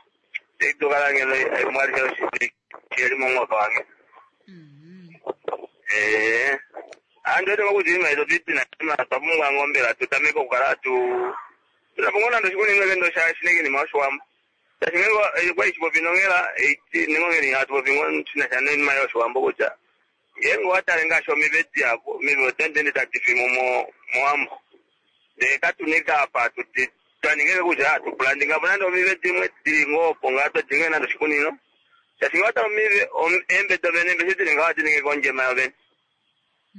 Tektukala ngeno mwali sho shi. Shiri mongo wange. Eh. Ando te kuti ima izo titi na ima twapungwa ngombela tutameko kukala tu tunapungona ndo shikuni ngeke sha shineke ni mashuambo. Tashingengo kwa ichipopi nongela ningongeli atupopi ngon china cha nini mayo shuambo kucha. Ngengo watale ngasho mibeti yapo mibo tendende tatifi mo moambo. De katunika apa tuti twaningeke kucha tupulandinga nando mibeti mwe tilingo ponga to tinge nando shikunino. Tashinga wata mibe embe to bene embe sitilinga watininge konje mayo bene.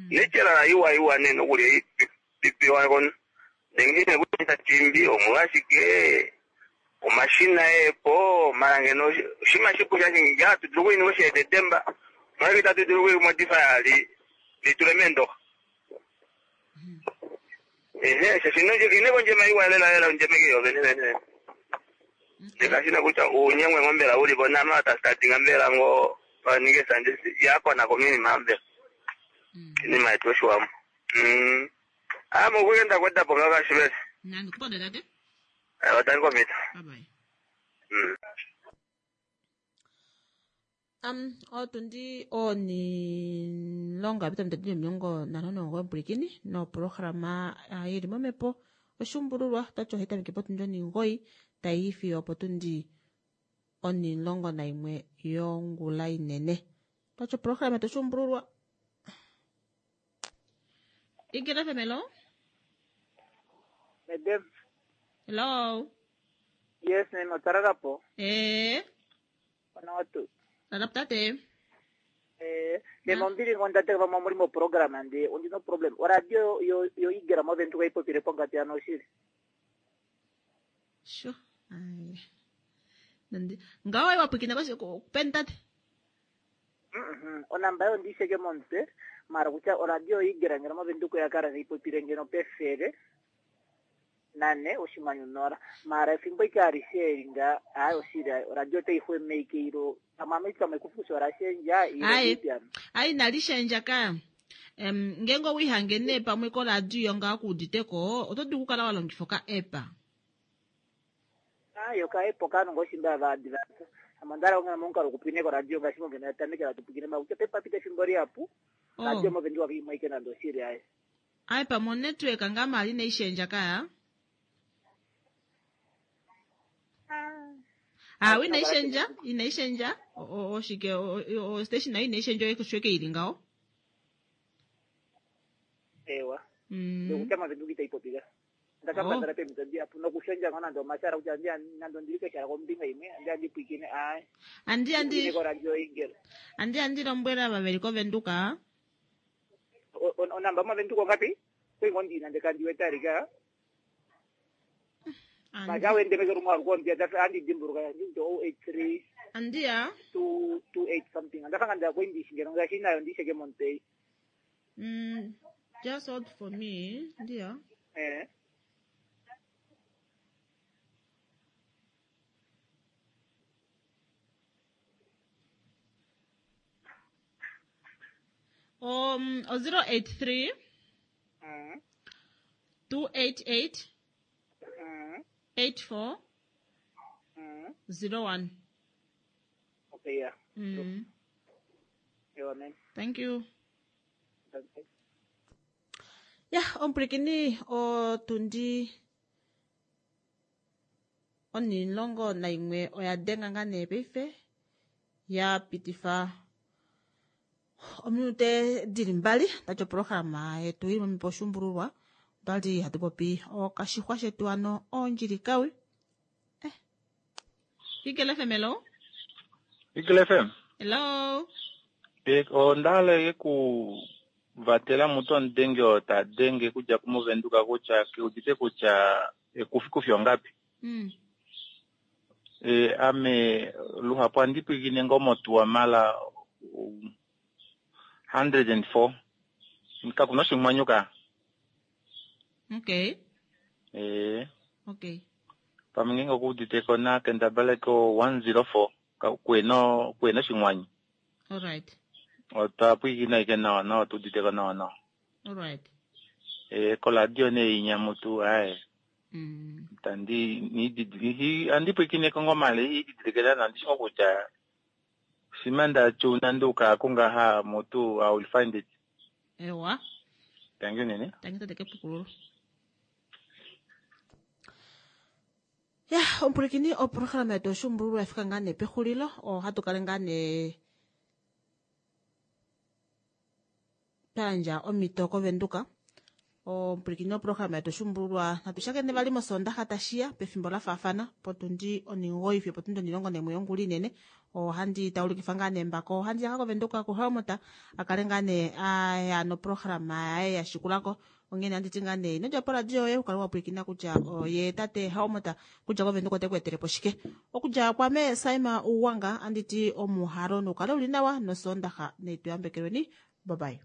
Nechelala iwa iwa neno kuli pipiwa kono. Nengine kuita chimbi omulashike omashina epo mara ngeno shima shipu shashingi tutulu kuini kushetetemba mwakita tutulu kui modify li litule mendo ehe shashino ine konjema iwa lela lela onjemeke yo bene bene ndikashina kutya unyengwe ngombela ulipo nama tasitatinga mbela ngo Vaninge sanje yakonako minima mbela. Inima yetu yoshiwambo. Ah, mokuenda kwenda po ngakashivesi. Nandi kuponda tate. Otali komita. Bye bye. Otundi onilongo yapita mitatu 59 mpwilikini noprograma ili momhepo oshuumbululwa otati ohayi tameke potundi 9 tayi fiyo opotundi 11 yongula inene. Otati oprograma yetu oshuumbululwa. Eagle FM, hello? Madam. Hello? Yes, name otararapo. Eh. Ona watu. Lalapo tate. Eh, nema ombili ngondate vamwe muli mo program andi ondi no problem. Oradio yo yo igera mo ventu kaipopire pongati ano oshili. Sure. Ai. Nandi. Ngawa iwapwikina basi kupeni tate. Onamba yo ndisheke momutwe mara kutya oradio igera ngeno movenduka yakala ipopire ngeno pefele nane oshimanyu nora mara efimbo ike alishe nga ayi oshili ayi oradio otayi ilo amame pamwe kufusa orashendja ilo Ayi. ipiano Ayi nalishendja ka. Ngenge owihange nee pamwe koradio nga kuuditeko oto dulu okukala wa longifa oka app. ayo kaepo kano ngoshimba vaadivasa amandala ongena momukalo kupwine koradio ngaashi mongena yatamekela tupwikine makutya pepapita efimbo liapu radio movenduka kiimwaike nande oshili ayi Ayi pamwe onetwork nga mali neishendja kaya. Ah, inaishendja, inaishendja. Oshike o station nayo inaishendja osho ili ngaho. Ewa. Nokutya movenduka itaipopika ndakapandala pemito ndiapu nokushendja ngo nande omashara kutya andiya nande ondili keshala kombinga imwe andiya ndipwikine ayi Andi andi koradio ingela andi andi lombwela vaveli kovenduka. Onamba movenduka ongapi kwingo ndina ndekandiwetalika maja wendemeke rumwe arukombia andidimburuka ndinto 083 Andiya 228 something andafanga ndakwendishe ngeno ngashi nayo ndisheke montei. Just hold for me, ndiya. Eh. 083 288 84 01. Okay, yeah. Yeah, man. Thank you. Okay. Ya, ompwilikini otundi 11 oya denga nga nee paife ya pitifa ominute dili mbali tati oprograma yetu ili momhepo oshuumbululwa otwali hatu popi okashixwa shetu ano oondjilikawi. Eagle FM, hello? Eagle FM. Hello? Ondala ku vatela mutu omudenge oo ta denge kudja kumuvenduka kutya keudite kutya ekufikufi ongapi. Ame luhapu andipwikine ngo motuwa mala 104. Kakuna oshimwanyuka. Okay. Okay. Pamwe ngenge okuuditeko na kendabala ko 104 kueno kueno shimwanyu. All right. Otwa pwikina ike nawa nawa tuuditeko nawa nawa. All right. Koladio ne inyamutu aye. Tandi ni andipwikine kongo male ididikela nandishingo kutya simanda chuna nduka kungaha mutu I will find it. Ewa. Thank you nene. Thank you tate kepukululo. Ya, ompwilikini oprograma yetu oshuumbululwa yafika ngaa nee pexulilo ohatu kale ngaa nee twa yandja omhito kovenduka. Ompwilikini oprograma yetu oshuumbululwa natu shakene vali mosondaxa tashiya pefimbo la faafana potundi 9 fiyo potundi 11 yongula inene. Ohandi taulikifa ngaa nee mbako ohandi yaka kovenduka kuhelmut akale ngaa nee aya noprograma yaye yashikulako. Onghene anditi ngaa nee ino dja poradio yoye ukale wa pwilikina kutya oye tate Helmut kutya kovenduka ote ku etele po shike. Okudja kwame Saima Uwanga anditi omuhalo nukale uli nawa nosondaxa neituyambekelweni. Bye bye.